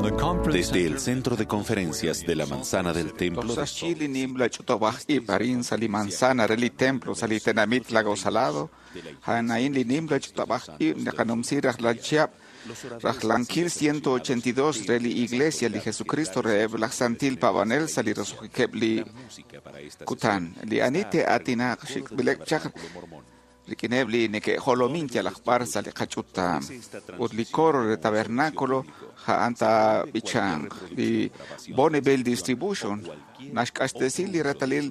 Desde el Centro de Conferencias de la Manzana del Templo de Toj sa' xyi li nimla ch'utub'aj ib' arin sa' li manzana re li templo sa' li tenamit Lago Salado, a'an li nimla ch'utub'aj ib' naqanumsi rajlal chihab' rajlankil 182 re li Iglesia li Jesucristo reheb' laj Santil Paab'anel sa' li roso'jikeb' li kutan. Li ani te'aatinaq xik'b'ileb' chaq rik'ineb' li neke'jolomin yalaq b'ar sa' li qach'utam ut li coro re tabernáculo a'an taab'ichanq. Li Bonneville Distribution naxk'axtesi li reetalil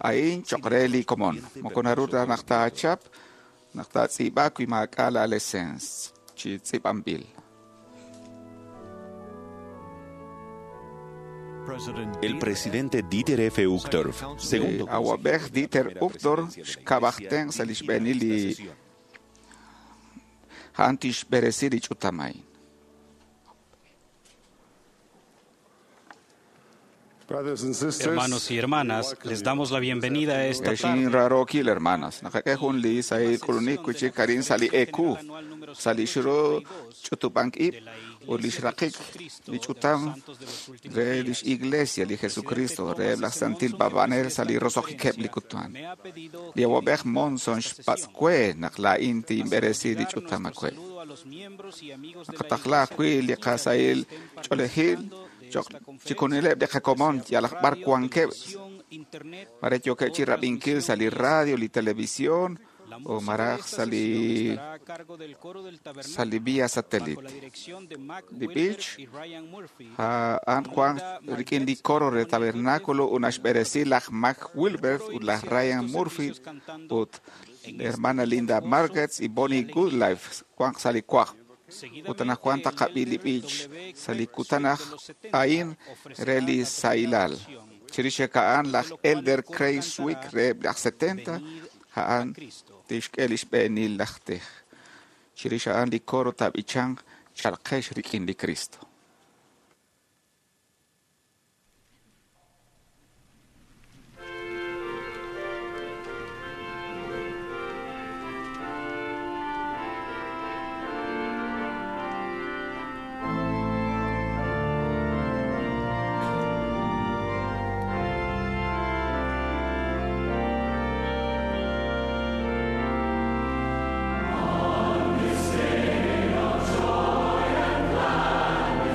a'in choq' re li komon. Moko naru ta naq taachap naq taatz'iib'a wi maak'a' la lesens chi tz'iib'anb'il. El presidente Dieter F. Uchtdorf, segundo Li awab'ej Dieter Uchtdorf xkab'aj tenq sa' li xb'eenil li a'an tixb'eresi li ch'utam a'in. Hermanos y hermanas, les damos la bienvenida a esta Exin tarde. rarookil hermanas, naqak'e jun li sahil k'ulunik wi'chik arin sa' li EQ, sa' li xro ch'utub'ank ib' ut li xraqik li ch'utam re lix Iglesia li Jesucristo reheb' laj Santil Paab'anel sa' li roso'jikeb' li kutan. Li awab'ej Monson xpatz' we naq laa'in tinb'eresi li ch'utam awe. Naqataqla ajwi' li qasahil ch'oolejil choq' chikunileb' li qakomon yalaq b'ar wankeb' mare yookeb' chi rab'inkil sa' li radio, li televisión o maraj sa' li vía satélite. Li b'ich a'an Juan rik'in li coro re tabernáculo ut naxb'eresi laj Mac Wilbert ut laj Ryan Murphy ut hermana Linda Margets y Bonnie Goodlife wanq sa' li wajb'. Ut anaqwan taqab'i li b'ich sa' li kutan a'in re li sahilal. Chirix a'an laj Elder Craig Swick reheb' laj 70 a'an tixk'e li xb'eenil laj tij. Chirix a'an li coro taab'ichanq chalqex rik'in li Cristo. Joy and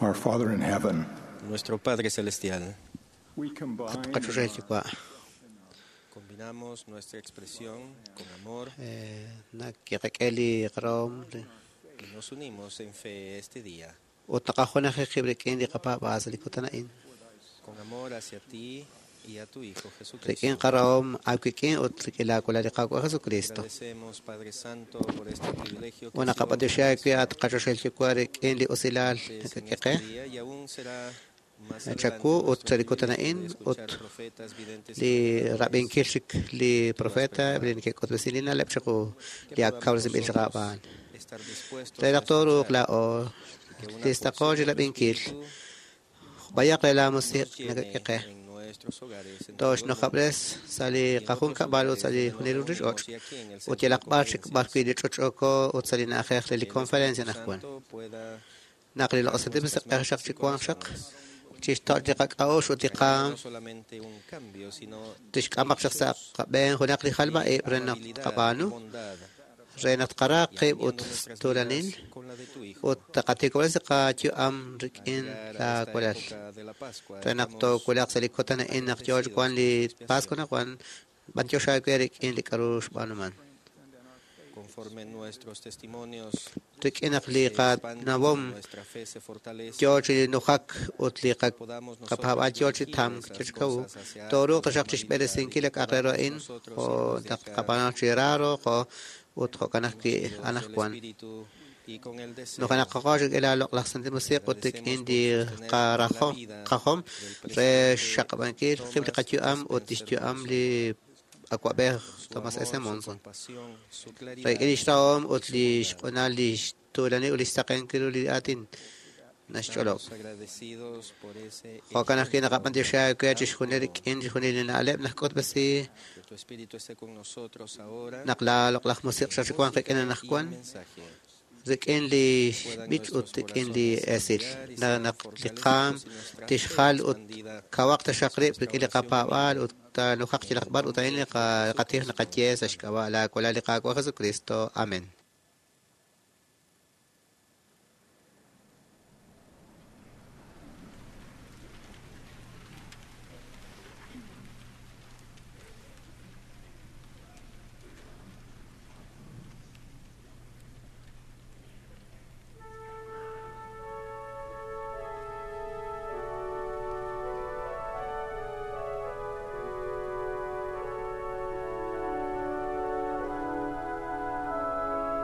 Our Father in heaven, Nuestro Padre Celestial, we combine At qachoxahil Yuwa', combinamos nuestra expresión con amor nakiqak'e li qarahom y nos unimos en fe este día, ut naqajunaji qib' rik'in li qapaab'aal sa' li kutan a'in. con amor hacia ti y a tu Hijo Rik'in Jesucristo. qarahom aawik'in ut rik'in laawalal li Qaawa' Jesucristo. Agradecemos, Padre Santo, por este privilegio que Ut ha sido naqab'antioxi aawe at qachoxahil Yuwa' rik'in li usilal en nakak'e este qe. día y aún será más Chaku adelante ut nuestro sa' li kutan privilegio a'in de ut escuchar profetas, videntes y li predicadores. rab'inkil chik li profeta li neke'k'utb'esin li na'leb' chiqu Que li ak podamos kawresinb'il chaq nosotros aab'aan. estar dispuestos Re a naq tooruuq escuchar laa'o y que una listaqo porción chi de tu rab'inkil Espíritu b'ayaq re laa nos musiq llene nakak'e qe. en nuestros hogares, en todo el mundo Tooxnojab'res sa' li y en otros qajunkab'al ut lugares sa' li donde nos junil reunimos ruchich'och' y aquí en el ut centro de yalaq b'ar chik b'ar conferencias. wi' li ch'och'oko ut sa' li na'ajej re Que li el conferencia Espíritu anaqwan. Santo pueda Naq li tocar loq'osantil nuestras musiq'ej xaq mentes y chi wanq xaq corazones, chixtoch' li qak'a'uxl ut li trayendo qaam no solamente un cambio, sino tixk'amaq xaq sa' hechos qab'een junaq li jalb'a'ib' de re naq amabilidad y tqab'aanu bondad, re naq tqara y qib' ut alineando nuestras tuulanil vidas con la de tu Hijo. ut taqatiikob'resi qayu'am Al rik'in llegar a esta laawalal época de la Pascua, re naq estamos toowulaq sa' li kutan a'in naq yoo chi agradecidos wank por li tu Pascua expiación. anaqwan b'antiox aawe rik'in li k'a'ru xb'aanuman. Conforme nuestros testimonios Rik'in naq li se expanden y qanawom nuestra fe se fortalece, yoo chi nujak ut li podamos qapaab'aal nosotros yoo chi dirigir tamk esas yoo chi kawu cosas hacia tooruuq la taxaq humanidad y chixb'eresinkil que li k'a'aq re ru podamos a'in nosotros jo' ir desde naq acá tqab'aanu chi raaro jo' ut jo'kan ajwi' ungidos del anaqwan. Espíritu y con el deseo. Nujenaqaqo rik'in la loq'laj Santil Musiq ut rik'in Agradecemos li por sostener la qarajom vida qajom del re presidente xxaqab'ankil qib' li Thomas qayu'am ut Spencer lix yu'am Monson. li awa'b'ej Su Thomas S. amor, su Monson. compasión, su Rik'in claridad lix rahom ut y su li bondad. xq'unal li xtuulanil ut li xsaqenkil ru li aatin naxch'olob'. Estamos agradecidos por ese Jo'kan ajwi' ejemplo naqab'antioxi aawe tan chixjunil puro. rik'in chixjunil li na'leb' najk'utb'esi Que tu Espíritu esté con nosotros ahora naq la loq'laj musiq en xaq chi wanq música rik'in y en anaqwan mensaje. rik'in li Puedan b'ich ut nuestros rik'in li corazones esil. cambiar y Na sean naq li qaam fortalecidos y nuestra fe tixjal ut expandida kawaq taxaq hacia rib' nuestra rik'in li oración qapaab'aal humilde. ut taanujaq En chi el laqb'ar ut nombre a'in li de qatij Jesucristo. naqaye sa' Amén. xk'ab'a' laawalal li Qaawa' Jesucristo. Amén. Thank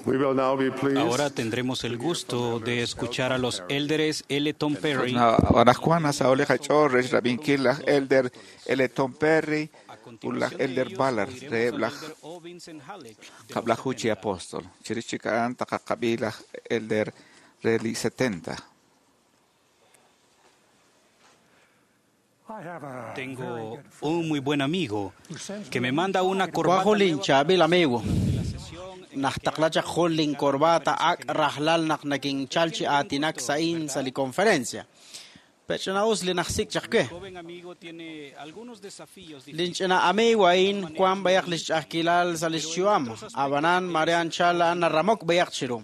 Ahora tendremos el gusto de escuchar a los élderes L. Tom Perry. Anajwan nasaho' li qach'ool re xrab'inkil laj Elder L. Tom Perry ut laj Elder Ballard reheb' laj kab'laju chi apóstol. Chirix chik a'an taqaqab'i laj Elder re li 70. Tengo un muy buen amigo que me manda una corbata. Wank jun linchaab'il amigo najtaqla chaq jun lincorbata ak' rajlal naq nakinchal chi aatinak sa'in sa' li conferencia. Pech'ina'us li najsik' chaq we. Linch'ina amigo a'in wan b'ayaq li xch'a'ajkilal sa' li xyu'am. Ab'anan mare anchal a'an naramok b'ayaq chiru.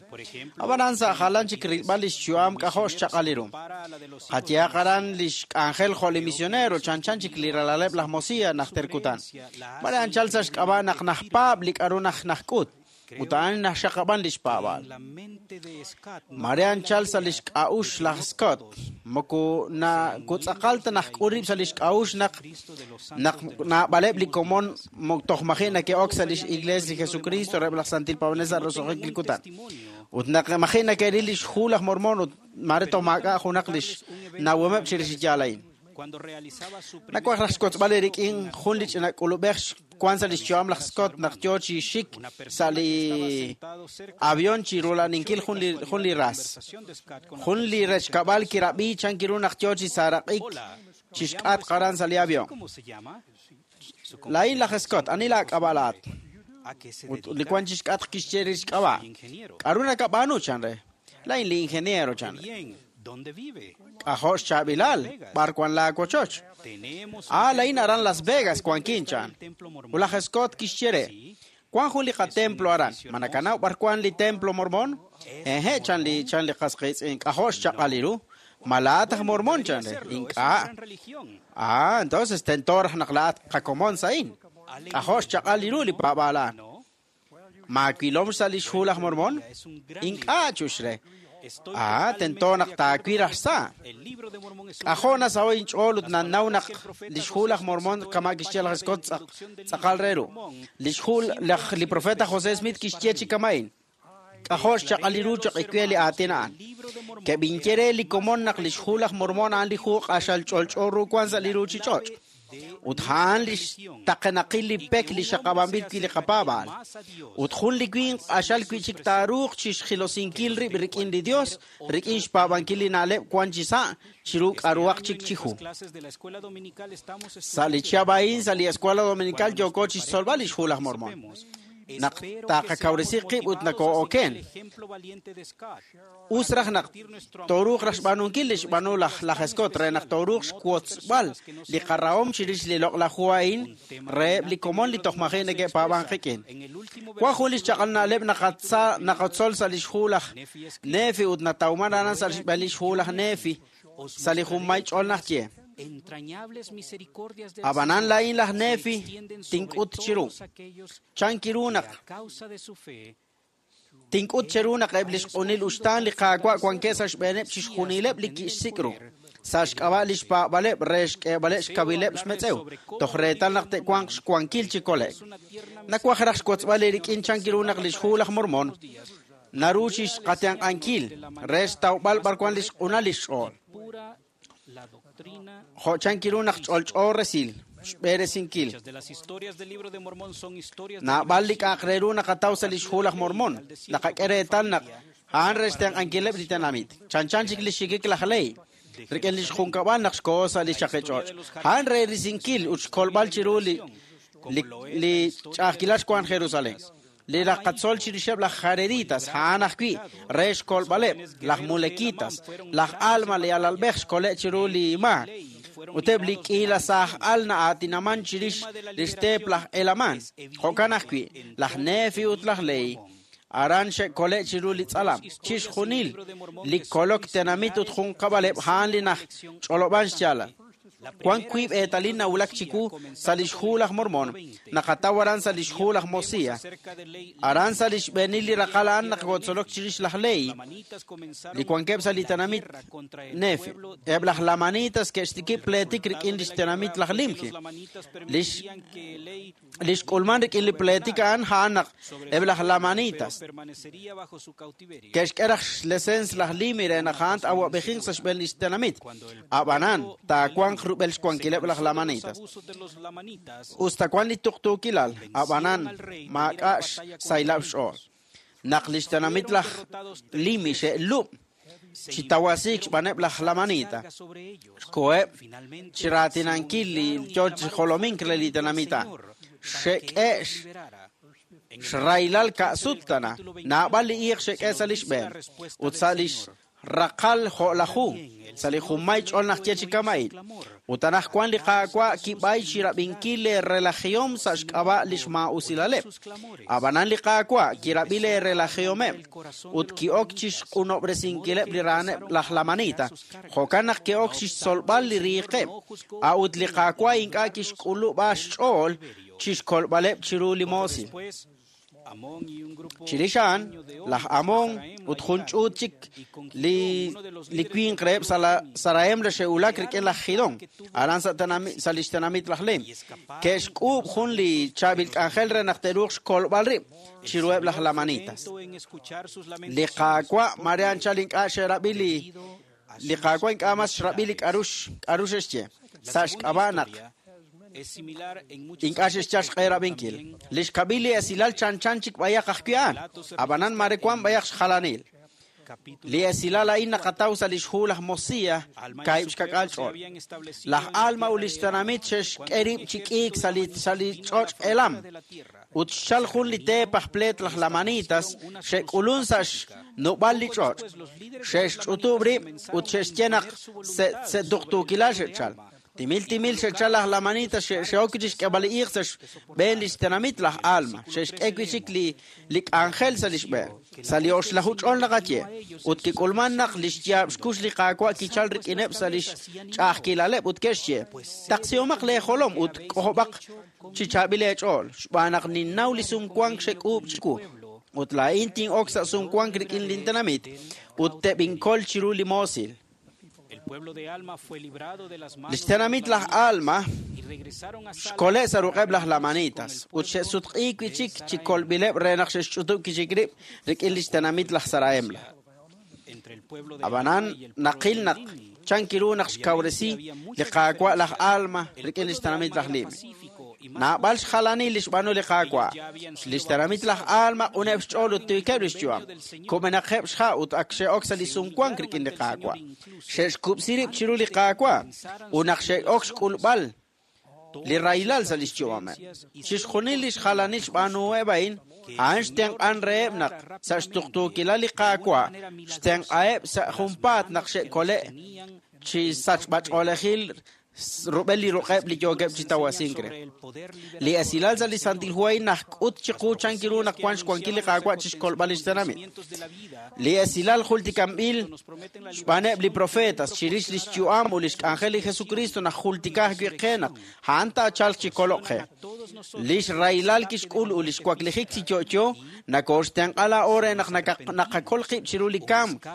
Ab'anan sa' jalan chik rilb'al li xyu'am k'ajo' xchaq'al ru. Qayehaq aran li xk'anjel jo' li misionero chanchan chik li ralaleb' laj Mosiah najter kutan. Mare anchal sa' xk'ab'a' naq najpaab' li k'aru najk'ut. Ut a'an najxaqab'an li xpaab'al. Mare anchal sa' li xk'a'uxl laj Scott. Moko nakutz'aqal ta najk'ul rib' sa' li xk'a'uxl naq naab'aleb' li komon toj maji' nake'ok sa' lix Iglesia li Jesucristo reheb' laj Santil Paab'anel sa' roso'jik li kutan. Ut naq maji' nake'ril li xhu laj Mormon ut mare toj maak'a' junaq li xnawomeb' chirix li yaal a'in. Nawaj raj xwotzb'al eerik'in jun li ch'ina k'ulub'ej wan sa' li xyu'am laj Scott naq yo chi xik sa' li avión chi rula'aninkil jun li ras. Jun li rechkab'al kirab'i chan kiru naq yo chi saaraq'ik chi xk'atq aran sa' li avión. Laa'in laj Scott, ani laak'ab'a' laa'at? Ut li wan chi xk'atq kixye li xk'ab'a'. K'aru nakab'aanu chan re? Laa'in li ingeniero chan re. K'ajo' xchaab'ilal, b'ar wan laawochoch. Ah, laa'in aran Las Vegas wankin chan. Ut laj Scott kixye re, wan jun li qatemplo aran. Ma nakanaw b'ar wan li templo mormón? Eje, chan li qas qiitz'in. K'ajo' xchaq'al ru. Ma laa'at aj mormón chan re. Ink'a'. Ah, entonces tento raj naq laa'at qakomon sa'in. K'ajo' xchaq'al ru li paab'aal a'an. Ma wilom sa' li xhu laj mormón? Ink'a' chux re. Ah, tento naq taawil raj sa'. K'ajo' nasaho' inch'ool ut nanaw naq li xhu laj Mormón kama' kixye laj Scott tz'aqal re ru. Li xhu laj li profeta José Smith kixye chi kama'in. K'ajo' xchaq'al ru choq' ikwe li aatin a'an. Keb'inye re li komon naq li xhu laj Mormón a'an li hu q'axal ch'olch'o ru wan sa' li ruuchich'och'. Ut a'an li xtaqenaqil li pek li xaqab'anb'il wi' li qapaab'aal. Ut jun li winq q'axal wi'chik taaruuq chi xjilosinkil rib' rik'in li Dios, rik'in xpaab'ankil li na'leb' wan chi sa' chiru k'aruhaq chik chi hu. Sa' li chihab' a'in sa' li Escuela Dominical yooko chi xtzolb'al li xhu laj Mormón. Naq taqakawresi qib' ut nakoo'oken. Us raj naq tooruuq raj xb'aanunkil li xb'aanu laj Scott re naq tooruuq xwotzb'al li qarahom chirix li loq'laj hu a'in reheb' li komon li toj maji' neke'paab'an qik'in. Wan jun li xchaq'al na'leb' naqatzol sa' li xhu laj Nefi ut natawman aran sa' xb'een li xhu laj Nefi sa' li junmay ch'ol najye. Ab'anan laa'in laj Nefi tink'ut chiru. Chan kiru naq tink'ut cheru naq eb' li xq'unil uxtaan li Qaawa' wankeb' sa' xb'eeneb' chixjunileb' li kixsik' ru. Sa' xk'ab'a' li xpaab'aleb' re xk'eeb'aleb' xkawileb' xmetz'ew, toj reetal naq te'wanq xwankil chi kole'k. Nawaj raj xwotzb'al eerik'in chan kiru naq li xhu laj Mormón naru chi xqatenq'ankil re xtawb'al b'ar wan li xq'unal li xch'ool. Jo' chan kiru naq ch'olch'o resil xb'eresinkil. Naab'al li k'a'aq re ru naqataw sa' li xhu laj Mormón. Naqak'e reetal naq a'an re xtenq'ankileb' li tenamit. Chanchan chik li xxikik laj Ley rik'in li xjunkab'al naq xkoho sa' li chaqich'och'. A'an re risinkil ut xkolb'al chiru li ch'a'ajkilal xwank Jerusalén. Li raqatzol chirixeb' laj Jareditas, a'an ajwi' re xkolb'aleb' laj Mulekitas, laj Alma li alalb'ej xkole' chiru li maak. Ut eb' li k'iila saaj al na'aatinaman chirix li xteep laj Elamán. Jo'kan ajwi', laj Nefi ut laj Ley aran xe'kole' chiru li tz'alam. Chixjunil li kolok tenamit ut junqab'aleb' a'an li naj ch'olob'an xyaalal. Wan wiib' eetalil nawulak chiwu sa' li xhu laj Mormón, naqataw aran sa' li xhu laj Mosiah. Aran sa' li xb'eenil li raqal a'an naq kotzolok chirix laj Ley, li wankeb' sa' li tenamit Nefi. Eb' laj Lamanitas ke'xtikib' pleetik rik'in li xtenamit laj Limhi. Li xk'ulman rik'in li pleetik a'an a'an naq eb' laj Lamanitas ke'xk'e raj xlesens laj Limi re naq a'an t-awab'ejinq sa' xb'een lix tenamit. Ab'anan, taawanq rub'el xwankileb' laj Lamanitas. Us ta wan li tuqtuukilal, ab'anan maak'a' xsaylab' xch'ool. Naq lix tenamit laj Limi xe'lub' chi tawasiik xb'aaneb' laj Lamanita, xkoheb' chi raatinankil li yo chi jolomink re li tenamit a'an. Xe'k'e xraylal ka'sut tana, naab'al li iiq xe'k'e sa' lix b'een, ut sa' lix raqal jo'laju, sa' li junmay ch'ol naq ye chi kama'il. Ut anaqwan li Qaawa' kib'ay chi rab'inkil le relajihom sa' xk'ab'a' lix maa'usilaleb'. Ab'anan li Qaawa' kirab'i le relajihomeb' ut ki'ok chi xq'unob'resinkileb' li ra'aneb' laj Lamanita. Jo'kan naq ke'ok chi xtzolb'al li riiqeb'. A'ut li Qaawa' ink'a' kixk'ulub'a xch'ool chi xkolb'aleb' chiru li moosil. Chirix a'an, laj Amón ut jun ch'uut chik li winq reheb' Sarahem xe'wulak rik'in laj Gidón, aran sa' lix tenamit laj Lem. Ke'xk'uub' jun li chaab'il k'anjel re naq te'ruuq xkolb'al rib' chiruheb' laj Lamanitas. Li Qaawa' mare anchal ink'a' xe'rab'i li Qaawa' ink'a' mas xrab'i li k'a'ru xe'xye sa' xk'ab'a' naq ink'a' xe'xyal xq'e rab'inkil. Li xkab'il li esilal chanchan chik b'ayaq ajwi' a'an, ab'anan mare wan b'ayaq xjalanil. Li esilal a'in naqataw sa' lix hu laj Mosiah, kaahib' xkak'al ch'ol. Laj Alma ut lix tenamit xe'xk'e rib' chi k'iik sa' li ch'och' Elam. Ut xchal jun li teep aj pleet laj Lamanitas xe'k'ulun sa' xnub'al li ch'och'. Xe'xch'utub' rib' ut xe'xye naq se'tuqtuukilal xe'chal. Timil timil xe'chal laj Lamanitas xe'ok chi xk'eb'al li iiq sa' xb'een lix tenamit laj Alma. Xe'xk'e wi' chik li k'anjel sa' lix b'een. Sa' li oxlaju ch'ol naqaye. Ut kik'ulman naq lix yaab' xkux li Qaawa' kichal rik'ineb' sa' lix ch'a'ajkilaleb' ut ke'xye, taqsihomaq lee jolom ut k'ojob'aq chi chaab'il eech'ool, xb'aan naq ninnaw li sumwank xek'uub' chiwu. Ut laa'in tin'ok sa' sumwank rik'in lin tenamit ut teb'inkol chiru li moosil. Lix tenamit laj Alma xkole' sa' ruq'eb' laj Lamanitas ut xe'sutq'iik wi' chik chi kolb'ileb' re naq xe'xch'utub' kichik rib' rik'in lix tenamit laj Sarahemla. Ab'anan naqil naq chan kiru naq xkawresi li Qaawa' laj Alma rik'in lix tenamit laj Limi. Naab'al xjalanil li xb'aanu li Qaawa'. Lix tenamit laj Alma q'uneb' xch'ool ut tiikeb' lix yu'am. Kub'enaqeb' xha' ut ak xe'ok sa' li sumwank rik'in li Qaawa'. Xe'xkub'si rib' chiru li Qaawa' ut naq xe'ok xk'ulb'al li raylal sa' lix yu'ameb'. Chixjunil lix jalanil xb'aanuheb' a'in, a'an xtenq'an reheb' naq sa' xtuqtuukilal li Qaawa' xtenq'aheb' sa' junpaat naq xe'kole' chi sachb'ach'oolejil rub'el li ruq'eb' li yookeb' chi tawasink re. Li esilal sa' li Santil Hu a'in najk'ut chiqu chan kiru naq wan xwankil li Qaawa' chi xkolb'al lix tenamit. Li esilal jultikanb'il xb'aaneb' li profetas chirix lix yu'am ut lix k'anjel li Jesucristo naq jultika ajwi' qe naq a'an taachalq chi koloq qe. Lix raylal kixk'ul ut lix waklijik chi yo'yo nakooxtenq'a laa'o re naq naqakol qib' chiru li kamk.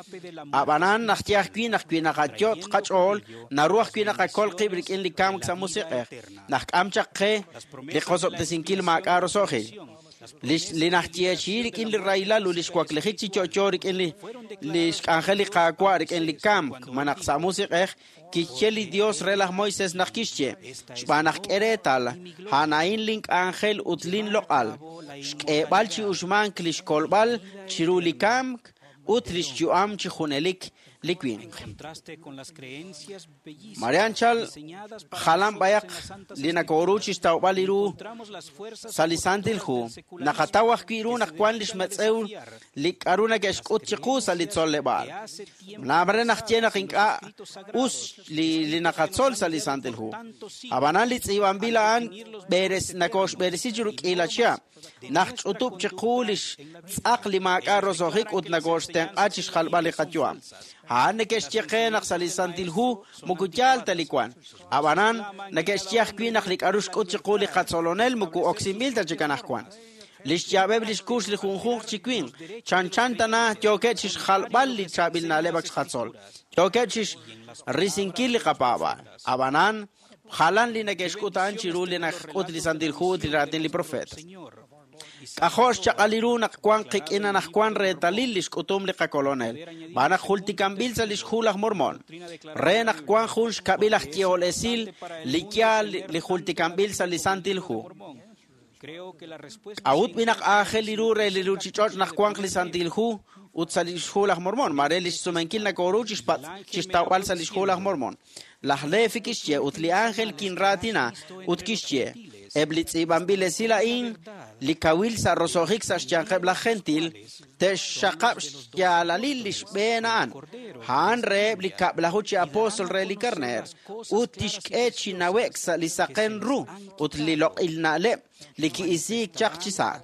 Ab'anan naq ye ajwi' naq wi naqayot' qach'ool, naru ajwi' naqakol qib' rik'in li kamk sa' musiq'ej. Naq k'am chaq qe li qosob'tesinkil maak'a' roso'jil. Li najyeechi'i rik'in li raylal ut lix waklijik chi yo'yo rik'in li xk'anjel li Qaawa' rik'in li kamk, malaj sa' musiq'ej, kixye li Dios re laj Moisés naq kixye, xb'aan naq k'e reetal, a'an a'in lin k'anjel ut lin loq'al, xk'eeb'al chi uxmank lix kolb'al chiru li kamk ut lix yu'am chi junelik li winq. Mare anchal jalan b'ayaq li nakooru chi xtawb'al li ru sa' li Santil Hu, naqataw ajwi' ru naq wan lix metz'ew li k'a'ru neke'xk'ut chiqu sa' li tzoleb'aal. Naab'al naq ye naq ink'a' us li naqatzol sa' li Santil Hu. Ab'anan li tz'iib'anb'il a'an nakooxb'eresi chiru k'iila chihab'. Naq ch'utub' chiqu lix tz'aq li maak'a' roso'jik ut nakooxtenq'a chi xjalb'al li qayu'am. A'an neke'xye qe naq sa' li Santil Hu moko yaal ta li wan. Ab'anan neke'xye ajwi' naq li k'a'ru xk'ut chiqu li qatzolonel moko oksinb'il ta chik anaqwan. Lix yaab'eb' lix kux li junjunq chi winq, chanchan tana yookeb' chi xjalb'al li chaab'il na'leb' ak xqatzol. Yookeb' chi risinkil li qapaab'aal. Ab'anan, Jalan li neke'xk'ut a'an chiru li naxk'ut li Santil Hu ut li raatin li profeet. K'ajo' xchaq'al ru naq wank qik'in anaqwan reetalil li xk'utum li qakolonel, xb'aan naq jultikanb'il sa' li xhu laj Mormon, re naq wank jun xkab'il aj yehol esil li yaal li jultikanb'il sa' li Santil Hu. K'a'ut b'i naq aajel ru re li ruuchich'och' naq wanq li Santil Hu ut sa' li xhu laj Mormon? Mare li xsumenkil nakoru chixtawb'al sa' li xhu laj Mormon. Laj Lefi kixye ut li ángel kinraatina ut kixye eb' li tz'iib'anb'il esil a'in li kawil sa' roso'jik sa' xyanqeb' laj gentil te'xxaqab' xyaalalil li xb'een a'an. A'an reheb' li kab'laju chi apóstol re li karneer ut tixk'e chi nawe'k sa' li saqen ru ut li loq'il na'leb' li ki'isiik chaq chi sa'.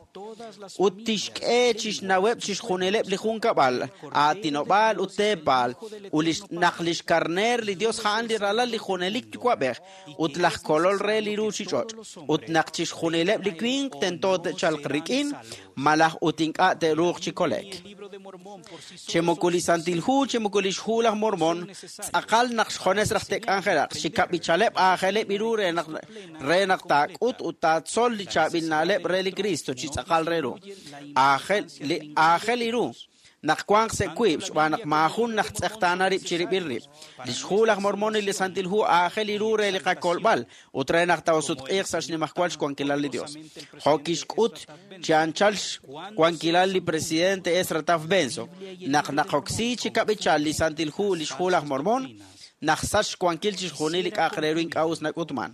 Ut tixk'e chi xnaweb' chixjunileb' li junkab'al, aatinob'aal ut teepaal, ut naq li xkarneer li Dios a'an li ralal li junelik yuwa'b'ej ut laj kolol re li ruuchich'och', ut naq chixjunileb' li winq tento te'chalq rik'in, malaj ut ink'a' te'ruuq chi kole'k. Chi moko li Santil Hu, chi moko li xhu laj Mormon, tz'aqal naq xjunes raj te'k'anjelaq, chi kab'ichaleb' aajeleb' ru re naq taak'ut ut taatzol li chaab'il na'leb' re li Cristo chi tz'aqal re ru. Aajel ru naq wanq sa' wiib' xb'aan naq maajun naj tz'eqtaana rib' chirib'il rib'. Li xhu laj Mormon y li Santil Hu aajel ru re li qakolb'al ut re naq taasutq'iiq sa' xnimajwal xwankilal li Dios. Jo' kixk'ut chi anchal xwankilal li presidente Ezra Taft Benson, naq naqoksi chi kab'ichal li Santil Hu li xhu laj Mormon, naq sach xwankil chixjunil li k'a'aq re ru ink'a' us nak'utman.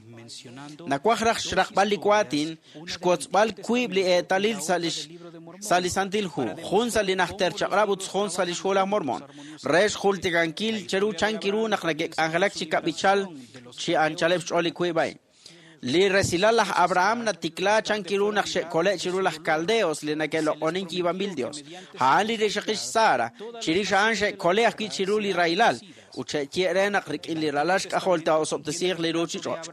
Nawaj raj xraqb'al li waatin, xwotzb'al wiib' li eetalil sa' li Santil Hu, jun sa' li najter chaq'rab' ut jun sa' li xhu laj Mormon, re xjultikankil cheru chankiru naq neke'k'anjelak chi kab'ichal chi anchaleb' xch'ool li wiib' a'in. Li resilal laj Abraham natikla chankiru naq xe'kole' chiru laj Caldeos li neke'loq'onin yiib'anb'il Dios. A'an li rixaqil Sara, chirix a'an xe'kole' ajwi' chiru li rahilal, ut xe'ye re naq rik'in li ralal xk'ajol taa'osob'tesiiq li ruuchich'och'.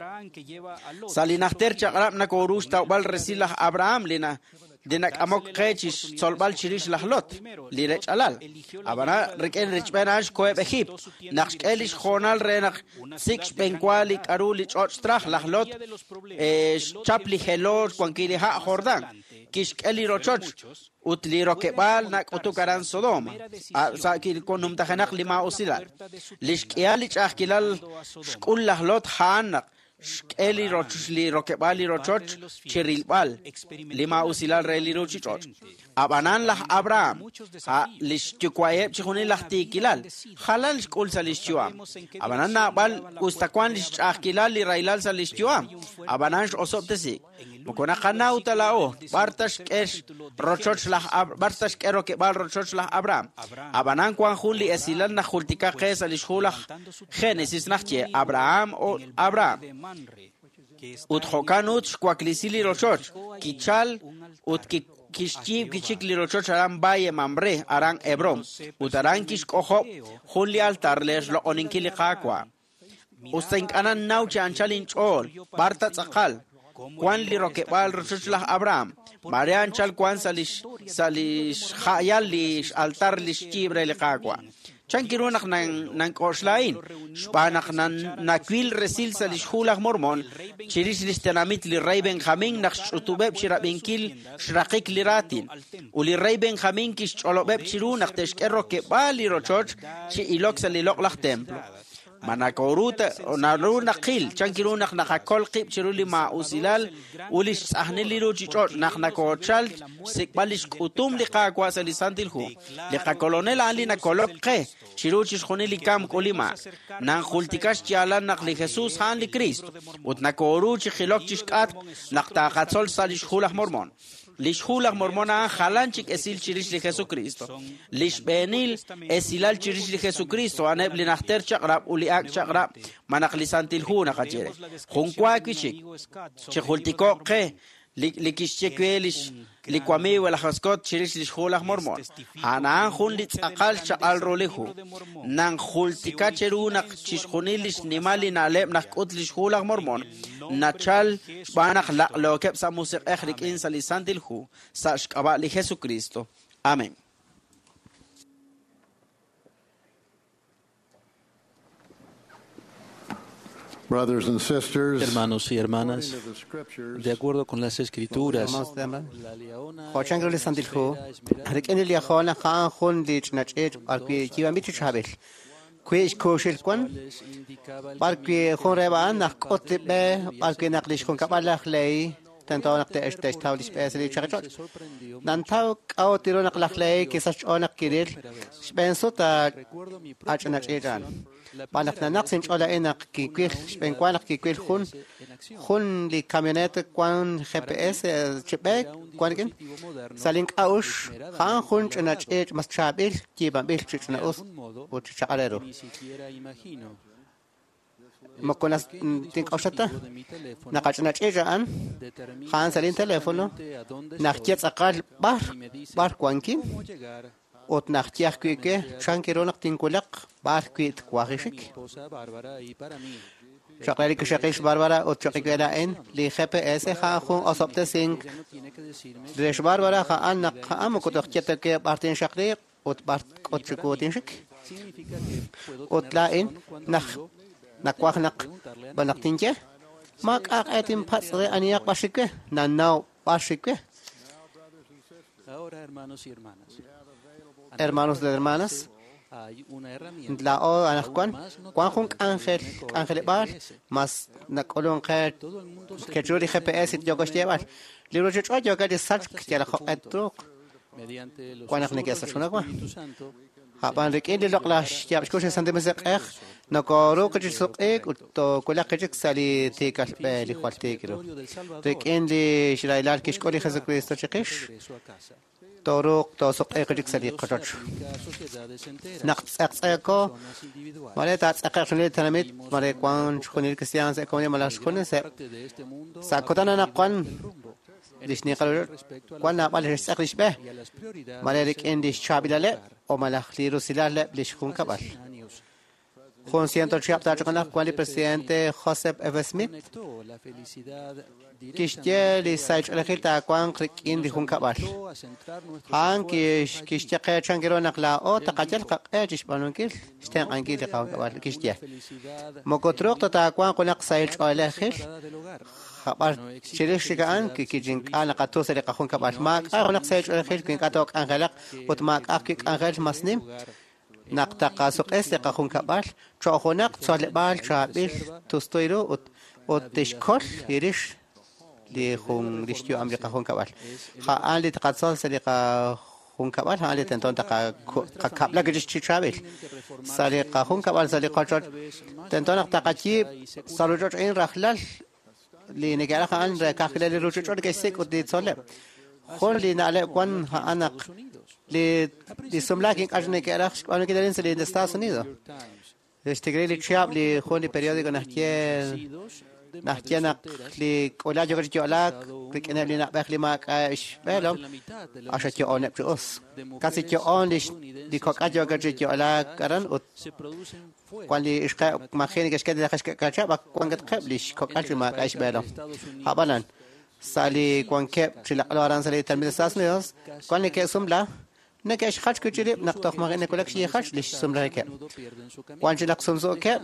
Sa' li najter chaq'rab' nakoru xtawb'al resil laj Abraham li nak'amok qe chi xtzolb'al chirix laj Lot, li rech'alal. Ab'anan rik'in richb'een a'an xkoheb' Ejiipt, naq xk'e li xjoonal re naq sik' xb'enwa li k'aru li ch'och' traj laj Lot, xchap li jelo xwankil li ha' Jordán, kixk'e li rochoch ut li rokeb'aal nak'utuk aran Sodoma, sa' numtajenaq li maa'usilal. Li xk'ihal li ch'a'ajkilal xk'ul laj Lot a'an naq xk'e li rokeb'aal li rochoch chi rilb'al li maa'usilal re li ruuchich'och'. Ab'anan laj Abraham, li xyuwa'eb' chixjunil laj tiikilal, jalan xk'ul sa' li xyu'am. Ab'anan naab'al us ta wank li xch'a'ajkilal li rahilal sa' li xyu'am, ab'anan x'osob'tesiik. Moko naqanaw ta laa'o b'ar ta xk'e rochoch laj b'ar ta xk'e rokeb'aal rochoch laj Abraham. Ab'anan wank jun li esilal naq jultika qe sa' li xhu laj Génesis naxye Abraham o Abraham. Ut jo'kan ut xwaklisi li rochoch, kichal ut kixyiib' kichik li rochoch aran Valle Mamre, aran Hebron, ut aran kixk'ojob' jun li altar re xloq'oninkil li Qaawa'. Us ta ink'a' nannaw chi anchal inch'ool, b'ar ta tz'aqal, wank li rokeb'aal rochoch laj Abraham, mare anchal wank sa' li xja'yal li xaltar li xyiib' re li Qaawa'. Chankiru naq nank'oxla a'in, xb'aan naq nawil resil sa' li xhu laj Mormon chirix li xtenamit li rey Benjamin naq xch'utub'eb' chi rab'inkil xraqik li raatin. Ut li rey Benjamin kixch'olob'eb' chiru naq te'xk'e rokeb'aal li rochoch chi ilok sa' li loq'laj templo. Ma nakoru naru naqil chankiru naq naqakol qib' chiru li maa'usilal ut li xtz'ajnil li ruuchich'och' naq nakochal xsik'b'al li xk'utum li Qaawa' sa' li Santil Hu. Li qakolonel a'an li nakolok qe chiru chixjunil li kamk ut li maak. Nanjultika xyaalal naq li Jesus a'an li Cristo ut nakoru chi jilok chixk'atq naq taaqatzol sa' li xhu laj Mormon. Li xhu laj Mormon a'an jalan chik esil chirix li Jesucristo. Li xb'eenil esilal chirix li Jesucristo a'aneb' li najter chaq'rab' ut li ak' chaq'rab' ma naq li Santil Hu naqaye re. Jun wa wi' chik, chi jultiko'q qe li kixye we li wamiiw laj Scott chirix li xhu laj Mormon. A'an a'an jun li tz'aqal chaq'al ru li hu. Nanjultika cheru naq chixjunil li xnimal li na'leb' naq k'ut li xhu laj Mormon, nachal xb'aan naq laq'lookeb' sa' musiq'ej rik'in sa' li Santil Hu, sa' xk'ab'a' li Jesucristo. Amén. Brothers and sisters, Hermanos y hermanas, de acuerdo con las Escrituras, Jo' chan ru li Santil Hu, rik'in li Liahona ja'an jun li ch'inach'ich' b'arwi' yiib'anb'il chi chaab'il. Wi' xkuuxil wan, b'arwi' jun reheb' a'an naq k'ut li b'e, b'arwi' naq li xjunkab'al laj Lehi tento naq te'xtaw li xb'e sa' li chaqich'och'. Nantaw k'a'ut ru naq laj Lehi kisach xch'ool naq kiril xb'een sut ach'inach'ich' a'an. B'an naq nanaq sinch'ool a'in naq kiwil xb'een wa naq kiwil jun jun li camioneta wan GPS chi b'eek wan rik'in. Sa' link'a'uxl ja'an jun ch'inach'ich' mas chaab'il yiib'anb'il chi ch'ina'us ut chi chaq'al ru. Moko tink'oxla ta naq ach'inach'ich' a'an ja'an sa' linteléfono naq ye tz'aqal b'ar b'ar wankin ut naq ye ajwi' we chan ru naq tinwulaq b'ar wi' twajixik. Choq' re li kixaqil xBarbara ut choq' we laa'in li GPS ja'an jun osob'tesink re xBarbara ja'an naq ja'an moko toj ye ta we b'ar tinxaqliq ut b'ar k'ut chiwu tinxik. Ut laa'in naq nawaj naq b'an naq tinye maak'a' q'e tinpatz' re anihaq b'ar xik we nanaw b'ar xik we. Ahora, hermanos y hermanas, Hermanos de hermanas, hay una herramienta laa'o anaqwan wan jun k'anjel k'anjeleb'aal mas nak'ulun qe kechu li GPS yooko xyeeb'al. Li ruchich'och' yooko chi sachk yal jo'q'e truuq mediante los wan naq susurros del neke'sachjunaq wa. Espíritu Santo. Hab'an rik'in li loq'laj xyaab' xkux li Santil Musiq'ej nokoruuq chi suq'iik ut toowulaq chik sa' li tiikal b'e li jwal tiik ru. Rik'in li xraylal kixk'ul li Jesucristo chiqix Regreso a casa. tooruuq toosuq'iiq chik sa' li qochoch. Sociedades enteras, Naq tz'eqtz'eeko personas individuales, mare taatz'eqe'q xjunil li tenamit mare wan xjunil cristian sa' komunidad malaj xjunes parte de este mundo sa' kutan anaqwan li xninqal wan naab'al li xtz'eq li xb'e y a las prioridades mare rik'in li xchaab'ilaleb' o malaj li rusilaleb' li xjunkab'al. años. Jun ciento chihab' taach'oqanaq wan li presidente Joseph F. Smith Conectó la felicidad kixye li sahil ch'oolejil taawanq rik'in li junkab'al. a centrar nuestros A'an kixye qe chan ru naq laa'o taqayal qaq'e chi xb'aanunkil xtenq'ankil li qajunkab'al kixye. Moko truuq ta taawanq junaq sahil ch'oolejil del hogar. jab'ar chirix chik a'an kichink'a naqatu sa' li qajunkab'al. Maak'a' junaq sahil ch'oolejil wi ink'a' took'anjelaq ut maak'a' ajwi' k'anjel mas nim naq taqasuq'es li qajunkab'al cho'q junaq tzoleb'aal chaab'il tustuy ru ut ut tixkol lirix li jun li xyu'am li qajunkab'al. Ja'an li taqatzol sa' li qajunkab'al ja'an li tento taqakab'la chi chaab'il. Sa' li qajunkab'al sa' li qochoch tento naq taqayiib' sa' ruchoch a'in rajlal li neke'raj a'an re kajkile li ruchich'och' neke'xsik' ut li tzoleb'. Jun li na'leb' wan a'an naq li li sumlaak ink'a' neke'raj xb'aanunkil arin sa' li Estados Unidos. Xtikri li chihab' li jun li periódico naxye naxye naq li k'ulaj yooko chi yo'laak rik'ineb' li na'b'ej li maak'a' xb'eelom axa yo'oneb' chi us. Casi yo'on li li kok'al yooko chi yo'laak aran ut Se producen fuera wan li ixqeb' maji neke'xk'e li xk'achab' wankatqeb' li xkok'al chi maak'a' xb'eelom. Ab'anan sa' li wankeb' chi laq'lo aran sa' li tenamit Estados Unidos wan neke'sumla neke'xjach wi' chi rib' naq toj maji nawulak xyijach li xsumlajikeb'. pierden su camino. Wan chi naq sumsuukeb'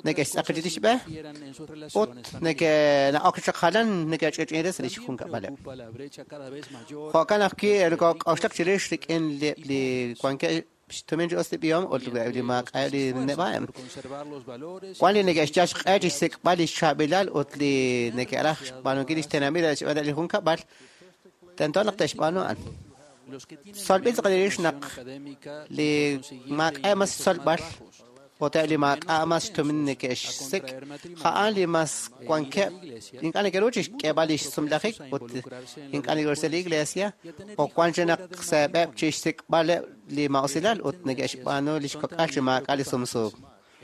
neke'xtz'aq chi xb'e Quieran en sus ut relaciones neke'na'ok chaq jalan neke'ch'ich'in re sa' li xjunkab'aleb'. Ocupa la brecha cada vez mayor Jo'kan ajwi' nokok'oxlak chirix rik'in li li wankeb' xtumin chi us li b'ihom ut li maak'a' li neb'a'eb'. por conservar los valores Wan li neke'xyal xq'e chi xsik'b'al li xchaab'ilal ut li neke'raj xb'aanunkil li xtenamit re xb'aan li junkab'al tento naq te'xb'aanu a'an. los que tienen Tzolb'il tz'aqal rix naq académica li maak'a' mas tzolb'al ut eb' li maak'a' mas xtumin neke'xsik' ja'an li mas wankeb' ink'a' neke'ru chi xk'eeb'al li xsumlajik ut ink'a' neke'ru sa' li iglesia o wan chi naq seeb'eb' chi xsik'b'aleb' li ma'usilal ut neke'xb'aanu li xkok'al chi maak'a' li sumsuuk.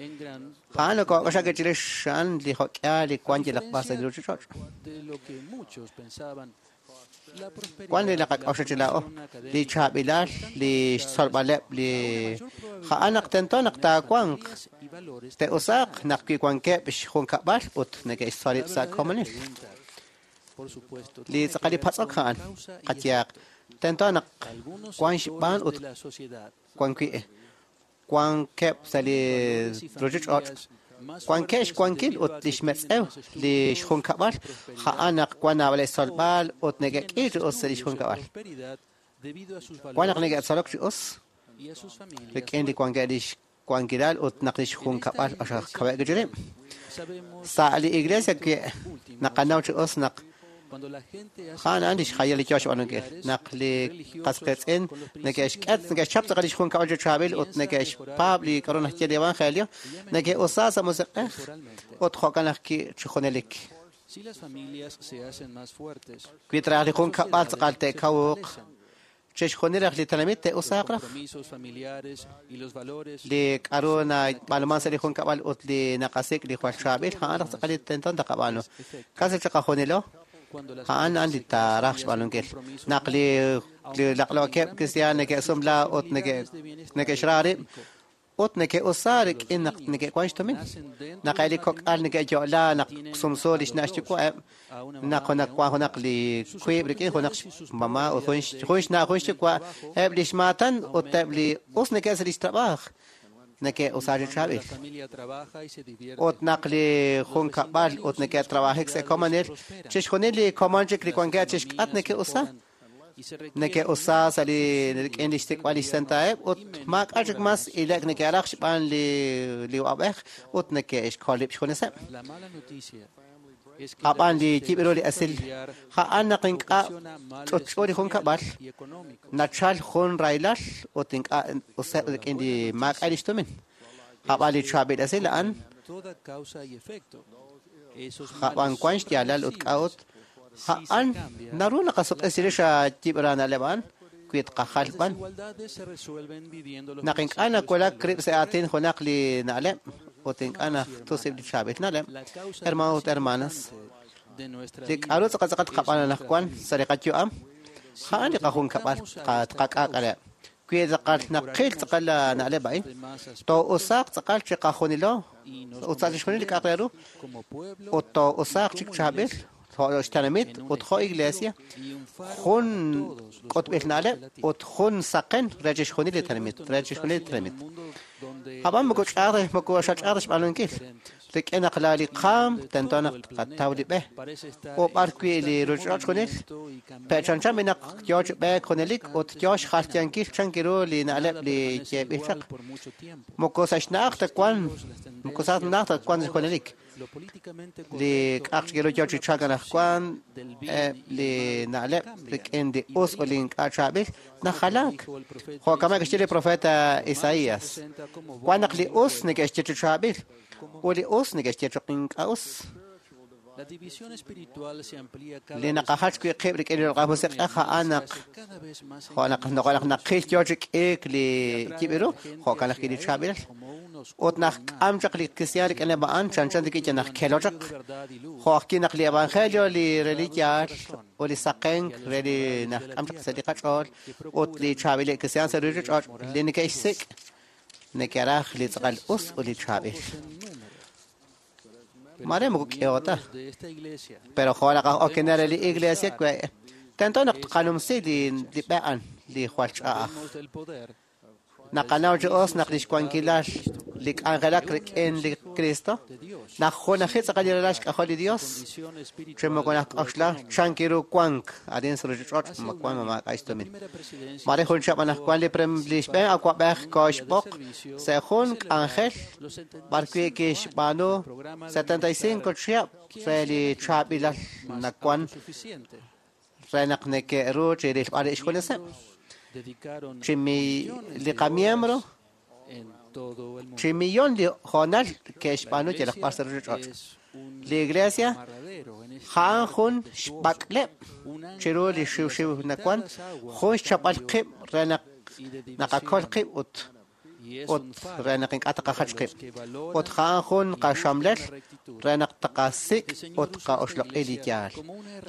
en gran Ja'an nokok'oxlak chirix a'an li jo'k'ihal li wan yalaq b'ar sa' li ruchich'och'. de lo que muchos pensaban. La prosperidad, Wan li naqak'oxla chi laa'o li chaab'ilal li xtzolb'aleb' li ja'an naq tento naq taawanq y valores te'usaaq naq wi wankeb' xjunkab'al ut neke'xtzol rib' sa' komonil. por supuesto, Li tz'aqal li patz'ok ja'an qayehaq tento naq algunos wan xb'aan sectores ut de la sociedad wan wi' wankeb' sa' li ruchich'och' Wankeb' xwankil ut li xmetz'ew li xjunkab'al a'an naq wan naab'al xtzolb'al ut neke'k'i chi us sa' li xjunkab'al. Wan naq neke'tzolok chi us rik'in li wankeb' li xwankilal ut naq li xjunkab'al q'axal kaweb' chi rib'. Sa' li iglesia naqanaw chi us naq a'an a'an li xjayal li yoo xb'aanunkil. Naq li qas qiitz'in neke'xk'et, neke'xchap tz'aqal li xjunkab'al chi chaab'il ut neke'xpaab' li k'a'ru naxye li evangelio, neke'usa sa' musiq'ej ut jo'kan ajwi' chi junelik. Wi traj li junkab'al tz'aqal te'kawuq, chixjunil raj li tenamit te'usaaq raj. Li k'a'ru nab'aanuman sa' li junkab'al ut li naqasik' li jwal chaab'il, a'an raj tz'aqal li tento taqab'aanu. Casi chiqajunilo, a'an a'an li taaraj xb'aanunkil. Naq li laq'lookeb' kristiaan neke'sumla ut neke'xra rib' ut neke'usa rik'in naq neke'wan xtumin. Naq eb' li kok'al neke'yo'la naq sumsu li xna' xyuwa'eb', naq wan junaq li wiib' rik'in junaq xmama ut jun xna' jun xyuwa', eb' li xmaatan ut eb' li us neke'sa li xtrab'aaj neke'usa chi chaab'il. Ut naq li junkab'al ut neke'trab'ajik sa' komonil, chixjunil li komon chik li wankeb' chixk'at neke'usa. Neke'usa sa' li rik'in li xsik'b'al li xsentaeb' ut maak'a' chik mas ilek neke'raj xb'aan li uq'ab'ej ut neke'xkol rib' xjuneseb'. Ab'an li yib' ru li esil a'an naq ink'a' ch'utch'u li junkab'al nachal jun rahilal ut ink'a' useb' rik'in li maak'a' li xtumin. Ab'an li chaab'il esil a'an ab'an wan xyaalal ut k'a'ut a'an naru naqasuq'isi rix yib' ra na'leb' a'an wi tqajal b'an. Naq ink'a' nawulak rib' sa' aatin junaq li na'leb' ut ink'a' najtusib' li chaab'il na'leb', hermanos ut hermanas, li k'a'ru tz'aqal tz'aqal tqab'aan anaqwan sa' li qayu'am, a'an li qajunkab'al tqak'aak'aleb'. Wi tz'aqal naqil tz'aqal la na'leb' a'in, too'usaaq tz'aqal chiqajunilo ut sa' chixjunil li k'a'aq re ru, ut too'usaaq chik chaab'il jo' xtenamit ut jo' iglesia, jun k'utb'il na'leb' ut jun saqen re chixjunil li tenamit, re chixjunil li tenamit. Ab'an moko ch'aaj moko xach'aaj xb'aanunkil. Rik'in naq la li qaam tento naq tqataw li b'e. U b'ar wi' li ruuchich'och' junil, pe'chanchan naq yoo chi b'eek junelik ut yoo xjalyankil chan ru li na'leb' li yeeb'il chaq. Moko sa' xna'aj ta wan, moko sa' xna'aj ta wan junelik. Li k'a'aq chik ru yoo chi chalk anaqwan, li na'leb' rik'in li us ut li ink'a' chaab'il najalaak. Jo'kan kixye li profeta Isaías. Wan naq li us neke'xye chi chaab'il ut li us neke'xye choq ink'a' us. Li naqajach wi' qib' rik'in li loq'laj musiq'ej a'an naq jo' naq naq naqil yoo chi k'iik li yib' ru, jo'kan ajwi' li chaab'ilal. Ut naq k'am chaq li kristiaan rik'in a'an chanchan rik'in naq kelo chaq. Jo' ajwi' naq li evangelio li re li yaal ut li saqenk re li naq k'am chaq sa' li qach'ool ut li chaab'il kristiaan sa' ruuchich'och' li neke'xsik' neke'raj li tz'aqal us ut li chaab'il. Mare moko k'ehota. Pero jo' naq okenel li iglesia tento naq tqanumsi li b'e a'an li jwal ch'a'aj. Naqanaw chi us naq li xwankilal li k'anjelak rik'in li Cristo, naq junaji tz'aqal li ralal xk'ajol li Dios, chi moko naqk'oxla chan kiru wank arin sa' ruuchich'och' ma wan ma maak'a' xtumin. Mare jun chihab' anaqwan li xb'een awa'b'ej kooxb'oq sa' jun k'anjel b'ar wi' kixb'aanu 75 chihab' re li chaab'ilal nawan re naq neke'ru chi rilb'al rib' xjuneseb'. Chi li qamiembro chi millón li hoonal ke'xb'aanu yalaq b'ar sa' ruuchich'och'. Li iglesia a'an jun xb'ak'leb' chiru li xiwxiw nawan, jun xchapb'al qib' re naq naqakol qib' ut re naq ink'a' taqajach qib'. Ut a'an jun qaxamlel re naq taqasik' ut qa'oxloq'i li yaal.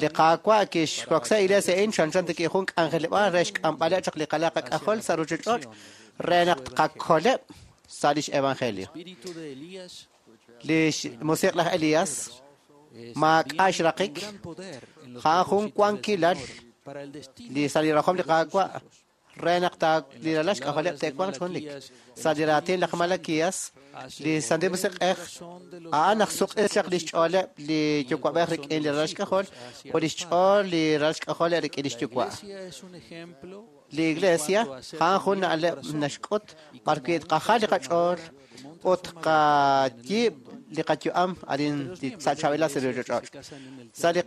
Li Qaawa' kixroksi iglesia a'in chanchan rik'in jun k'anjeleb'aal re xk'amb'aleb' chaq li qalaq qak'ajol sa' ruuchich'och' re naq tqakoleb' sa' lix evangelio. Li musiq' laj Elías maak'a' xraqik, a'an jun wankilal li sa' li rajom li Qaawa' re naq li ralal xk'ajoleb' te'wanq junelik. Sa' li raatin laj Malaquías, li Santil Musiq'ej a'an naq suq'is chaq li xch'ooleb' li yuwa'b'ej rik'in li ralal xk'ajol ut li xch'ool li ralal xk'ajol rik'in li xyuwa'. Li Iglesia a'an jun na'leb' naxk'ut b'ar wi' tqajal li qach'ool ut tqayiib' li qayu'am arin sa' chaab'ilal sa' li ruuchich'och'. Sa' li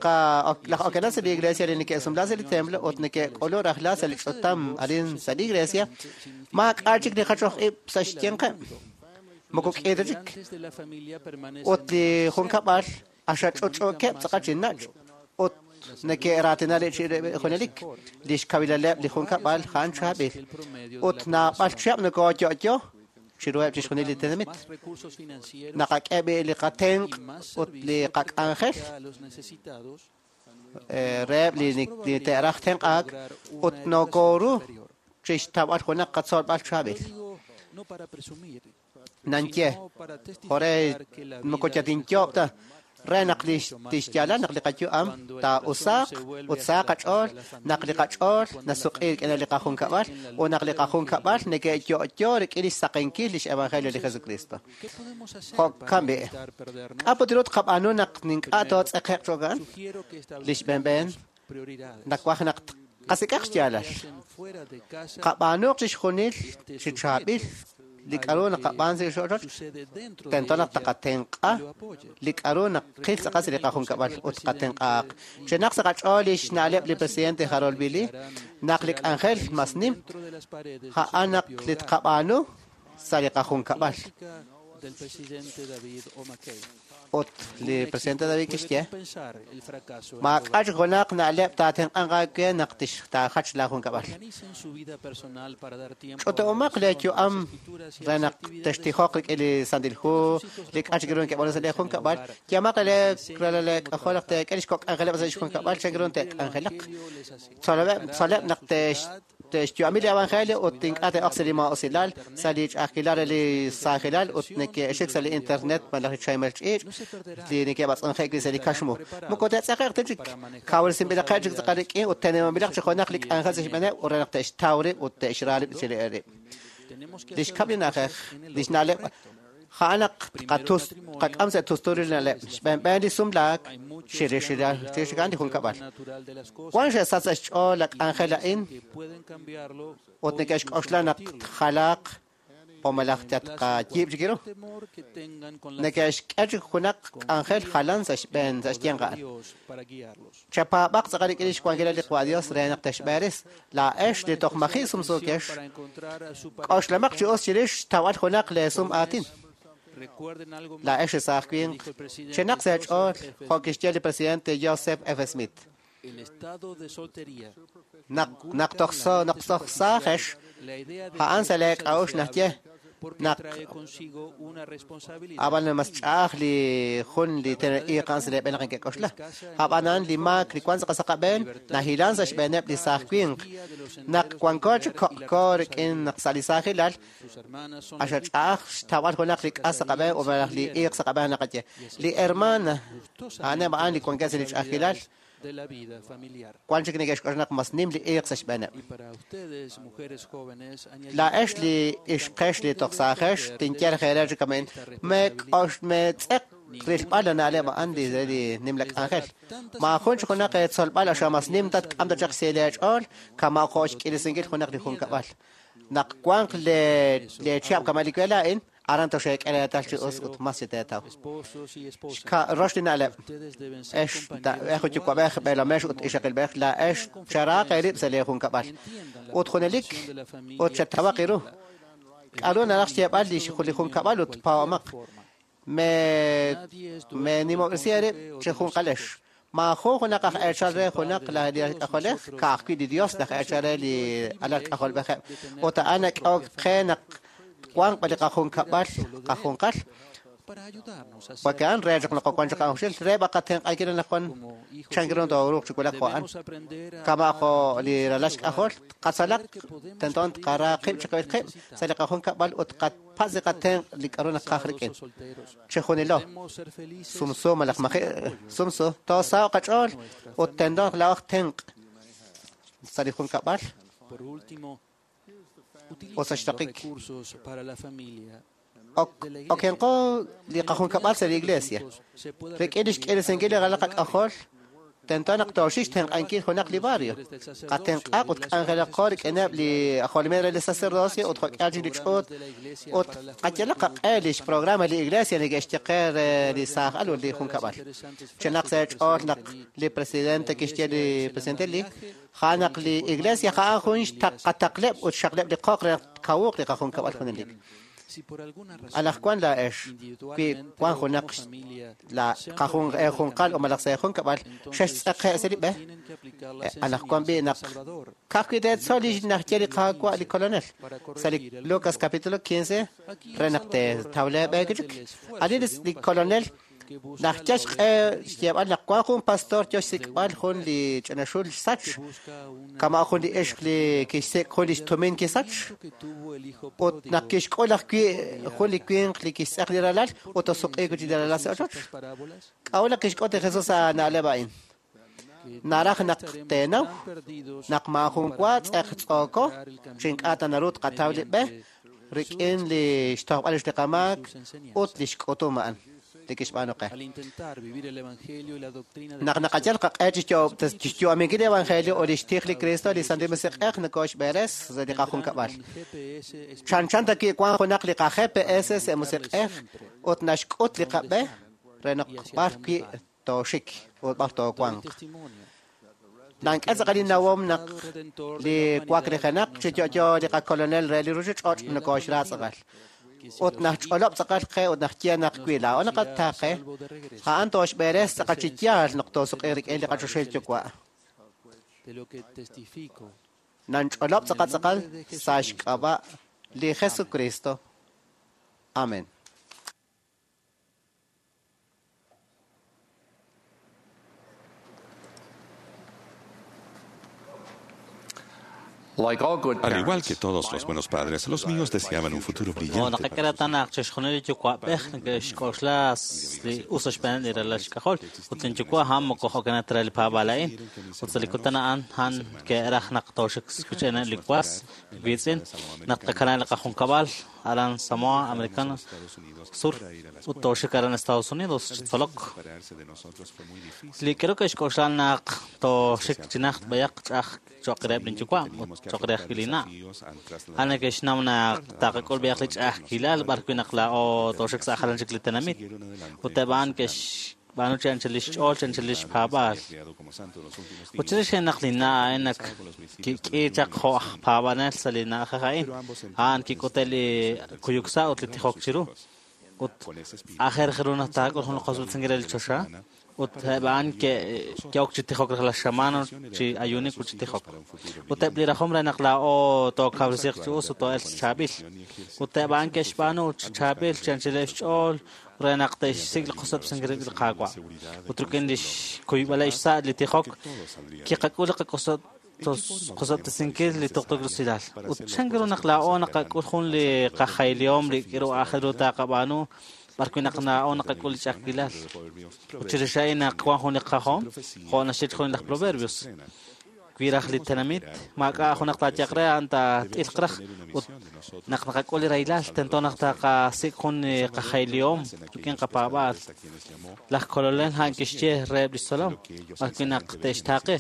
laj okenal sa' li Iglesia li neke'sumla sa' li templo ut neke'k'ulu rajlal sa' li ch'utam arin sa' li Iglesia, maak'a' chik li jachoj ib' sa' xyanqeb'. Moko k'i ta chik. Ut li junkab'al axach'uch'uukeb' tz'aqal chi nach' ut neke'raatina li junelik li xkawilaleb' li junkab'al a'an chaab'il. Ut naab'al chihab' nokooyo'yo chiruheb' chixjunil li tenamit. Naqak'e b'i li qatenq' ut li qak'anjel reheb' li te'raj tenq'aak ut nokooru chixtawb'al junaq qatzolb'al chaab'il. Nanye, jore moko yatinyob' ta re naq li tixyaalal naq li qayu'am taa'usaaq ut saaq qach'ool, naq li qach'ool nasuq'i rik'in li qajunkab'al ut naq li qajunkab'al neke'yo'yo rik'in li xsaqenkil lix evangelio li Jesucristo. Jo'kan b'i', k'a' put ru tqab'aanu naq ink'a' tootz'eqe'q cho'kan? Li xb'enb'en nawaj naq qasik'aq xyaalal. Qab'aanuq chixjunil chi chaab'il li k'a'ru naqab'aan sa' li ochoch, tento naq taqatenq'a li k'a'ru naqil tz'aqal sa' li qajunkab'al ut qatenq'aaq. Chenaq sa' qach'ool li xna'leb' li presidente Harold B. Lee, naq li k'anjel mas nim, a'an naq li tqab'aanu sa' li qajunkab'al. Ut li presidente David kixye, maak'a' chik junaq na'leb' taatenq'anq aawe naq taajach laajunkab'al. Ch'utu'umaq leeyu'am re naq textijoq rik'in li Santil Hu, li k'a' chik ru neke'b'aanu sa' leejunkab'al, yamaq leeralal naq teek'e li xkok' k'anjeleb' sa' xjunkab'al chan ru te'k'anjelaq. Tzoleb' naq te'xyu'ami li evangelio ut ink'a' te'oq sa' li maa'usilal, sa' li ch'a'ajkilal re li saajilal ut neke'xik sa' li internet malaj li chaymel ch'iich' li neke'b'atz'unje'k wi' sa' li kaxmu. Moko te'tz'eqe'q ta chik, kawresinb'ilaqeb' chik tz'aqal rik'in ut tenemanb'ilaq chi junaq li k'anjel sa' xb'eeneb' ut re naq te'xtaw rib' ut te'xra rib' chi rib'. Li xkab' li na'ajej, li xna'leb' a'an naq qak'am sa' tusturil na'leb', xb'enb'en li sumlaak chirix a'an li junkab'al. Wan xe'sach sa' xch'ool la k'anjel a'in ut neke'xk'oxla naq tjalaaq o malaj tatqayiib' chik ru. Neke'xk'e chik junaq k'anjel jalan sa' xb'een sa' xyanq a'an. Chapaab'aq tz'aqal rik'in li xwankilal li Qwa Dios re naq texb'eeris. Laa'ex li toj maji' sumsuukex, k'oxlamaq chi us chirix xtawb'al junaq leesum aatin. Laa'ex li saaj winq, chenaq sa' eech'ool jo' kixye li presidente Joseph F. Smith. Naq toj saajex, a'an sa' leek'a'uxl naxye naq ab'an mas ch'a'aj li jun li iiq a'an sa' leeb'een naq neke'k'oxla. Ab'anan li maak li wank sa' qasaqab'een nahilan sa' xb'eeneb' li saaj winq. Naq wanko chik koq'ko rik'in naq sa' li saajilal, axa ch'a'aj xtawb'al junaq li k'as sa' qab'een ut malaj li iiq sa' qab'een naqaye. Li hermana a'aneb' a'an li wankeb' sa' li ch'a'ajkilal, wan chik neke'xk'oxla naq mas nim li iiq sa' xb'eeneb'. Laa'ex li ixqex li toj saajex tinye reere chik amen, meetz'eq rilb'al la na'leb' a'an li nim la k'anjel. Maajun chik junaq eetzolb'al axa mas nim tatk'am ta chaq sa' leech'ool kama' jo' xk'irisinkil junaq li junkab'al. Naq wanq leechihab' kama' li we laa'in, aran toxeek'e reetal chi us ut mas chi teetaw. Rox li na'leb', ex yuwa'b'ej b'eelomex ut ixaqilb'ej, laa'ex charaaq eerib' sa' leejunkab'al. Ut junelik ut chetawaq iru. K'a'ru naraj xyeeb'al li junkab'al ut paab'amaq. Meenimob'resi eerib' chi junqalex. Maajun junaq aj eechal re junaq li k'ajolej, ka'ajwi' li Dios laj eechal re li alal k'ajolb'ejeb'. Ut a'an nak'ehok qe naq wanq b'a li qajunkab'al qajunqal. Porque a'an re chaq naq wan chaq a'uxil, re b'a qatenq'ankil naq wan chan ru tooruuq chi wulak jo' a'an. Kama' jo' li ralal xk'ajol, qatzalaq tento tqara qib' chiqib'il qib' sa' li qajunkab'al ut qapatz' li qatenq' li k'a'ru naqaj rik'in. Chixjunilo, sumsu malaj maji' sumsu, toosaho'q qach'ool ut tento naq laa'oj tenq' sa' li junkab'al. Ut sa' xraqik, okenqo li qajunkab'al sa' li iglesia. Rik'in lix k'irisinkil li ralal qak'ajol, tento naq tooxik xtenq'ankil junaq li barrio. Qatenq'aq ut k'anjelaqo rik'ineb' li ajolomil re li sacerdocio ut jo'k'ihal chik li ch'uut ut qayalaq qaq'e lix programa li iglesia neke'xye qe re li saaj al ut li junkab'al. Chenaq sa' eech'ool naq li presidente kixye li presidente Lee, ja'an naq li iglesia ja'an jun xtaqataqleb' ut xxaqleb' li qoq re naq kawuq li qajunkab'al junelik. Anaqwan laa'ex, wi wan junaq la qajun eejunqal o malaj sa' eejunkab'al xextz'eqe' sa' li b'e, anaqwan b'i' naq ka'ajwi' teetzol li naxye li Qaawa' li Kolonel sa' li Lucas capítulo 15 re naq teetaw lee b'e chik. Ani li Kolonel naxyal xq'e xyeeb'al naq wan jun pastor yo xsik'b'al jun li ch'ina xul xsach, kama' jun li ixq li kixsik' jun li xtumin kisach, ut naq kixk'ul ajwi' jun li winq li kixtz'eq li ralal ut tosuq'iik wi' chik li ralal sa' ochoch. K'a'ut naq kixk'ut li Jesus a na'leb' a'in? Naraj naq teenaw naq maajun wa tz'eqtz'ooko chi ink'a' ta naru tqataw li b'e rik'in li xtojb'al rix li qamaak ut li xk'utum a'an li kixb'aanu qe. Naq naqayal qaq'e chixyu'aminkil li evangelio ut lix tij li Kristo, li Santil Musiq'ej nokoxb'eres sa' li qajunkab'al. Chanchan ta wi' wan junaq li qa-GPS sa' musiq'ej ut naxk'ut li qab'e re naq b'ar wi' tooxik ut b'ar toowanq. Nank'e tz'aqal innawom naq li waklijenaq chi yo'yo li qaKolonel re li ruchich'och' nokoxra tz'aqal. Ut naxch'olob' tz'aqal qe ut naxye naq wi laa'o naqataaqe, a'an tooxb'eres tz'aqal chi yaal naq toosuq'iiq rik'in li qaChoxahil Yuwa'. Nanch'olob' tz'aqal tz'aqal sa' xk'ab'a' li Jesucristo. Amen. Al igual que todos los buenos padres, los míos deseaban un futuro brillante. Naqak'e reetal naq chixjunil li yuwa'b'ej neke'xk'oxla li us xb'eeneb' li ralal xk'ajol ut linyuwa' a'an moko jo'kanaq ta re li paab'aal a'in. Ut sa' li kutan a'an a'an ke'raj naq tooxik rochb'eeneb' li was wiitz'in naq tqakanab' li qajunkab'al aran Samoa Americana Sur ut tooxik aran Estados Unidos chi tzolok. Li k'aru ke'xk'oxla naq tooxik chi najt b'ayaq ch'a'aj cho'q reheb' linyuwa' ut cho'q re ajwi' linna'. A'an neke'xnaw naq taqak'ul b'ayaq li ch'a'ajkilal b'arwi' naq laa'o tooxik sa' jalan chik li tenamit. Ut eb' a'an ke'xb'aanu chi anchal lix ch'ool, chi anchal lix paab'aal. Ut chirix naq linna' a'in naq kik'i chaq jo' aj paab'anel sa' li na'ajej a'in, a'an kik'ute' li kuyuk sa' ut li tijok chiru. Ut aajel ru naq taak'ul jun li qosb'ilsinkil re li choxa. Ut eb' a'an ke'ok chi tijok rajlal xamaan chi ayuunik ut chi tijok. Ut eb' li rajom re naq laa'o tookawresiiq chi us ut too'elq chi chaab'il. Ut eb' a'an ke'xb'aanu chi chaab'il chi anchaleb' xch'ool re naq te'xsik' li qosb'ilsinkil rik'in li Qaawa'. Ut rik'in lix kuyb'aleb' xsa' li tijok kiqak'ul li qaqosob'tesinkil li tuqtuukil usilal. Ut chan ru naq laa'o naqak'ul jun li qajaylihom li k'aru aajel ru taqab'aanu b'arwi' naq laa'o naqak'ul li ch'a'ajkilal. Ut chirix a'in naq wan jun li qajom, jo' naxye jun laj Proverbios, wi raj li tenamit maak'a' junaq taayaq re a'an taat'ilq raj ut naq naqak'ul li rahilal tento naq taqasik' jun li qajaylihom rik'in qapaab'aal. Laj Kolonel a'an kixye reheb' lix tzolom b'arwi' naq te'xtaaqe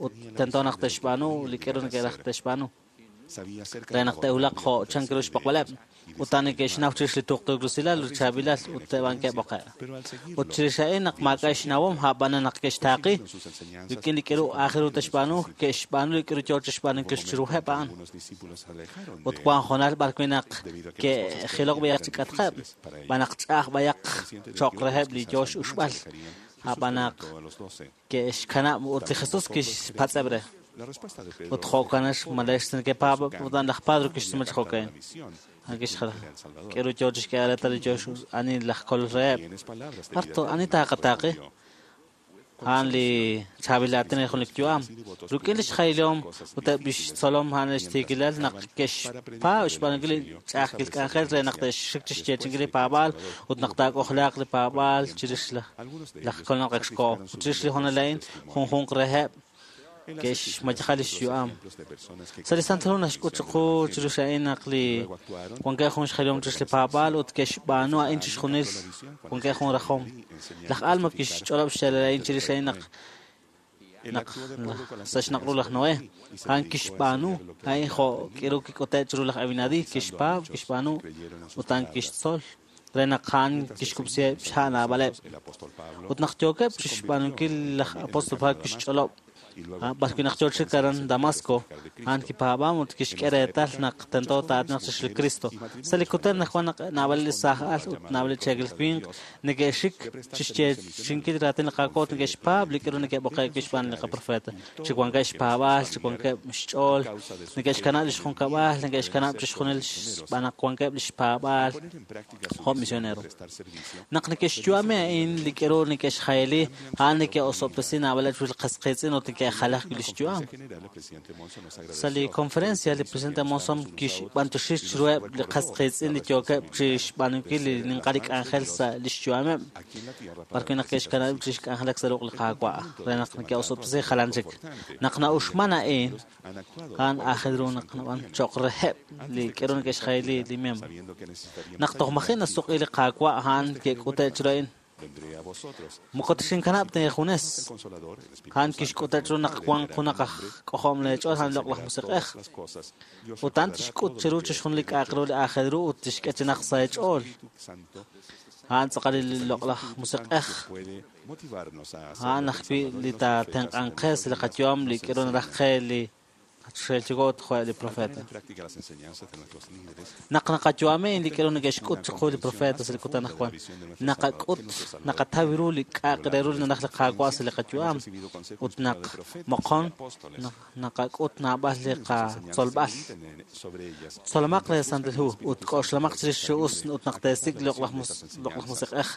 ut tento naq te'xb'aanu li k'aru neke'raj te'xb'aanu re naq te'wulaq jo' chan ru xb'oqb'aleb'. Ut a'an neke'xnaw chirix li tuqtuukil usilal ut chaab'ilal ut eb' a'an ke'b'oqe'. Ut chirix a'in naq maak'a' xnawom, a'b'anan naq ke'xtaaqi rik'in li k'aru aajel ru te'xb'aanu, ke'xb'aanu li k'aru yoo chixb'aanunkil chiruheb' a'an. Ut wan hoonal b'arwi' naq ke'jilok b'ayaq chi k'atqeb', b'an naq ch'a'aj b'ayaq cho'q reheb' li yoo x'uxb'al, a'b'an naq ke'xkanab' ut li Jesus kixpatz'eb' re. Ut jo'kan malex nekepaab' ut a'an laj Pedro kixsume chi jo'ka'in. A'an kixjal k'aru yoo chixk'eeb'al reetal li yoo ani laj kolol reheb'. B'ar ani taaqataaqi? A'an li chaab'il aatin re jun li yu'am. Rik'in lix jaylihom ut eb' lix tzolom a'an lix tiikilal naq ke'xpaab' xb'aanunkil li ch'a'ajkil k'anjel re naq te'xxik chixyeechi'inkil li paab'aal ut naq taak'ojlaaq li paab'aal chirix laj Kolonel ak xkoho. Ut chirix li hoonal a'in junjunq reheb' Ke'xmayeja lix yu'am. Sa' li Santil Hu naxk'ut chiqu chirix a'in naq li wankeb' jun xjelihom chirix li paab'aal ut ke'xb'aanu a'in chixjunil wankeb' jun rajom. Laj Alma kixch'olob' xyaalal a'in chirix a'in naq naq sa' xnaq' ru laj Noé, a'an kixb'aanu a'in jo' k'iru kik'ute' chiru laj Abinadi, kixpaab', kixb'aanu ut a'an kixtzol re naq a'an kixkub'siheb' xha' naab'aleb'. Ut naq yookeb' chixb'aanunkil laj apóstol Pablo kixch'olob' b'arwi' naq yoo chik aran Damasco, a'an kipaab'am ut kixk'e reetal naq tento taa'aatinaq chirix li Kristo. Sa' li kutan anaqwan naq naab'al li saaj al ut naab'al li cheekel winq neke'xik chixyeechi'inkil raatin li Qaawa' ut neke'xpaab' li k'aru neke'b'oqe'k wi' xb'aan li qaprofeta. Chi wankeb' xpaab'aal, chi wankeb' xch'ool, neke'xkanab' lix junkab'al, neke'xkanab' chixjunil xb'aan naq wankeb' lix paab'aal jo' misionero. Naq neke'xyu'ami a'in li k'aru neke'xjayali, a'an neke'osob'tesi naab'aleb' li qas qiitz'in ut neke'jalaj wi' lix yu'am. Sa' li conferencia, li presidente Monson kixb'antoxi chiruheb' li qas qiitz'in li yookeb' chixb'aanunkil li ninqal li k'anjel sa' lix yu'ameb', b'arwi' naq ke'xkanab'eb' chixk'anjelak sa' ruq' li Qaawa' re naq neke'osob'tesi jalan chik. Naq na'uxman a'in, a'an aajel ru naq nab'an cho'q reheb' li k'aru neke'xjayali li miembro. Naq toj maji' nasuq'i li Qaawa', a'an ke'k'ute' chiru a'in. Moko tixinkanab' ta eejunes. A'an kixk'ute' chiru naq wanq junaq aj k'ojom leech'ool a'an loq'laj musiq'ej. Ut a'an tixk'ut chiru chixjunil li k'a'aq ru li aajel ru ut tixk'e chi naq sa' eech'ool. A'an tz'aqal li loq'laj musiq'ej. A'an ajwi' li taatenq'anq qe sa' li qayu'am li k'aru naraj qe li xe'xyuwa' ut jo' li profeta. Naq naqayu'ami li k'aru neke'xk'ut chiqu li profeta sa' li kutan anaqwan, naqak'ut, naqataw ru li k'a'aq re ru li naraj li Qaawa' sa' li qayu'am ut naq moqon naqak'ut naab'al li qatzolb'al. Tzolomaq li Santil Hu ut k'oxlamaq chirix chi us ut naq teesik' li loq'laj musiq'ej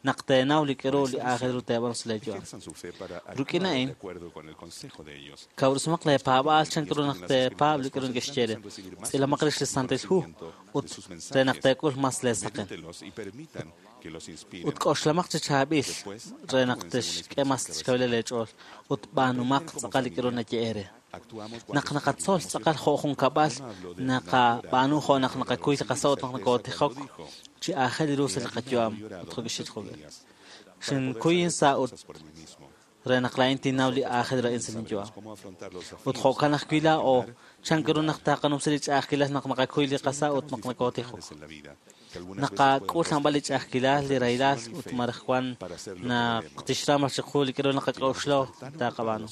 naq teenaw li k'aru li aajel ru teeb'aanu sa' leeyu'am. Rik'in a'in, kawresimaq leepaab'aal chan ru naq teepaab' li k'aru neke'xye re. Tz'ilamaq rix li Santil Hu ut re naq teek'ul mas leesaqen. Ut k'oxlamaq chi chaab'il re naq texk'e mas xkawilal leech'ool ut b'aanumaq tz'aqal li k'aru naye'e re. Naq naqatzol tz'aqal jo' junkab'al, naqab'aanu jo' naq naqakuy li qasa' ut naq nokotijok chi aajel ru sa' li qayu'am ut jo' kixye jo'kan. Xinkuy insa' ut re naq laa'in tinnaw li aajel ru a'in sa' linyu'am. Ut jo'kan ajwi' laa'o, chan ru naq taqanumsi li ch'a'ajkilal naq naqakuy li qasa' ut naq nokotijok. Naqak'ul naab'al li ch'a'ajkilal, li rahilal ut maraj wan naq tixram chiqu li k'aru naqak'oxla taqab'aanu.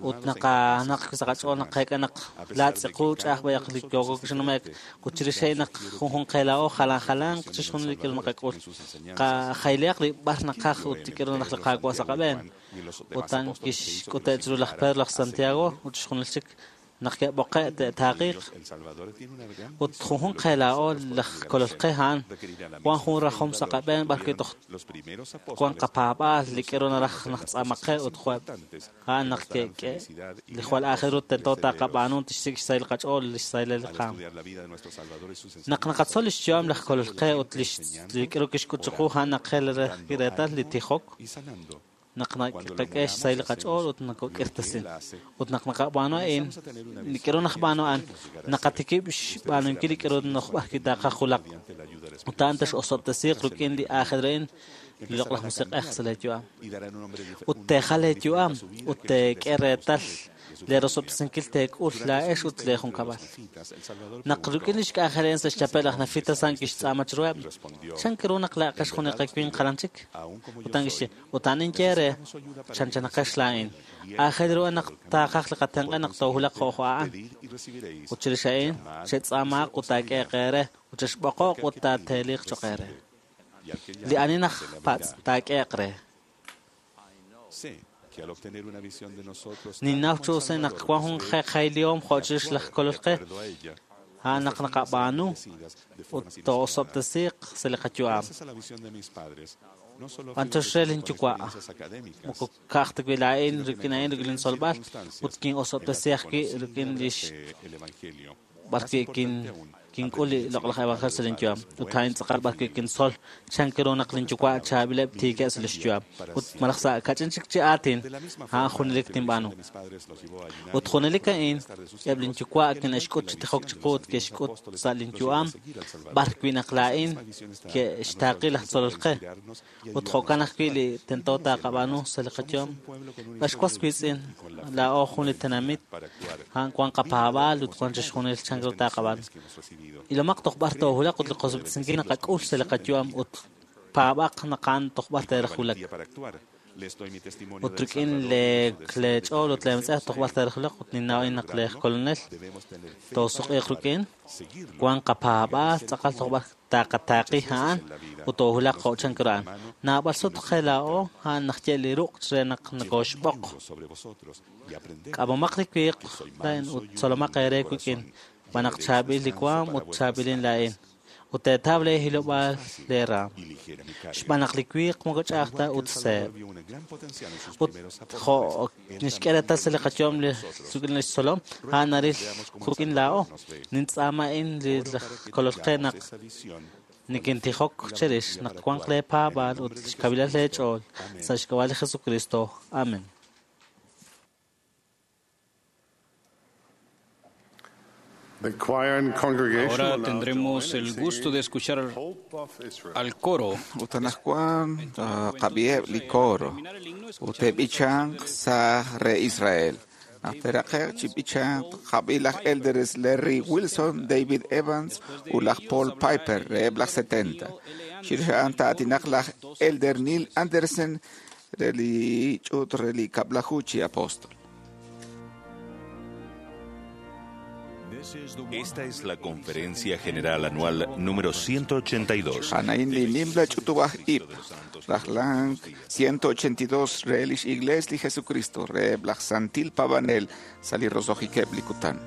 Ut naq sa' qach'ool naqeek'a naq laatz'iqu ch'a'aj b'ayaq li yooko xnume'k ut chirix a'in naq junjunq qe laa'o jalan jalanq chixjunil li k'aru naqak'ul. Qajaylihaq li b'ar naqaj ut li k'aru naraj li Qaawa' sa' qab'een. Ut a'an kixk'ute' chiru laj Pedro, laj Santiago ut chixjunil chik naq ke'b'oqe' te'taaqiiq. Ut junjunq qe laa'o laj kolol qe a'an wan jun rajom sa' qab'een b'arwi' toj wan qapaab'aal li k'aru naraj naq tz'aamaq qe ut jo'eb' a'an naq ke'k'e li jwal aajel ru tento taqab'aanu tixsik' xsahil qach'ool li xsahil li qaam. Naq naqatzol lix yu'am laj kolol qe ut li k'aru kixk'ut chiqu a'an naq qe reetal li tijok naq naqak'e xsahil qach'ool ut nokok'irtasin. Ut naq naqab'aanu a'in, li k'aru naqb'aanu a'an, naqatikib' xb'aanunkil li k'aru nojb'ar taqajulaq. Ut a'an texosob'tesiiq rik'in li aajel ru a'in li loq'laj musiq'ej sa' leeyu'am. Ut teejal leeyu'am ut teek'e reetal leerosob'tesinkil teek'ul laa'ex ut leejunkab'al. Naq rik'in lix k'anjel a'in sa' xchapel laj Nefita a'an kixtz'aama chiruheb', chan ru naq laa'aqex jun li qawinq jalan chik? Ut a'an kixye, ut a'an ninye re, chanchanaqex laa'in. Aajel ru naq taaqaj li qatenq'e naq toohulaq jo' jo' a'an. Ut chirix a'in, che'tz'aamaaq ut taak'eeq eere, ut chexb'oqoq ut taateeliq cho'q eere. Li ani najpatz' taak'eeq re. Ninnaw chi us naq wan jun qeqjaylihom jo' chirix laj kolol qe, a'an naq naqab'aanu ut too'osob'tesiiq sa' li qayu'am. B'antox re linyuwa', moko ka'aj ta wi' laa'in rik'in a'in rik'in lintzolb'al ut kin'osob'tesi ajwi' rik'in lix b'ar wi' kink'ul li loq'laj evangelio sa' linyu'am. Ut a'in tz'aqal b'ar wi' kintzol chan ru naq linyuwa' chaab'ileb' tiikeb' sa' lix yu'am. Ut malaj sa' kach'in chik chi aatin, a'an junelik tinb'aanu. Ut junelik a'in, eb' linyuwa' kine'xk'ut chi tijok chiqu ut ke'xk'ut sa' linyu'am b'ar wi' naq laa'in ke'xtaaqi laj tzolol qe. Ut jo'kan ajwi' li tento taqab'aanu sa' li qayu'am. Ex was wiitz'in, laa'o jun li tenamit, a'an wan qapaab'aal ut wan chixjunil chan ru taqab'aanu. Ilomaq toj b'ar toohulaq ut li qosob'tesinkil naqak'ul sa' li qayu'am ut paab'aq naq a'an toj b'ar teeraj wulak. Ut rik'in leech'ool ut leemetz'ej toj b'ar teeraj wulak ut ninnaw a'in naq lej kolonel toosuq'iiq rik'in, wan qapaab'aal tz'aqal toj b'ar taqataaqi a'an ut toohulaq jo' chan ru a'an. Naab'al sut qe laa'o a'an naxye li ruq' re naq nokoxb'oq. K'amomaq li wiiq laa'in ut tzolomaq eere wik'in, b'an naq chaab'il li waam ut chaab'ilin laa'in. Ut teetaw lee hilob'aal lee raam. Xb'aan naq li wiiq moko ch'a'aj ta ut seeb'. Ut jo' nixk'e reetal sa' li qayu'am li rik'in lix tzolom, a'an naril rik'in laa'o. Nintz'aama a'in li kolol qe naq nikintijok cherix naq wanq lee paab'aal ut xkawilalal lee ch'ool sa' xk'ab'a' li Jesucristo. Amen. Ahora tendremos el gusto de escuchar al coro. Ut anaqwan qab'iheb' li coro ut te'b'ichanq sa' re Israel. Naq te'raqe'q chi b'ichanq qab'i laj elders Larry Wilson, David Evans ut laj Paul Piper reheb' laj 70. Chirix a'an ta'atinaq laj elder Neil Andersen re li ch'uut re li kab'laju chi apóstol. Esta es la Conferencia General Anual número 182. Anain li nimla ch'utub'aj ib', rajlank 182 re lix Iglees li Jesucristo, reheb' laj Santil Pabanel sa' li roso'jikeb' li kutan.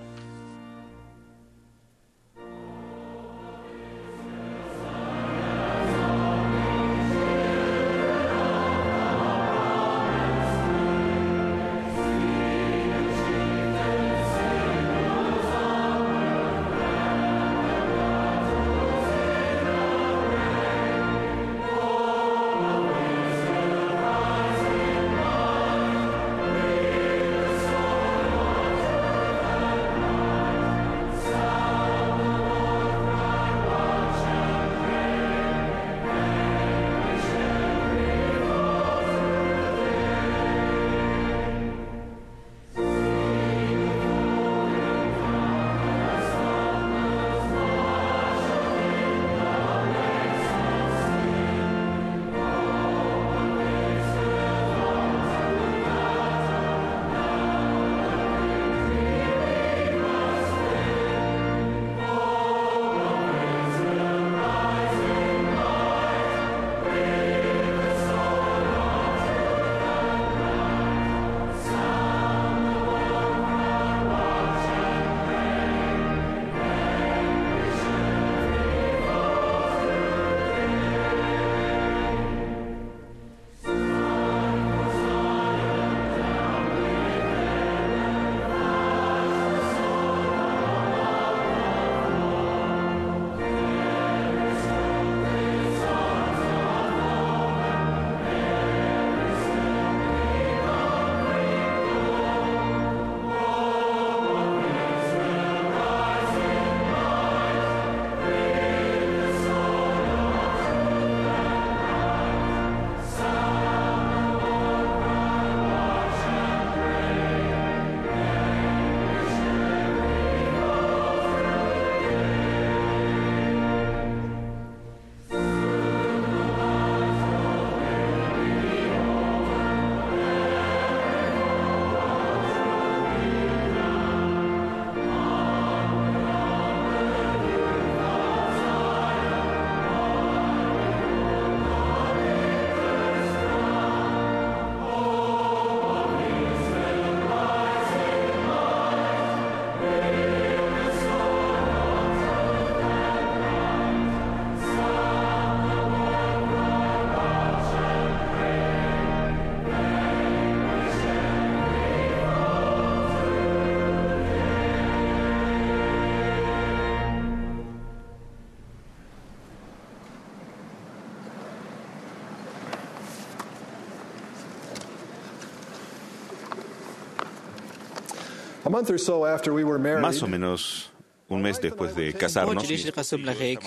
Más o menos un mes después de casarnos, chirix li qasumlajik,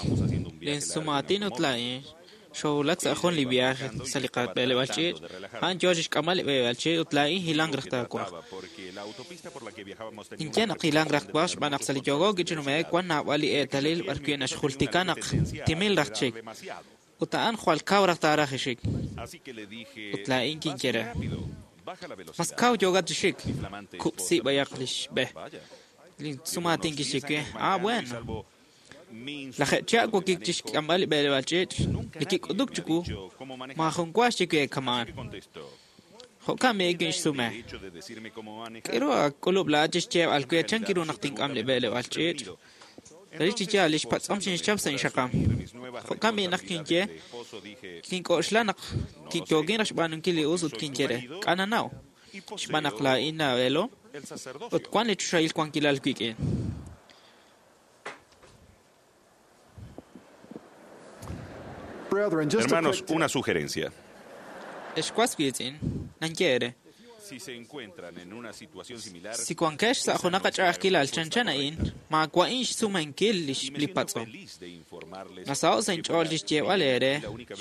lin sumaatin ut laa'in xowulak sa' jun li viaje sa' li qab'eleb'aal ch'iich', a'an yoo chixk'amb'al li b'eleb'aal ch'iich' ut laa'in hilank raj taawaj. Ninye naq hilank raj twaj xb'aan naq sa' li yooko kichinume'ek wan naab'al li eetalil b'arwi' naxjultika naq timil raj chik, ut a'an jwal kaw raj taaraj ixik. Ut laa'in kinye re, mas kaw yookat chi xik, kub'si b'ayaq li xb'e. Lin sumaatin kixye we, ah, bueno. Laj chihab' wokik chixk'amb'al li b'eleb'aal ch'iich', li kik'utuk chiwu, maajun wa xye we kamaan. Jo'kan b'i kinxsume. K'aru ak'ulub' laa'at chixyeeb'al we chan kiru naq tink'am li b'eleb'aal ch'iich'? Relik chi yaal, li xpatz'om xinxchap sa' inxaqam. Jo'kan b'i naq kinye, kink'oxla naq yookin raj xb'aanunkil li us ut kinye re, k'a' nanaw, xb'aan naq laa'in abuelo ut wan li choxahil wankilal wik'in. Hermanos, una sugerencia. Ex was wiitz'in, nanye ere. Si se encuentran en una situación similar, Si wankex sa' junaq ach'a'ajkilal chanchan a'in, maawa'in xsumenkil li patz'om. Nasaho' sa' inch'ool chixyeeb'al eere,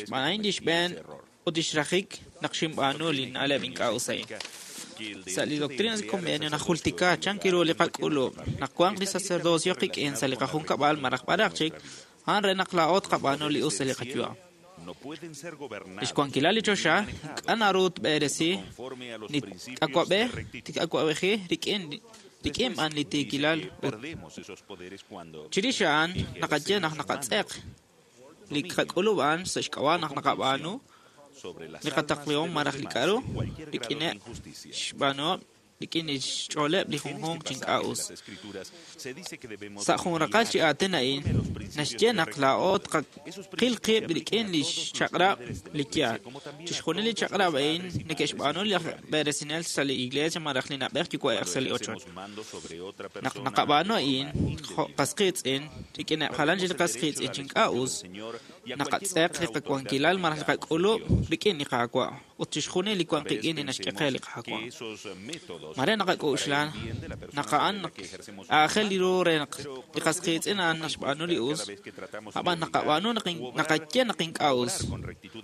xb'aan a'in li xb'een ut lix rajik naq xinb'aanu li na'leb' ink'a' us a'in. Sa' li Doctrina y Convenio najultika chan kiru li qak'ulub' naq wanq li sacerdocio qik'in sa' li qajunkab'al malaj b'araq chik, a'an re naq laa'o tqab'aanu li us sa' li qayu'am. no pueden ser gobernados Lix wankilal li choxa ink'a' naru tb'eresi li awab'ej awab'eji rik'in rik'in b'an li tiikilal ut Perdemos esos poderes cuando chirix a'an naqaye naq naqatz'eq li qak'ulub' a'an sa' xk'ab'a' naq naqab'aanu sobre las li qataqlihom malaj li k'a'ru rik'ineb' xb'aanuhom rik'in li xch'ooleb' li junjunq chi ink'a' us. escrituras se dice que debemos Sa' jun raqal chi aatin a'in, naxye naq laa'o tqaqil qib' rik'in li xchaq'rab' li yaal. Chixjunil li chaq'rab' a'in neke'xb'aanu li aj b'eresinel sa' li iglesia malaj li na'b'ej yuwa'ej sa' li ochoch. mando sobre otra Naq naqab'aanu a'in, jo' qas qiitz'in, rik'ineb' jalan chi li qas qiitz'in chi ink'a' us, naqatz'eq li qawankilal malaj li qak'ulub' rik'in li Qaawa' ut chixjunil li wan qik'in li naxk'e qe li Qaawa'. esos métodos Mare naqak'oxla naq a'an aajel li ru re naq li qas qiitz'in a'an naxb'aanu li us, ab'an naqab'aanu naq naqaye naq ink'a' us,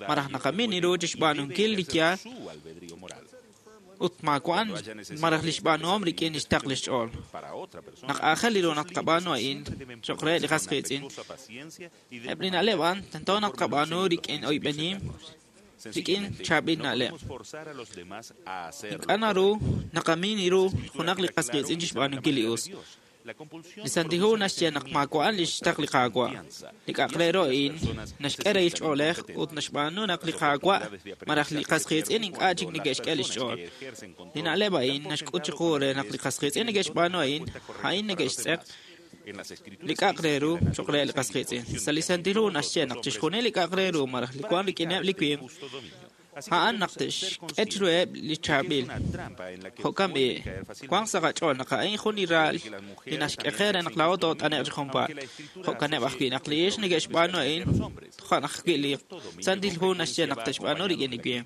malaj naqamin ru chixb'aanunkil li yaal ut maawa'an malaj li xb'aanuhom rik'in li xtaql li xch'ool. Naq aajel li ru naq tqab'aanu a'in cho'q re li qas qiitz'in, eb' li na'leb' a'an tento naq tqab'aanu rik'in oyb'enim, rik'in chaab'il na'leb'. forzar a los demás a hacerlo. Ink'a' naru naqamin ru junaq li qas qiitz'in chixb'aanunkil li us. Li Santil Hu naxye naq maawa'an li xtaql li Qaawa'. Li k'a'aq re ru a'in naxk'e rahil ch'oolej ut naxb'aanu naq li Qaawa' malaj li qas qiitz'in ink'a' chik neke'xk'e li xch'ool. Li na'leb' a'in naxk'ut chiqu re naq li qas qiitz'in neke'xb'aanu a'in, a'in neke'xtz'eq li k'a'aq re ru cho'q re li qas qiitz'in. Sa' li Santil Hu naxye naq chixjunil li k'a'aq re ru malaj li wan rik'ineb' li winq, a'an naq te'xk'e chiruheb' li chaab'il. Jo'kan b'i', wanq sa' qach'ool naq a'in jun li raal li naxk'e qe re naq laa'o toot'ane'q chi junpaat. Jo'kaneb' ajwi' naq li ixq neke'xb'aanu a'in, toja' naq ajwi' li Santil Hu naxye naq te'xb'aanu rik'in li winq.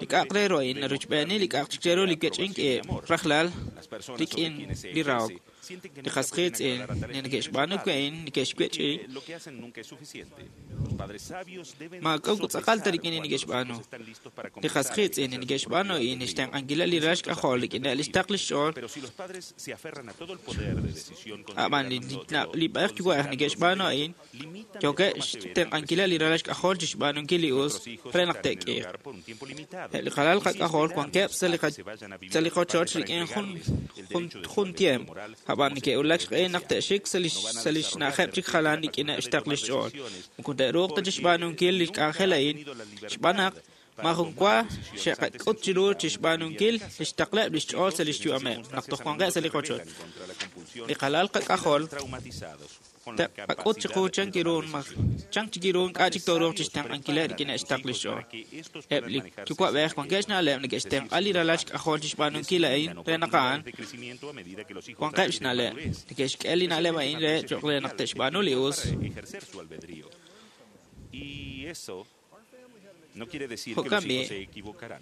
Li k'a'aq re ru a'in narochb'eeni li k'a'aq chik re ru li wech'ink ib' rajlal rik'in li rahok. Li qas qiitz'in li neke'xb'aanu wi' a'in neke'xwech'i Lo que hacen nunca es suficiente. Los padres sabios deben maak'a'u tz'aqal ta rik'in li neke'xb'aanu. Li qas qiitz'in li neke'xb'aanu a'in xtenq'ankileb' li ral xk'ajol rik'ineb' li xtaql li xch'ool, Pero si los padres se aferran a todo el poder de decisión ab'an li b'ej yuwa'ej neke'xb'aanu a'in, yookeb' xtenq'ankileb' li ral xk'ajol chixb'aanunkil li us re naq te'k'iiq. Eb' li qalal qak'ajol wankeb' sa' li qochoch rik'in jun tiemp, ab'an neke'wulak xq'ehil naq te'xik sa' li xna'ajeb' chik jalan rik'ineb' xtaql li xch'ool. Moko te'ruuq ta chixb'aanunkil li k'anjel a'in xb'aan naq maajun wa xe'qak'ut chiru chixb'aanunkil li xtaqleb' li xch'ool sa' li xyu'ameb' naq toj wanqeb' sa' li qochoch. Li qalal qak'ajol te'qak'ut chiqu chan kiru ink'a' chik tooruuq chixtenq'ankileb' rik'ineb' xtaql li xch'ool. Eb' li yuwa'b'ej wankeb' xna'leb' neke'xtenq'a li ralal xk'ajol chixb'aanunkil a'in re naq a'an wanqeb' xna'leb'. Neke'xk'e li na'leb' a'in re cho'q re naq te'xb'aanu li us. ejercer su albedrío. Y eso no quiere decir que Jo'kan los hijos b'i', se equivocarán.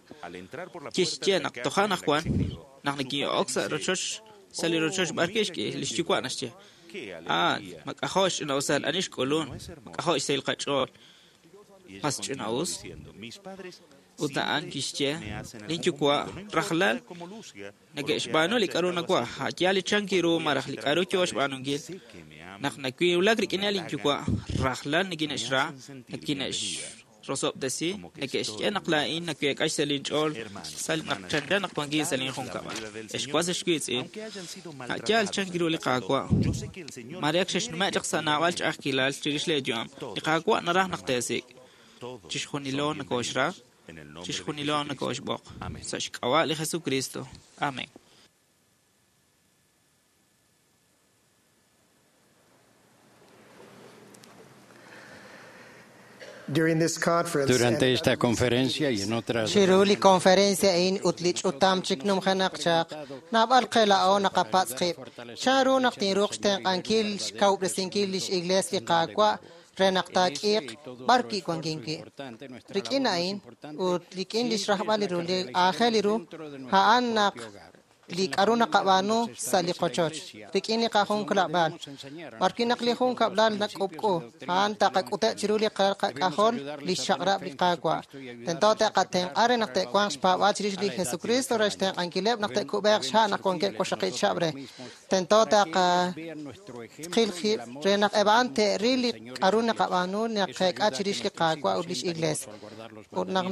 kisumlaak, kixye naq toja' anaqwan naq nekin'ok sa' rochoch sa' li rochoch b'ar kixk'i lix yuwa' naxye: "Ah, mak'ajo' xch'ina'usal ani xk'ulun, mak'ajo' xsahil qach'ool, mas ch'ina'us." Ut a'an kixye: "Linyuwa' rajlal neke'xb'aanu li k'aru nawaj, a' yaal li chan ru malaj li k'aru yoo xb'aanunkil. Naq nawulak rik'ineb' linyuwa', rajlal nikine'xra, rosob'tesi, neke'xye naq laa'in naweek'a xsahil inch'ool naq chanchan naq wankin sa' linjunkab'al. Ex was ex wiitz'in, a' yaal chan ru li Qaawa'. Mare ak xexnume' chaq sa' naab'al ch'a'ajkilal chirix leeyu'am, li Qaawa' naraj naq teesik'. Chixjunilo nokooxra, chixjunilo nokooxb'oq. Sa' xk'ab'a' li Jesucristo. Amén. Durante esta conferencia y en otras Chiru li conferencia a'in ut li ch'utam chik numjenaq chaq, naab'al qe laa'o naqapatz' qib'. Chan ru naq tinruuq xtenq'ankil xkawub'resinkil lix iglees li Qaawa' re naq taak'iiq b'ar wi' wankin wi'. Rik'in a'in ut rik'in lix rajb'al li ru li aajel li ru, a'an naq li k'aru naqab'aanu sa' li qochoch, rik'in li qajunkab'lal. B'ar wi' naq li junkab'lal nak'ub'k'u, a'an taqak'ute' chiru li qak'ajol li xchaq'rab' li Qaawa'. Tento te'qatenq'a re naq te'wanq xpaab'aal chirix li Jesucristo re xtenq'ankileb' naq te'kub'eeq xha' naq wankeb' waqxaqib' chihab' re. Tento taqaqil qib' re naq eb' a'an te'ril li k'aru naqab'aanu naqeek'a chirix li Qaawa' ut lix iglees. Ut naq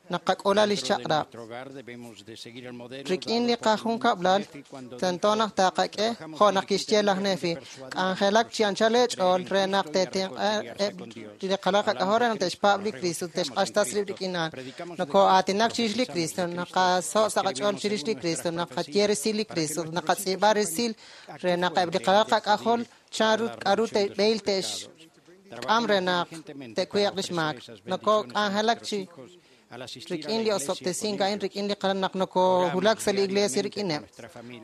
naqak'ula lix chaq'rab'. Rik'in li qajunkab'lal, tento naq taqak'e jo' naq kixye laj Nefi, k'anjelak chi anchal eech'ool re naq te'tenq'a eb' li qalal qak'ajol re naq te'xpaab' li Cristo, te'xq'axtas rib' rik'in a'an. Nokoo'aatinak chirix li Cristo, naqaso' sa' qach'ool chirix li Cristo, naqaye resil li Cristo, naqatz'iib'a resil re naq eb' li qalal qak'ajol chan ru k'aru te'b'ehil te'xk'am re naq te'kuye'q lix maak. Nokok'anjelak chi rik'in li osob'tesink a'in rik'in li naq nokohulak sa' li iglesia rik'ineb'.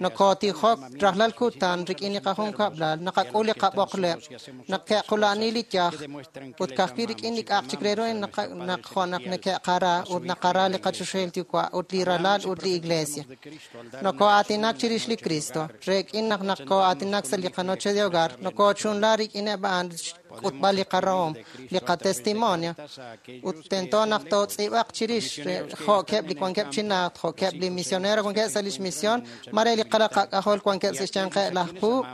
Nokotijok rajlal kutan rik'in li qajunkab'lal, naqak'ul li qab'oqleb', naqe'qula'ani li yaj, ut ka'ajwi' rik'in li k'a'aq chik re ru naq jo' naq neke'qara ut naqara li qachoxahil Yuwa' ut li ralal ut li iglesia. Noko'aatinak chirix li Cristo, rik'in naq naqo'aatinak sa' li qanoche de hogar, nokochunla rik'ineb' a'an xk'utb'al li qarahom, li qatestimonio, ut tento naq tootz'iib'aq chirix jo'keb' li wankeb' chi najt, jo'keb' li misionero wankeb' sa' lix misión, mare li qalal qak'ajol wankeb' sa' xyanqeb' laj puub',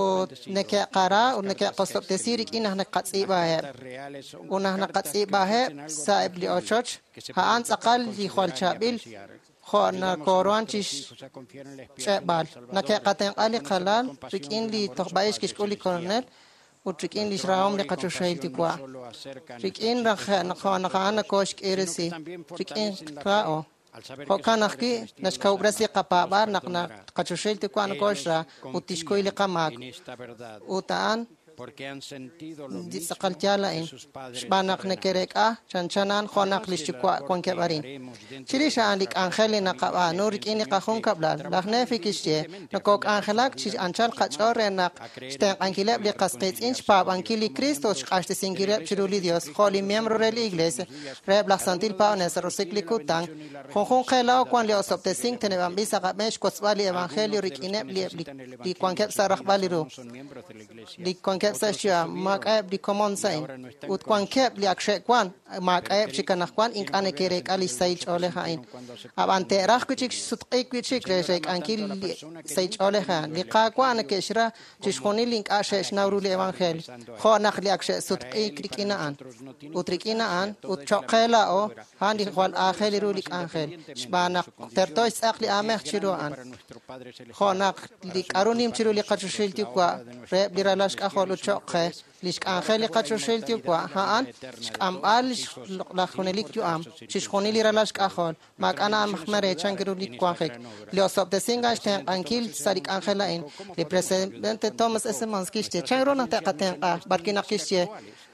ut neke'qara ut neke'qosob'tesi rik'in naq naqatz'iib'aheb'. Ut naq naqatz'iib'aheb' sa' eb' li ochoch, a'an tz'aqal li jwal chaab'il jo' nakoruhan chi xch'e'b'al. Neke'qatenq'a li qalal rik'in li tojb'a'ix kixk'ul li Coronel ut rik'in lix rahom li qachoxahil Yuwa'. Rik'in naq a'an nakooxk'iresi, rik'in ra'o. Jo'kan ajwi' naxkawub'resi li qapaab'aal naq qachoxahil Yuwa' nakooxra ut tixkuy li qamaak. Ut a'an li tz'aqal yaal a'in, xb'aan naq neke'reek'a chanchan a'an jo' naq lix yuwa' wankeb' arin. Chirix a'an li k'anjel li naqab'aanu rik'in li qajunkab'lal, laj Nefi kixye, nokok'anjelak chi anchal qach'ool re naq xtenq'ankileb' li qas qiitz'in xpaab'ankil li Cristo ut xq'axtesinkileb' chiru li Dios jo' li miembro re li Iglesia, reheb' laj Santil Paab'anel sa' roso'jik li kutan. Junjunq qe laa'o wan li osob'tesink teneb'anb'il sa' qab'een xwotzb'al li Evangelio rik'ineb' li wankeb' sa' rajb'al li ru, li wankeb' sa' xyu'am, maak'a'eb' li komon sa' a'in, ut wankeb' li ak xe'wan, maak'a'eb' chik anaqwan ink'a' neke'reek'a li sahil ch'oolej a'in. Ab'an te'raj wi' chik xsutq'iik wi' chik re reek'ankil li sahil ch'oolej a'an. Li Qaawa' neke'xra chixjunil li ink'a' xe'xnaw ru li Evangelio, jo' naq li ak xe'sutq'iik rik'in a'an. Ut rik'in a'an, ut cho'q qe laa'o, a'an li jwal aajel ru li k'anjel, xb'aan naq terto xtz'aq li aamej chiru a'an. Jo' naq li k'aru nim chiru li qachoxahil Yuwa' reheb' li ralal xk'ajol ut cho'q qe, lix k'anjel li qachoxahil Yuwa' a'an xk'amb'al laj junelik yu'am, chixjunil li ralal xk'ajol, maak'a' na'ajman re chan ru li wanjik. Li osob'tesink a'an xtenq'ankil sa' li k'anjel a'in. Li presidente Thomas S. Monson kixye, chan ru naq te'qatenq'a, b'ar wi' naq kixye,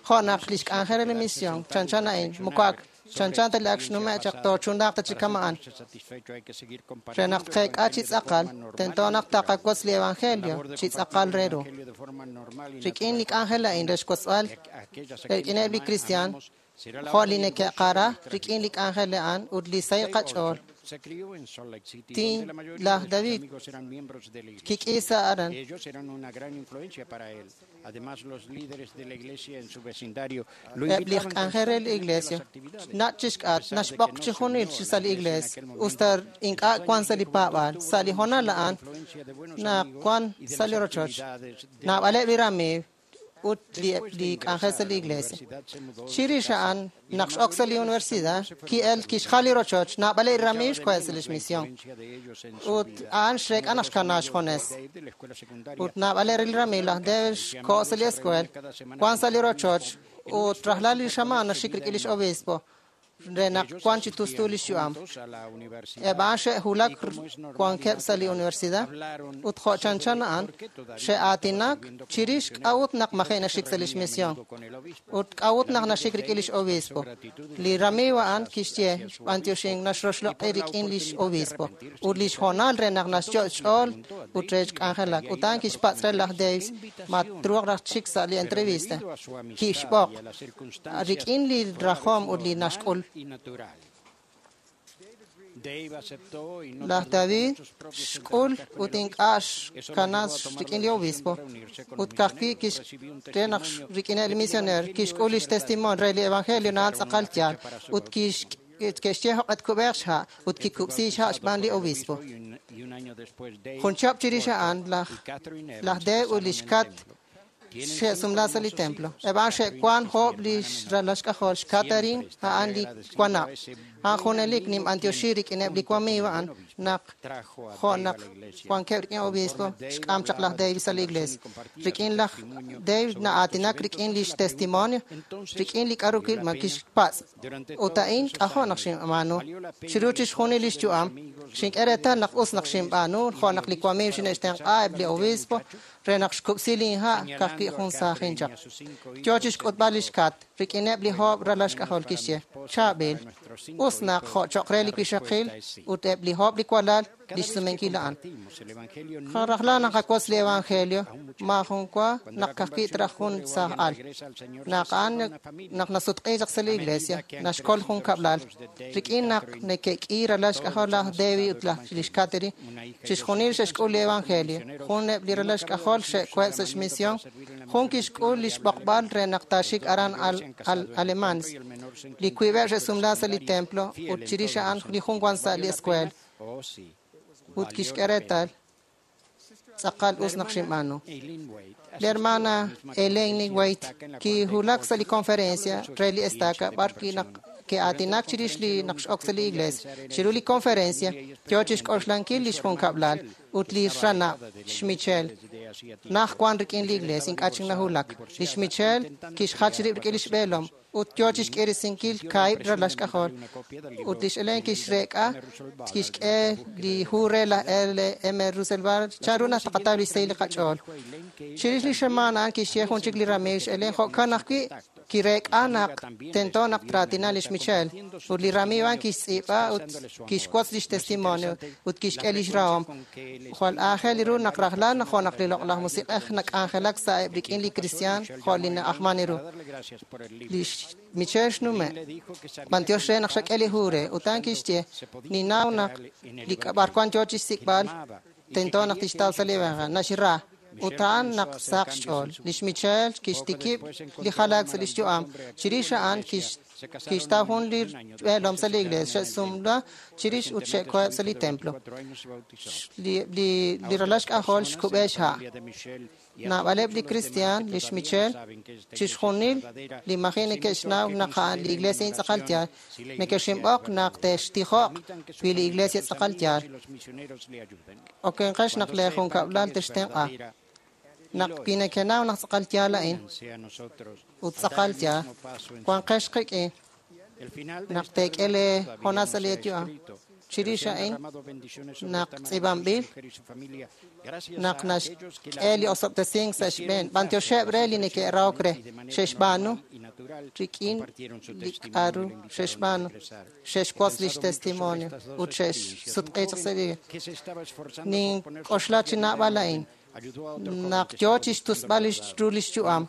jo' naq lix k'anjel li misión, chanchan a'in, moko ak chanchan ta li ak xnume' chaq toochunlaaq ta chi kama'an. Re naq tqeek'a chi tz'aqal, tento naq taqawotz li Evangelio chi tz'aqal re ru. Rik'in li k'anjel a'in re xwotzb'al rik'ineb' li kristiaan, jo' li neke'qara rik'in li k'anjel a'an ut li sahil qach'ool. Tin laj David kik'i sa' aran. Eb' li k'anjel re li iglesia, nach' chixk'at, naxb'oq chi junil chi sa' li iglesia, usta ink'a' wan sa' li paab'aal. Sa' li hoonal a'an, naq wan sa' li rochoch, naab'aleb' li ramiiw, ut li k'anjel sa' li iglesia. Chirix a'an, naq x'ok sa' li universidad, ki'el kixjal li rochoch, naab'aleb' li ramiiw xkoheb' sa' lix misión. Ut a'an xreek'a naq xkana xjunes. Ut naab'aleb' li ramiiw laj Dave xko' sa' li escuela, wan sa' li rochoch, ut rajlal li xamaan naxik rik'in lix obispo re naq wan chi tustu lix yu'am. Eb' a'an xe'wulak wankeb' sa' li universidad ut jo' chanchan a'an xe'aatinak chirix k'a'ut naq maji' naxik sa' lix misión ut k'a'ut naq naxik rik'in lix obispo. Li ramiiw a'an kixye xb'antioxink naxroxloq'i rik'in lix obispo ut lix hoonal re naq naxyo' xch'ool ut re xk'anjelak. Ut a'an kixpatz' re laj Dave ma truuq raj chik sa' li entrevista. Kixb'oq rik'in li rajom ut li naxk'ul. Laj David xk'ul ut ink'a' xkana rik'in li obispo ut ka'ajwi' re naq rik'ineb' li misioneer kixk'ul lix testimonio re li evangelio na'an tz'aqal yaal ut ke'xye jo'q'e tkub'eeq xha' ut kikub'siik xha' xb'aan li obispo. Jun chihab' chirix a'an laj Dave ut lix Kat xe'sumla sa' li templo. Eb' a'an xe'wan jo'ob' li ralal xk'ajol xKatherine a'an li wanab'. A'an junelik ninb'antioxi rik'ineb' li wamiiw a'an naq jo' naq wankeb' rik'in obispo xk'am chaq laj Dave sa' li iglesia. Rik'in laj Dave na'aatinak rik'in lix testimonio rik'in li k'a'ru ma kixpatz'. Ut a'in k'ajo' naq xinb'aanu. Chiru chixjunil lix yu'am, xink'e reetal naq us naq xinb'aanu jo' naq li wamiiw xine'xtenq'a eb' li obispo re naq xkub'si linha' ka'ajwi' jun saajin chaq. Yo chixk'utb'al lix Kat rik'ineb' li jo'ob' ralal xk'ajol kixye, chaab'il, us naq jo' cho'q re li wixaqil ut eb' li jo'ob' li walal lix sumenkil a'an. Rajlal naqawotz li evangelio, maajun wa naq ka'ajwi' traj jun saaj al. Naq a'an naq nasutq'i chaq sa' li iglesia, naxkol jun kab'lal. Rik'in naq neke'k'i ralal xk'ajol laj David ut lix Katherine, chixjunil xe'xk'ul li evangelio. Jun eb' li ralal xk'ajol xe'koheb' sa' xmisión, jun kixk'ul lix b'oqb'al re naq taaxik aran Alemania. Li wiib'eb' xe'sumla sa' li templo ut chirix a'an li jun wan sa' li escuela. Ut kixk'e reetal tz'aqal us naq xinb'aanu. Li hermana Elaine Waite kiwulak sa' li conferencia re li estaca b'ar wi' naq ke'aatinak chirix li naq x'ok sa' li iglesia. Chiru li conferencia yo chixk'oxlankil lix junkab'lal ut li ranab' xMichelle naj wan rik'in li iglesia ink'a' chik nawulak. Lix Michelle kixjach rib' rik'in lix b'eelom ut yo chixk'irisinkil kaahib' ralal xk'ajol. Ut lix Elaine kixreek'a kixk'e li hu re laj L.M. Russell Ballard chanru naq taqataw lix sahil li qach'ool. Chirix li xamaan a'an kixye jun chik li ramiiw xElaine jo'kan ajwi' kireek'a naq tento naq traatina lix Michelle. Ut li ramiiw a'an kixtz'iib'a ut kixwotz lix testimonio ut kixk'e lix rahom. Jwal aajel ru naq rajlal jo' naq li loq'laj musiq'ej nak'anjelak sa'eb' rik'in li kristiaan jo' li na'ajman ru. Lix Michelle xnume'. B'antiox re naq xak'e li hu re. Ut a'an kixye, ninnaw naq li b'arwan yo chixsik'b'al tento naq tixtaw sa' li evangelio. Naxra. Ut a'an naq saq xch'ool. Lix Michelle kixtikib' li jalaak sa' lix yu'am. Chirix a'an kixtaw jun li b'eelom sa' li iglesia. Xe'sumla chirix ut xe'koheb' sa' li templo. Li ralal xk'ajol xkub'e xha'. Naab'aleb' li kristiaan, lix Michelle, chixjunil li maji' neke'xnaw naq a'an li iglesia tz'aqal yaal, neke'xinb'oq naq te'xtijoq wi li iglesia tz'aqal yaal. Okenqex naq lee junkab'lal textenq'a. Naq wi nekenaw naq tz'aqal yaal a'in ut tz'aqal yaal, wanqex qik'in naq teek'e lee hoonal sa' li yu'am. Chirix a'in naq tz'iib'anb'il naq naxk'e li osob'tesink sa' xb'een. B'antioxeb' re li neke'rahok re xe'xb'aanu rik'in li k'a'ru xe'xb'aanu. Xe'xwotz lix testimonio ut xe'xsutq'i chaq sa' li nink'oxla chi naab'al a'in. Naq yo chixtusb'al ru lix yu'am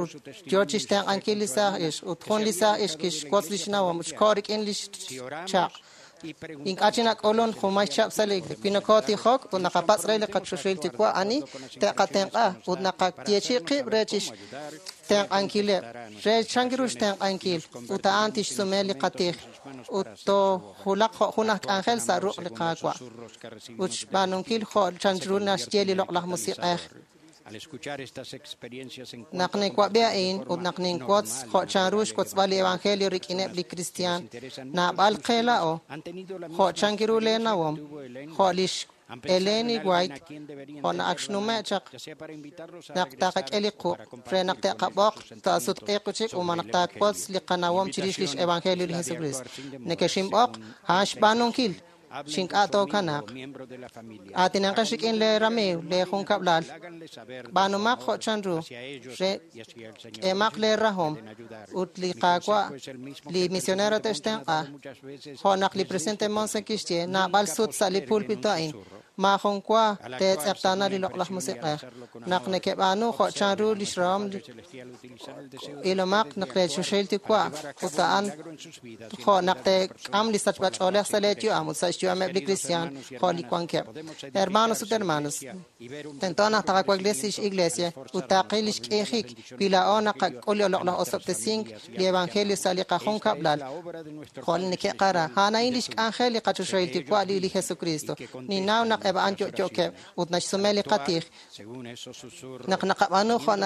ut yo chixtenq'ankil li saaj ixq ut jun li saaj ixq kixwotz lix nawom ut xko' rik'in lix chaq'. Ink'a' chi nak'ulun jumay chab' sa' li iglesia. Wi nokotijok ut naqapatz' re li qachoxahil Yuwa' ani te'qatenq'a ut naqayeechi'i qib' re chixtenq'ankileb' re chan ru xtenq'ankil ut a'an tixsume li qatij ut toojulaq jo' jun aj k'anjel sa' ruq' li Qaawa' ut xb'aanunkil jo' chan ru naxye li loq'laj musiq'ej. Naq ninwab'i a'in ut naq ninwotz jo' chanru xwotzb'al li evangelio rik'ineb' li kristiaan, naab'al qe laa'o, jo' chank ru lee nawom, jo' lix Ellen White, jo' naq xnume' chaq naq taqak'e li quq' re naq te'qab'oq taasutq'iiq chik ut naq taawotz li qanawom chirix lix evangelio li Jesucristo. Nekexinb'oq a'an xb'aanunkil xink'a' tookanaaq. Aatinanqex rik'in lee ramiiw, lee junkab'lal. B'aanumaq jo' chanru re k'emaq lee rahom ut li Qaawa' li misionero te'xtenq'a. Jo' naq li presidente Monson kixye naab'al sut sa' li pulpito a'in, maajun wa teetz'eqtaana li loq'laj musiq'ej. Naq nekeb'aanu jo' chanru lix rahom ilomaq naq lee choxahil Yuwa' ut a'an jo' naq teek'am li sachb'ach'oolej sa' lee yu'am ut sa' xyu'ameb' li kristiaan jo' li wankeb'. Hermanos ut hermanas, tento naq taqawaklesi lix iglesia ut taqil lix k'iijik wi laa'o naqak'ul li loq'laj osob'tesink li evangelio sa' li qajunkab'lal jo' li neke'qara. A'an a'in lix k'anjel li qachoxahil Yuwa' li Jesucristo. Ninnaw naq eb' a'an yo'yookeb' ut naxsume li qatij. Naq naqab'aanu jo'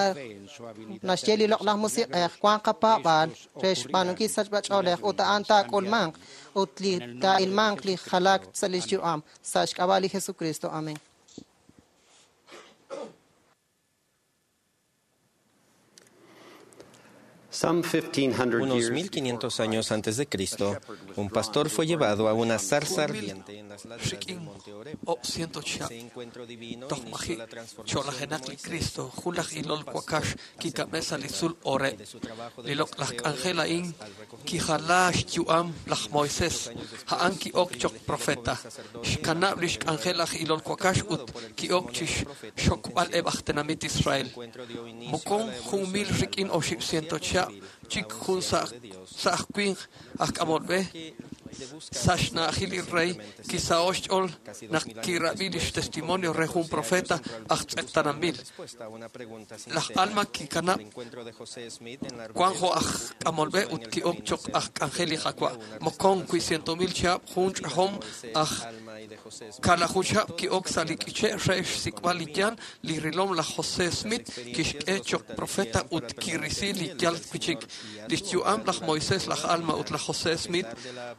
naxye li loq'laj musiq'ej, wanq qapaab'aal re xb'aanunkil sachb'ach'oolej ut a'an taak'ulmanq ut li taa'ilmanq li jalaak sa' lix yu'am sa' xk'ab'a' li Jesucristo. Amén. Unos 1500 años antes de Cristo, un pastor fue llevado a una zarza ardiente en las laderas del monte Horeb. Ese encuentro divino inició la transformación de Moisés. Li loq'laj k'anjel a'in kijala xyu'am laj Moisés, a'an ki'ok choq profeta. Xkanab' lix k'anjel aj ilol wakax ut ki'ok chixxokb'al eb' aj tenamit Israel. Mokon 1000 rik'in 800 chihab' chik jun sa' aj winq aj k'amol b'e sa' xna'ajil li rey kisa'o xch'ool naq kirab'i lix testimonio re jun profeta aj tz'eqtananb'il. Laj Alma kikanab' wan jo' aj k'amol b'e ut ki'ok choq aj k'anjel li Qaawa'. Mokon wi 100,000 chihab' jun ch'ajom aj kaalaju chihab' ki'ok sa' li k'iche' re xsik'b'al li yaal li rilom laj José Smith kixk'e choq profeta ut kirisi li yaal wi'chik. Lix yu'am laj Moisés, laj Alma ut laj José Smith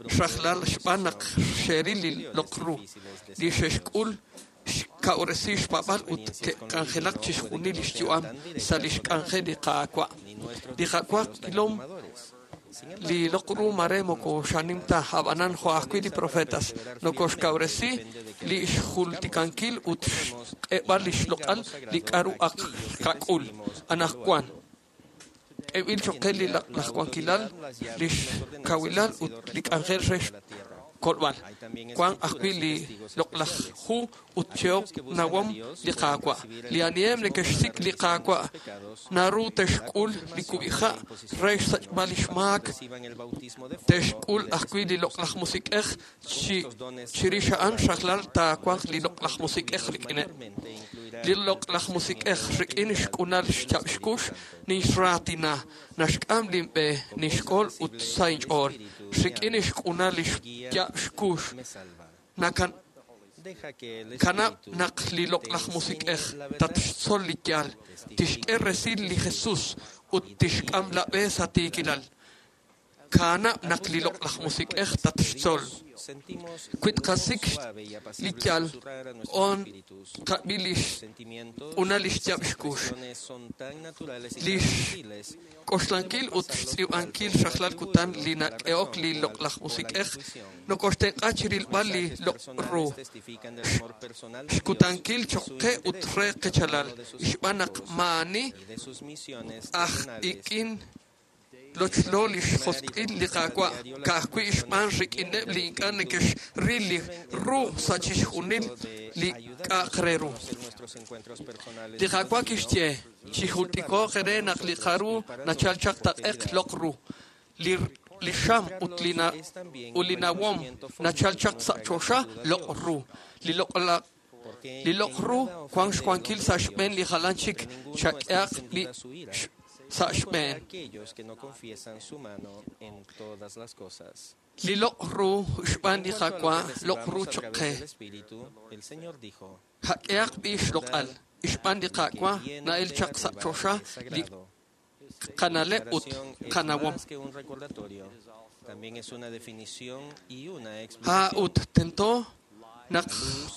xrajlal xb'aan naq xe'ril li loq ru li xe'xk'ul xkawresi xpaab'al ut ke'k'anjelak chixjunil lix yu'am sa' lix k'anjel li Qaawa'. Li Qaawa' kilom li loq ru mare moko xanim ta ab'anan jo' ajwi' li profetas nokoxkawresi li xjultikankil ut xq'eb'al lix loq'al li k'aru ak qak'ul anaqwan. K'eb'il choq qe li laj wankilal, lix kawilal ut li k'anjel re xkolb'al. Wan ajwi' li loq'laj hu ut chehok nawom li Qaawa'. Li aniheb' neke'xsik' li Qaawa' naru te'xk'ul li kub'iha' re xsachb'al lix maak, te'xk'ul ajwi' li loq'laj musiq'ej chirix a'an rajlal taawanq li loq'laj musiq'ej rik'ineb'. Li loq'laj musiq'ej rik'in xk'unal xchab' xkux ninxraatina, naxk'am linb'e, ninxk'ol ut sa' inch'ool. Rik'in xk'unal lix yab' xkux kanab' naq li loq'laj musiq'ej tatxtzol li yaal, tixk'e resil li Jesús ut tixk'am la b'e sa' tiikilal. Kanab' naq li loq'laj musiq'ej tatxtzol. Wi tqasik' li yaal on qab'i lix q'una lix yab' xkux. Lix k'oxlankil ut xtz'iib'ankil rajlal kutan li nak'ehok li loq'laj musiq'ej nokoxtenq'a chirilb'al li loq' ru. Xkutankil choq qe ut re qechalal xb'aan naq maa'ani aj ik'in lochlo li xjosq'il li Qaawa' ka'ajwi' xb'aan rik'ineb' li ink'a' neke'xril li ru sa' chixjunil li k'a'aq re ru. Li Qaawa' kixye chijultiko'q re naq li qaru nachal chaq taq'eq loq ru. Li xam ut li nawom nachal chaq sa' choxa loq ru. Li loq ru wan xwankil sa' xb'een li jalan chik chak'ehaq li sa' xb'een. Li loq ru xb'aan li Qaawa' loq ru choq qe. Jak'ehaq b'i xloq'al. Xb'aan li Qaawa' na'el chaq sa' choxa li qana'leb' ut qanawom. Ha ut tento naq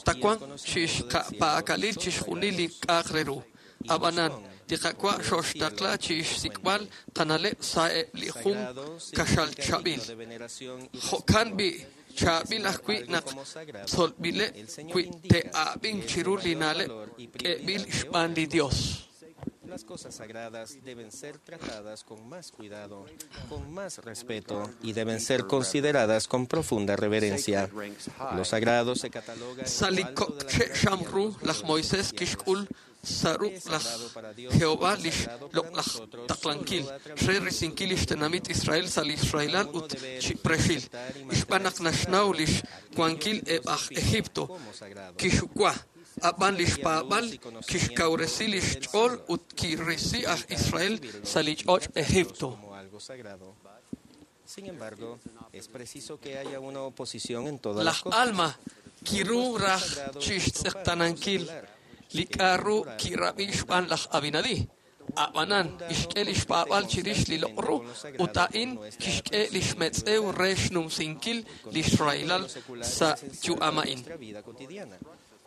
tawanq chixka'pak'alil chixjunil li k'a'aq re ru. Ab'anan, li Qaawa' xoxtaqla chixsik'b'al qana'leb' sa'eb' li jun kaxal chaab'il. Jo'kan b'i' chaab'il ajwi' naq tzolb'ileb' wi te'ab'ink chiru li na'leb' k'eb'il xb'aan li Dios. Las cosas sagradas deben ser tratadas con más cuidado, con más respeto y deben ser consideradas con profunda reverencia. Lo sagrado se cataloga en Sa' li lo alto de la kok' che' xam ru laj Moisés kixk'ul sa' ruq' laj Jehová lix loq'laj taqlankil re risinkil lix tenamit Israel sa' li Israelal ut chiprexil. Xb'aan naq naxnaw lix wankil eb' aj Egipto kixuwa. Ab'an lix paab'al kixkawresi lix ch'ool ut kirisi aj Israel sa' li ch'och' Egipto. como algo sagrado. Sin embargo, es preciso que haya una oposición en todas las Laj cosas. Alma kiru raj chixtz'eqtanankil li k'a'ru kirab'i xb'aan laj Abinadi. Ab'anan ixk'e lix paab'al chirix li loq' ru ut a'in kixk'e lix metz'ew re xnumsinkil lix rahilal sa' yu'am a'in. Nuestra vida cotidiana.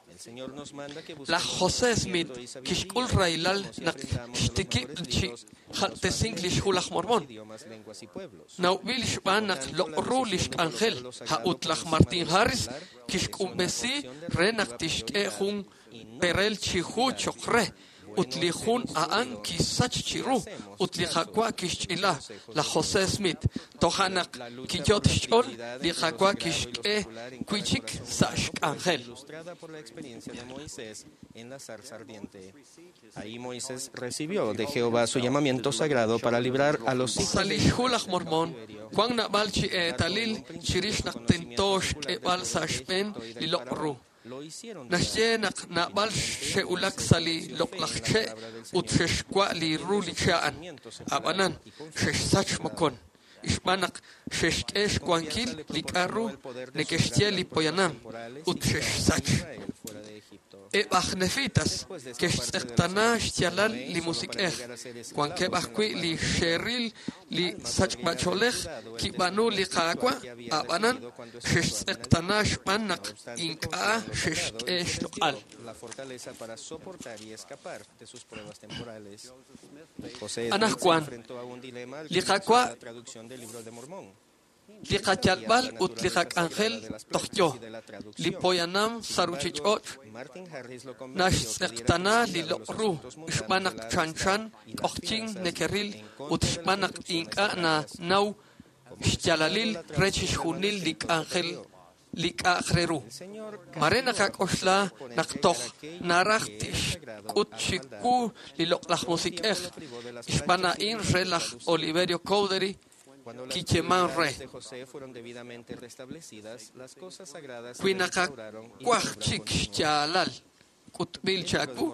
El Señor nos manda que Laj busquemos José Smith conocimiento y sabiduría, kixk'ul rahilal como si naq aprendamos de los xtikib' mejores chi libros, jaltesink lix hu laj Mormón. idiomas, lenguas y pueblos. Nawb'il xb'aan naq loq' ru lix k'anjel ha'ut laj Martin Harris kixk'umb'esi re naq tixk'e jun perel chi hu choq re ut li jun a'an kisach chiru ut li Qaawa' kixch'ila laj José Smith toja' naq kiyot xch'ool li Qaawa' kixk'e wi'chik sa' xk'anjel. Ilustrada por la experiencia de Moisés en la zarza ardiente. Ahí Moisés recibió de Jehová su llamamiento sagrado para librar a los hijos Sa' lix hu laj Mormón wan nab'al chi eetalil chirix naq tento xk'eb'al sa' xb'een li loq' ru. Naxye naq nab'al xe'ulak sa' li loq'laj che' ut xexwa' li ru li che' a'an. Ab'anan, xexsach mokon. Xb'aan naq xexk'e xwankil li k'a'ru neke'xye li poyanam ut xexsach. Eb' aj Nefitas ke'xtz'eqtana xyaalal li musik'ej. Wankeb' ajwi' li xe'ril li sachb'ach'oolej kib'aanu li Qaawa', ab'anan xextz'eqtana xb'aan naq ink'a' xexk'e xloq'al. La fortaleza para soportar y escapar de sus pruebas temporales. José Smith se Anajwan, enfrentó a un dilema al li comenzar Qaawa' la traducción del libro de Mormón. Li qayalb'al ut li qak'anjel toj yo, li poyanam sa' ruchich'och' Martin Harris lo convenció que diera naxtz'eqtana li prioridad a loq' los ru asuntos mundanos xb'aan de naq la chanchan amistad y las k'ojchin finanzas nekeril en ut contra de xb'aan las naq instrucciones ink'a' sagradas. nanaw xyaalalil re chixjunil li k'anjel li k'a'aq re ru. Mare naqak'oxla naq toj naraj tixk'ut chiku li loq'laj musik'ej xb'aan a'in re laj Oliverio Cowdery Cuando las kiyeman re. prioridades de José fueron debidamente restablecidas, las cosas sagradas se Wi le restauraron y naqakwaj la obra chik continuó. xyaalal k'utb'il chaku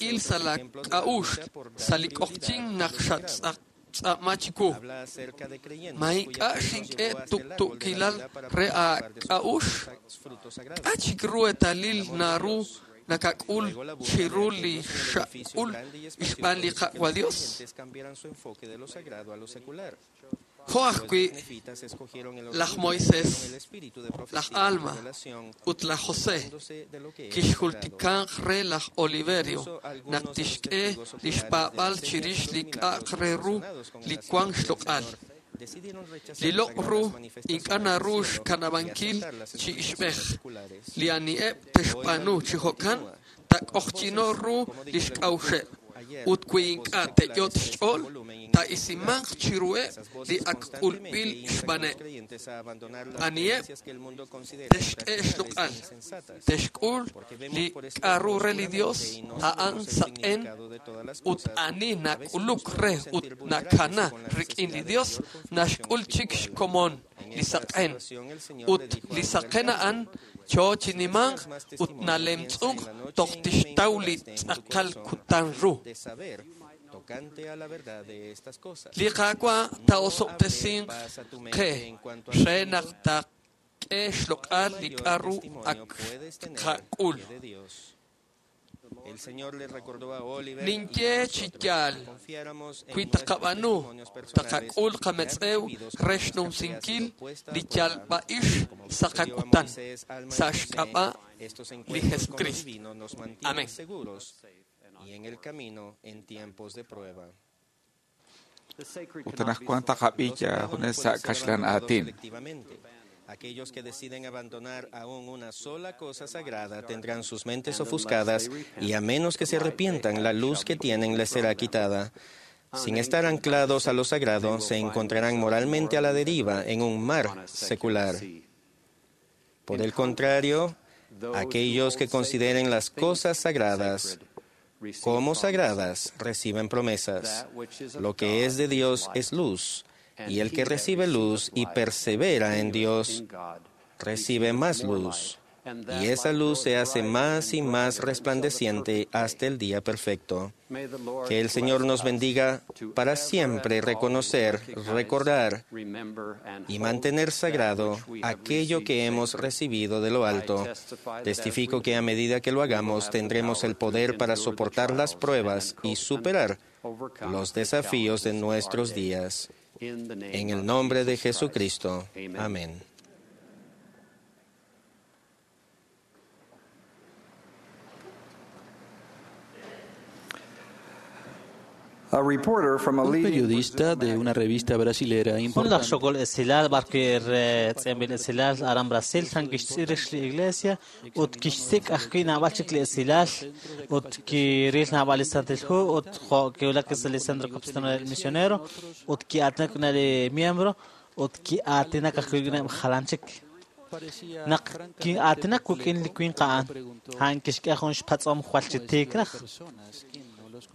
il sa' la k'a'uxl sa' li k'ojchin naq xatz'ama chiku. Habla acerca de creyentes Ma cuya ink'a' fe los xink'e llevó hasta el árbol de la tuktuukilal vida para re participar de sus aak'a'uxl frutos sagrados. k'a' chik ru eetalil naru nakak'ul chiru li xak'ul xb'aan li Qaawa' Dios. Creyentes cambiaran su enfoque de lo sagrado a lo secular. Jo' Los ajwi' nefitas escogieron el laj orgullo y Moisés, tuvieron el espíritu de laj profecía y Alma revelación, ut laj José olvidándose de lo que era sagrado. kixjultikanq re laj Oliverio naq tixk'e lix paab'al chirix li k'a'aq re ru li wank xloq'al. Decidieron rechazar Li las loq' ru sagradas manifestaciones ink'a' del naru cielo y xkanab'ankil aceptar las chi explicaciones ixb'ej. seculares. Li ani'eb' texb'aanu chi jo'kan tak'ojchino ru lix k'a'uxeb'. Ut wi ink'a' te'yot xch'ool, ta'isimanq chiruheb' li ak k'ulb'il xb'aaneb'. Creyentes a abandonar las Ani'eb' creencias que el mundo considera texk'e irracionales e xloq'al, insensatas. texk'ul Porque vemos li por espejos k'a'ru re li Dios oscuramente y no a'an sabemos el saq'en significado de todas las ut cosas. ani A veces nos nak'uluk re podemos ut sentir vulnerables nakana y con la rik'in li necesidad de Dios mayor confirmación naxk'ul chik espiritual. xkomon En li esta saq'en situación, el Señor ut le dijo a li Elder saqen a'an Cowdery, cho chinimanq "Deseas más ut testimonio, piensa nalemtz'unk en la noche toj en que me tixtaw li imploraste en tu tz'aqal corazón kutan ru. de saber tocante a la verdad de estas cosas. Li Qaawa' No ta'osob'tesinq hablé paz a tu mente qe en cuanto al re naq mundo. taqk'e xloq'al li Mayor k'a'ru testimonio ak puedes tener qak'ul. que de Dios. Ninye chi yaal, wi taqab'aanu, taqak'ul qametz'ew re xnumsinkil li yalb'a'ix sa' qakutan, sa' xk'ab'a' li Jesucristo. Amén. Y en el camino en tiempos de prueba. Ut anaqwan taqab'i junes sa' kaxlan aatin. Aquellos que deciden abandonar aún una sola cosa sagrada tendrán sus mentes ofuscadas y a menos que se arrepientan, la luz que tienen les será quitada. Sin estar anclados a lo sagrado, se encontrarán moralmente a la deriva en un mar secular. Por el contrario, aquellos que consideren las cosas sagradas como sagradas reciben promesas. Lo que es de Dios es luz, y el que recibe luz y persevera en Dios, recibe más luz. Y esa luz se hace más y más resplandeciente hasta el día perfecto. Que el Señor nos bendiga para siempre reconocer, recordar y mantener sagrado aquello que hemos recibido de lo alto. Testifico que a medida que lo hagamos tendremos el poder para soportar las pruebas y superar los desafíos de nuestros días. En el nombre de Jesucristo. Amén. Un periodista de una revista brasilera importante. Xogol esilal barkir tz'embil esilal aran Brasil san kixtz'irix li iglesia ut kixsik' ajwi' nab'al chik li esilal ut kiril nab'al li Santil Hu ut jo' kiwulak sa' li Centro Capistrano del Misionero ut ki'aatinak na li miembro ut ki'aatinak ajwi' rik'ineb' jalan chik. Naq ki'aatinak wik'in li winq a'an a'an kixk'e jun xpatz'om jwal chi tiik raj.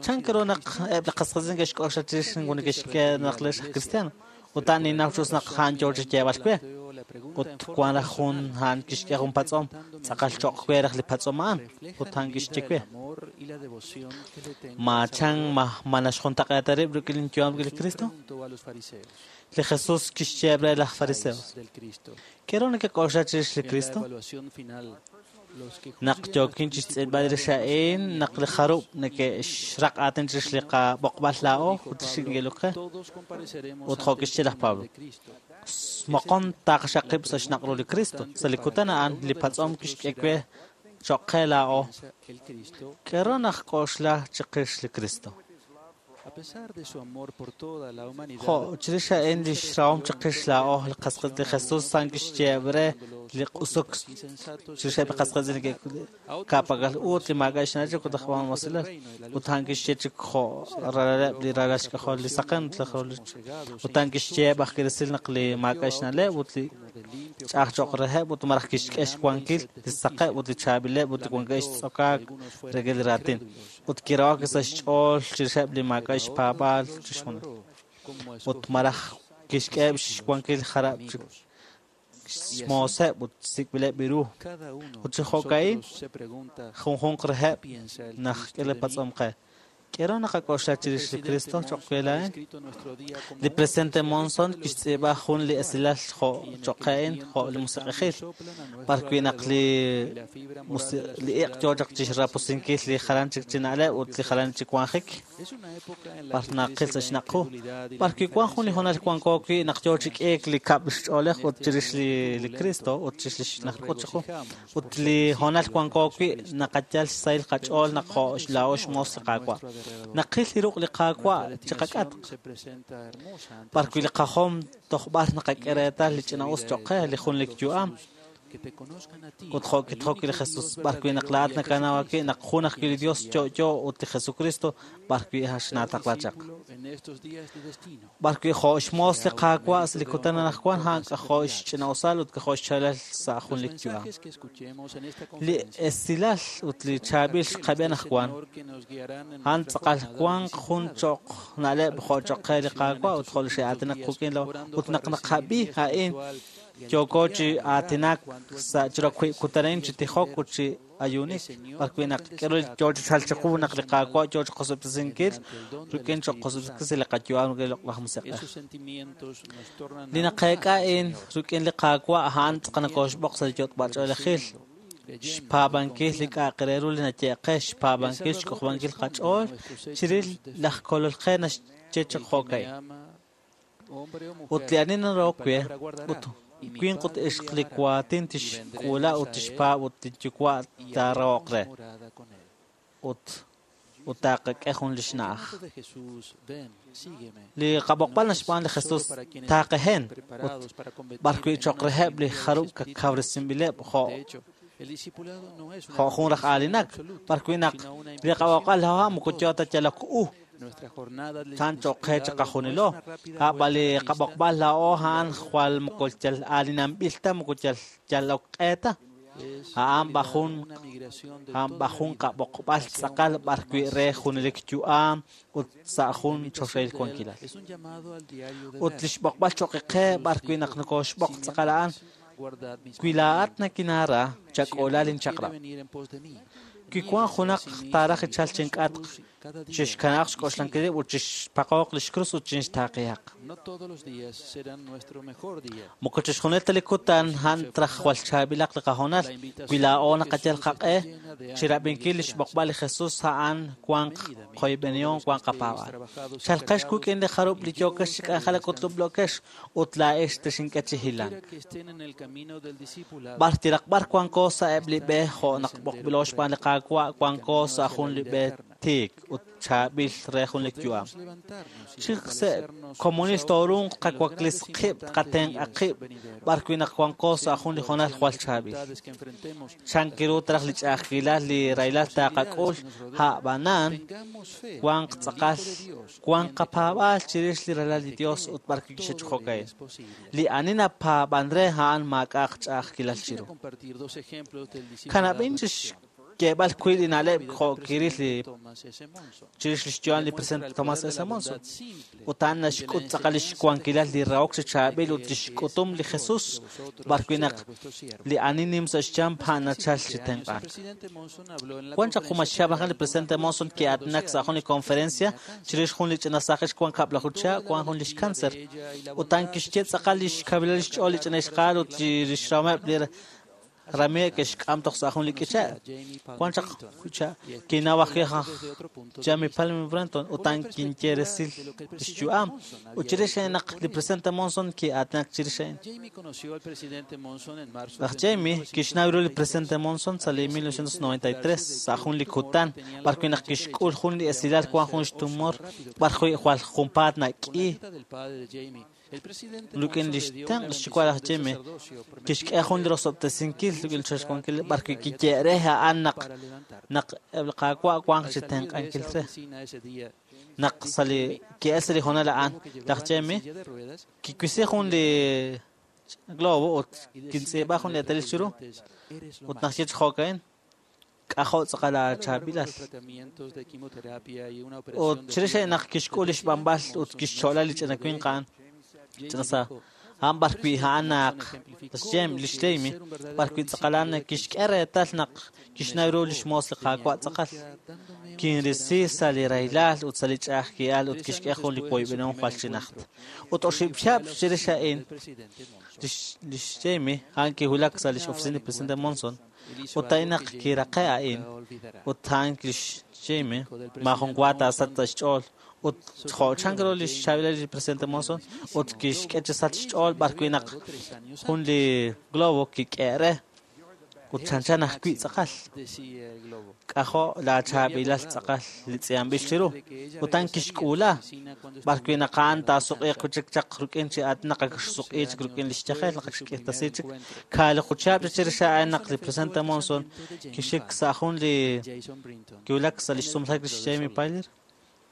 Chan k'aru naq eb' li qasqasin ke'xk'oxla chirix neke'xk'e naq lex aj cristiano ut a'an ninnaw chus naq a'an yoo chi yeeb'al we ut wan raj jun a'an kixk'e jun patz'om tz'aqal cho'q we raj li patz'om a'an ut a'an kixye we ma chan ma naxjuntaq'eeta rib' rik'in linyu'am rik'in li Cristo. Li Jesús kixyeeb' re laj fariseos k'aru nekek'oxla chirix li Cristo. Naq yookin chixtz'ilb'al rix a'in naq li jarub' neke'xraq aatin chirix li qab'oqb'al laa'o ut li xik neke'ilok qe ut jo' kixye laj Pablo moqon taqaxaqib' sa' xnaq' ru li Cristo. Sa' li kutan a'an li patz'om kixk'e we cho'q qe laa'o k'aru naqk'oxla chiqix li Cristo. Jo' chirix a'in li xrahom chiqix laa'o li qasqis li Jesús san kixyeeb' re li q'usuk chirix eb' li qasqis ka'pak'al ut li maak'a' xna'leb' ut aj b'an mosilal ut a'an kixye chik jo' ralaleb' li ralal xk'ajol li saqen ut a'an kixyeeb' ajwi' resil naq li maak'a' xna'leb' ut li ch'a'aj cho'q reheb' ut malaj kixk'e xwankil li saqeb' ut li chaab'ileb' ut li wankeb' xtz'okaak rik'in li raatin ut kirahok sa' xch'ool chirixeb' li maak'a' xpaab'aal chixjunil ut malaj kixk'eheb' xwankil jarab' chik xmooseb' ut sik'b'ileb' ru ut chi jo'ka'in junjunq reheb' naq k'e li patz'om qe k'aru naqak'oxla chirix li Cristo cho'q we laa'in. Li presidente Monson kixtz'iib'a jun li esilal jo' cho'q qe a'in jo' li musiq'ejil b'arwi' naq li iq' yoo chaq chixrapusinkil li jalan chik chi na'leb' ut li jalan chik wanjik b'ar naqil sa' xnaq' qu b'arwi' wan jun li hoonal wanko wi' naq yoo chi k'iik li kab' xch'oolej ut chirix li Cristo ut chirix li naqk'ut chiqu ut li hoonal wanko wi' naqayal xsahil qach'ool naq jo' laa'o xmoos li Qaawa'. Naqil li ruq' li Qaawa' chiqak'atq b'arwi' li qajom toj b'ar naqak'e reetal li ch'ina'us cho'q qe li junlik yu'am ut jo' kitijok li Jesús b'arwi' naq laa'at nakanaw ajwi' naq jun ajwi' li Dios yo'yo ut li Jesucristo b'arwi' xnaataqla chaq b'arwi' jo' xmoos li Qaawa' sa' li kutan anaqwan a'an k'ajo' xch'ina'usal ut k'ajo' xchalal sa' junlik yu'am. Li esilal ut li chaab'il xqab'i anaqwan a'an tz'aqal wanq jun cho'q na'leb' jo' cho'q qe li Qaawa' ut jo' li xe'aatinak quk'in ut naq naqab'i a'in yooko chi aatinak sa' chiru wiib' kutan a'in chi tijok ut chi ayuunik b'arwi' naq k'aru yoo chi chalk chiqu naq li Qaawa' yoo chi qosob'tesinkil rik'in cho'q qosob'tesinkil li qayu'am rik'in li Loq'laj Musiq'ej. Li naqeek'a a'in rik'in li Qaawa' a'an tz'aqal nokoxb'oq sa' li yot'b'ach'oolejil Xpaab'ankil li k'a'aq re ru li naye'qe, xpaab'ankil xk'ojob'ankil qach'ool chirix laj Kolol qe naxye chaq jo'ka'in. Ut li ani narahok we, ut winq ut ixq li waatin tixk'uula ut tixpaab' ut li yuwa' taarahoq re. Ut taaqak'e jun li xna'aj. Li qab'oqb'al naxb'aan li Jesus taaqehen ut b'arwi' cho'q reheb' li jarub' kawresinb'ileb' jo' jun raj aalinak, b'arwi' naq li qab'oqb'al laa'o moko yoo ta yalok u chan cho'q qe chiqajunilo. A'b'an li qab'oqb'al laa'o a'an jwal moko yal aalinanb'il ta moko yal yalok q'e ta. A'an b'ajun qab'oqb'al tz'aqal b'arwi' re junelik yu'am ut sa' jun choxahil wankilal. Ut li xb'oqb'al cho'q qe b'arwi' naq nokoxb'oq tz'aqal a'an, wi laa'at nakinaara chak'oola linchaq'rab'. Wi wank junaq taaraj ichal chink'atq, chixkanaq xk'oxlankileb' ut chixpaqooq li xkrus ut chinxtaaqihaq. Moko chixjunil ta li kutan a'an traj jwal chaab'ilaq li qahoonal, wi laa'o naqayal qaq'e chirab'inkil li xb'oqb'al li Jesus a'an wanq qoyb'enihom wanq qapaab'aal. Chalqex wik'in li jarub' li yookex chi k'anjelak ut lub'lookex ut laa'ex texink'e chi hilank. B'ar tiraq b'ar wanko sa' eb' li b'e jo' naq b'oqb'ilo xb'aan li Qaawa' wanko sa' jun li b'e tiik ut chaab'il re jun li yu'am. Chi se' komunil toorunq qawaklis qib' qatenq'a qib' b'arwi' naq wanko sa' jun li hoonal jwal chaab'il. Chan kiru traj li ch'a'ajkilal li rahilal taaqak'ul a'b'anan wanq tz'aqal wanq qapaab'aal chirix li ralal li Dios ut b'arwi' kixech'ojoka'in. Li ani napaab'an re a'an maak'a'aq ch'a'ajkilal chiru. Kanab'in chix keeb'al wi' li na'leb' jo' kiril li chirix li xyu'am li presidente Thomas S. Monson. Ut a'an naxk'ut tz'aqal li xwankilal li rahok chi chaab'il ut li xk'utum li Jesus b'arwi' naq li ani nim sa' xchamp a'an nachal chi tenq'ank. Wan chaq jun maxchihab' li presidente Monson ki'aatinak sa' jun li conferencia chirix jun li ch'ina saaj wan kab'laju chihab' wan jun li xkanser. Ut a'an kixye tz'aqal li xkawilal li xch'ool li ch'ina ixqaal ut li xrahomeb' li Ramie kixk'am toj sa' jun li k'iche'. Wan chaq kinaw ajwi' Jamie Palmer Brenton ut a'an kinye resil li xyu'am. Ut chirix naq li presidente Monson ki'aatinak chirix a'in. Laj Jamie kixnaw ru li presidente Monson sa' li 1993 sa' jun li kutan b'arwi' naq kixk'ul jun li esilal wan jun xtumor b'arwi' jwal junpaat nak'i. Rik'in li xtenq' xyuwa' laj Jamie kixk'e jun li rosob'tesinkil rik'in li xwankil b'arwi' kiye re a'an naq eb' li Qaawa' wanq chi tenq'ankil re. Naq sa' li ki'el sa' li hoonal a'an laj Jamie kiwisi jun li globo ut kintz'iib'a jun li eetalil chiru ut naq xye chi jo'ka'in k'ajo' tz'aqal aachaab'ilal. Ut chirix naq kixk'ul li xb'anb'al ut kixcho'la li ch'ina winq a'an ch'ina sa a'an b'arwi' a'an naq li xJamie b'arwi' tz'aqal a'an kixk'e reetal naq kixnaw ru li xmoos li Qaawa' tz'aqal. Kinrisi sa' li rahilal ut sa' li ch'a'ajkilal ut kixk'e jun li woyb'enihom jwal chi najt. Ut oxib' chihab' chirix a'in li xJamie a'an kiwulak sa' li x'oficina li presidente Monson. Ut a'in naq kiraqe a'in ut a'an lix Jamie maajun wa taasach sa' xch'ool ut jo' chan ru li xchaab'ilal li presidente Monson ut kixk'e chi sach xch'ool b'arwi' naq jun li globo kik'e re ut chanchan ajwi' tz'aqal. K'ajo' laachaab'ilal tz'aqal li tz'i'anb'il chiru. Ut a'an kixk'uula b'arwi' naq a'an taasuq'iiq chik chaq rik'in chi aatin naq ak xsuq'i chik rik'in li xyajel naq ak xk'irtasi chik. Kaaliqu chihab' chirix a'an naq li presidente Monson kixik sa' jun li kiwulak sa' li xsumlajik li Jamie Pyler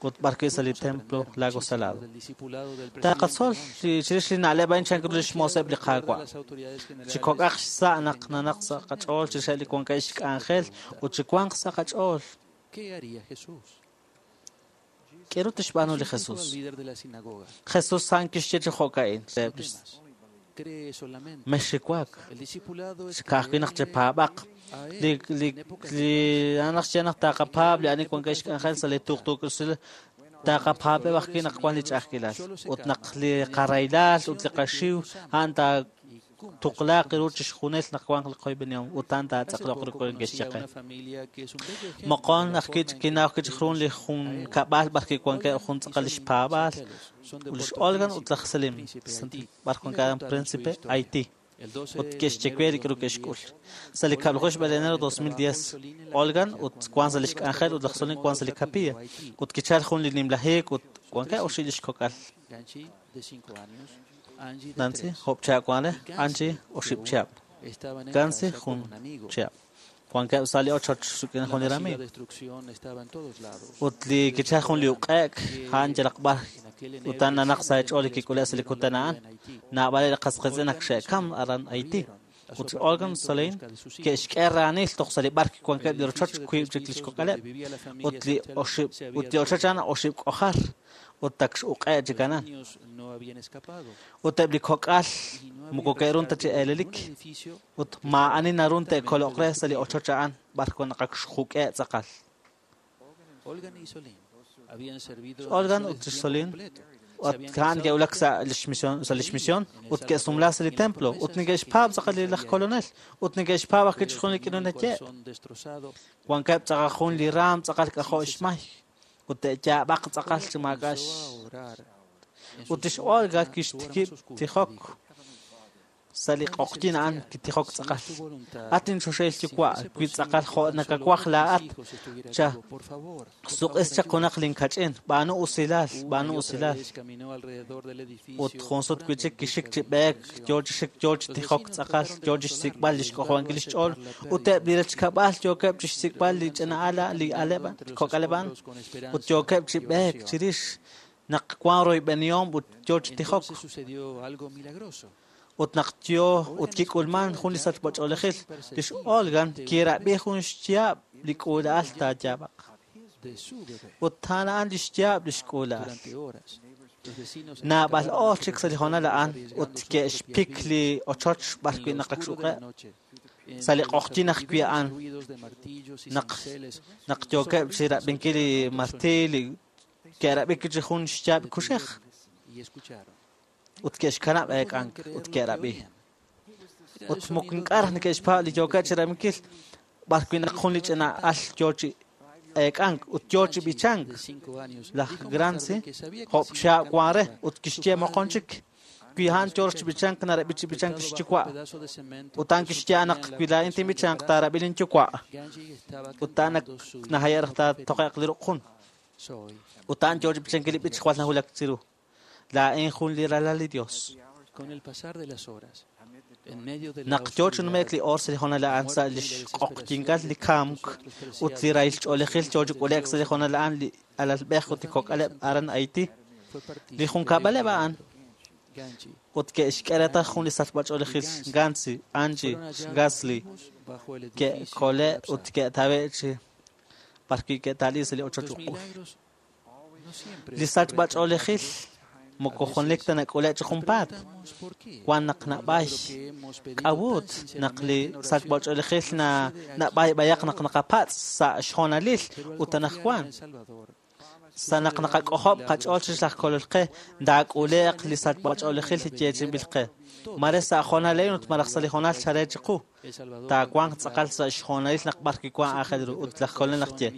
ut b'arwi' sa' li templo Lago Salado. Taqatzol chirix li na'leb' a'in chan ru li xmooseb' li Qaawa'. Chi kok'aq xsa' naq nanaq sa' qach'ool chirix li wankeb' xk'anjel ut chi wanq sa' qach'ool. K'aru tixb'aanu li Jesus? Jesus a'an kixye chi jo'ka'in. Mexxiwak. Ka'ajwi' naq chepaab'aq. Li a'an naq xye naq taqapaab' li ani wankeb' xk'anjel sa' li tuqtuukil taqapaab'eb' ajwi' naq wan li ch'a'ajkilal. Ut naq li qarahilal ut li qaxiw a'an Ttuqlaaq ru chixjunil naq wanq li qoyb'enihom ut a'an taatz'aqloq ru ke'xye qe. Moqon ajwi' kinaw ajwi' chik ru li junkab'al b'ar kiwankeb' jun tz'aqal lix paab'aal ut lix Olga ut laj Selim b'ar wankeb' Príncipe, Haití. Ut ke'xye we li k'aru ke'xk'ul. Sa' li 10 xb'e de enero 2010, Olga ut wank sa' lix k'anjel ut laj Selim wank sa' li capilla. Ut kichal jun li nimla hiik ut wankeb' oxib' lix kok'al. Nancy, job' chihab' wank re, Angie, oxib' chihab'. Gansi, jun chihab'. Wankeb' sa' li ochoch rik'in jun li ramiiw. Ut li kichal jun li uq'e'k, a'an yalaq b'ar ut a'an nanaq sa' xch'ool li kik'ule' sa' li kutan a'an. Naab'aleb' li qas qiitz'in ak xe'kam aran Haití. Ut Olga Solein ke'xk'e raanil toj sa' li b'ar kiwankeb' li rochoch wiib' chik lix kok'aleb'. Ut li oxib' ut li ochoch a'an oxib' k'ojar ut ak x'uq'e' chik anan. Ut eb' li kok'al moko ke'run ta chi eelelik. Ut maa'ani narun te'koloq re sa' li ochoch a'an b'ar wan naq ak xjuk'e' tz'aqal. Olga ut Solín ut a'an ke'wulak sa' lix misión sa' lix misión ut ke'sumla sa' li templo ut neke'xpaab' tz'aqal li laj kolonel ut neke'xpaab' ajwi' chixjunil li k'inu naye'. Wankeb' tz'aqal jun li raam tz'aqal k'ajo' xmay ut te'yaab'aq tz'aqal chi maak'a' ut lix Olga kixtikib' tijok sa' li q'oqyin a'an kitijok tz'aqal. At inchoxahil yuwa' wi tz'aqal jo' nakawaj laa'at cha suq'is chaq junaq linkach'in b'aanu usilal b'aanu usilal. Ut jun sut wi' chik kixik chi b'eek yo chi xik yo chi tijok tz'aqal yo chi xsik'b'al li xk'ojob'ankil lix ch'ool ut eb' li rechkab'al yookeb' chi xsik'b'al li ch'ina al li aleb' kok'aleb' a'an ut yookeb' chi b'eek chirix naq wan royb'enihom ut yo chi tijok. Ut naq yo ut kik'ulman jun li sachb'ach'oolejil lix Olga kirab'i jun xyaab' li k'uula'al taayaab'aq. Ut a'an a'an li xyaab' lix k'uula'al. Naab'al oor chik sa' li hoonal a'an ut ke'xpik li ochoch b'ar wi' naq ak x'uq'e'. Sa' li q'oqyin ajwi' a'an naq yookeb' chi rab'inkil li martil li ke'rab'i chi jun xyaab' kuxej. Ut ke'xkanab' eek'ank ut ke'rab'i. Ut moko ink'a' raj neke'xpaab' li yookeb' chi rab'inkil b'ar wi' naq jun li ch'ina al yo chi eek'ank ut yo chi b'ichank. Laj Gransi job' chihab' wan re ut kixye moqon chik wi a'an yo chi b'ichank narab'i chi b'ichank lix yuwa'. Ut a'an kixye naq wi laa'in tinb'ichanq taarab'i lin yuwa'. Ut a'an nahaye' raj taatoqe'q li ruq' jun. Ut a'an yo chi b'ichankil li b'ich jwal nawulak chiru. Laa'in jun li ralal li Dios. Naq yo chi nume'k li oor sa' li hoonal a'an sa' lix q'oqyinkal li kamk ut li rahil ch'oolejil yo chi k'ule'k sa' li hoonal a'an li alalb'ej ut li kok'aleb' aran Haití. Li junkab'aleb' a'an ut ke'xk'e reetal jun li sachb'ach'oolejil Gansi, Angie, Gasly ke'kole' ut ke'tawe' chi b'ar wi' ke'tali sa' li ochoch uq'ul. Li sachb'ach'oolejil moko junelik ta nak'ule' chi junpaat. Wan naq nab'ay k'awut naq li sachb'ach'oolejil nab'ayb'ayaq naq naqapatz' sa' xhoonalil ut anaqwan. Sa' naq naqak'ojob' qach'ool chirix laj kolol qe taak'ule'q li sachb'ach'oolejil li yeechi'inb'il qe. Mare sa' hoonalil ut malaj sa' li hoonal chare chiqu. Taawanq tz'aqal sa' xhoonalil naq b'ar kiwan aajel ru ut laj kolonel naq ye.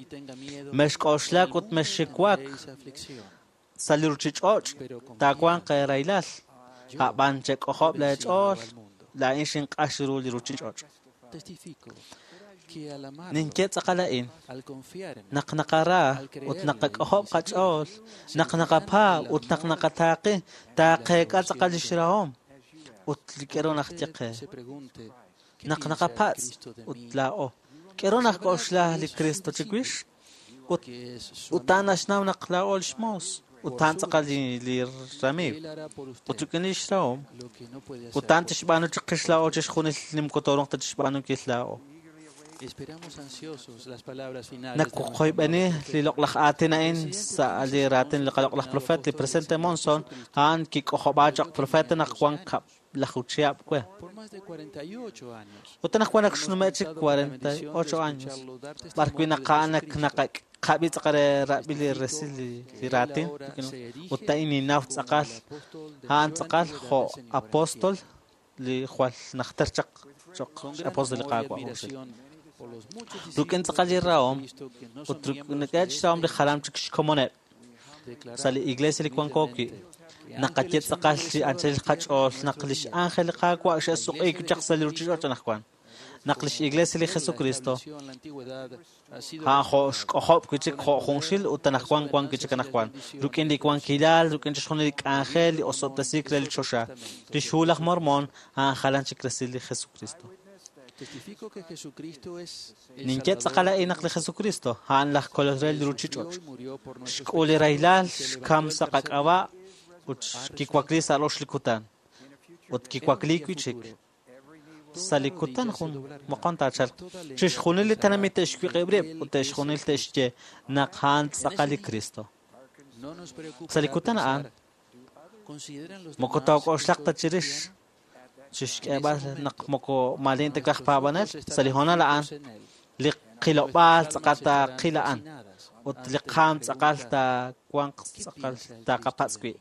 Mexk'oxlak ut mexxiwak sa' li ruchich'och' taawanq erailal. A'b'an chek'ojob' leech'ool laa'in xinq'ax ru li ruchich'och'. Ninye tz'aqal a'in naq naqara ut naqak'ojob' qach'ool naq naqapaab' ut naq naqataaqi taaqeek'a tz'aqal lix rahom ut li k'eru naq ye qe. Naq naqapatz' ut laa'o k'eru naq k'oxla li Cristo chiwix ut a'an naxnaw naq laa'o lix moos ut a'an tz'aqal li ramiiw ut rik'in lix rahom ut a'an tixb'aanu chiqix laa'o chixjunil li moko toorunq ta chixb'aanunkil laa'o. Nakuqoyb'eni li loq'laj aatin a'in sa' li raatin li qaloq'laj profeta li presidente Monson a'an kik'ojob'a choq' profeta naq wan laj chihab' we. Ut naq wan ak xnume' chik 48 años b'ar wi' naq a'an naqab'i tz'aqal re rab'i li resil li raatin ut a'in ninnaw tz'aqal a'an tz'aqal jo' apóstol li jwal najter chaq choq x'apóstol li Qaawa' junxil. Rik'in tz'aqal li rahom ut rik'in xrahom li jalam chik xkomoneb' sa' li iglesia li wanko wi' naqaye tz'aqal chi anchal qach'ool naq lix ángel li Qaawa' xe'suq'iik chaq sa' li ruuchich'och' anaqwan. Naq lix iglesia li Jesucristo a'an jo' xk'ojob' wi' chik jo' junxil ut anaqwan wan wi' chik anaqwan. Rik'in li wankilal, rik'in chixjunil li k'anjel li osob'tesiik re li choxa. Lix hu laj Mormon a'an jalan chik resil li Jesucristo. Ninye tz'aqal a'in naq li Jesucristo a'an laj Kolol re li ruuchich'och'. Xk'ul li rahilal, xkam sa' qak'ab'a' ut kiwakli sa' rox li kutan. Ut kiwakli wi' chik. Sa' li kutan jun moqon taachalq. Chixjunil li tenamit te'xwiq'ib' rib' ut te'xjunil te'xye naq a'an tz'aqal li Cristo. Sa' li kutan a'an, moko took'oxlaq ta chirix chixk'eeb'al naq moko maalin ta kaj paab'anel. Sa' li hoonal a'an, li qilob'aal tz'aqal taaqil a'an ut li qaam tz'aqal taawanq tz'aqal taaqapatz' wi'.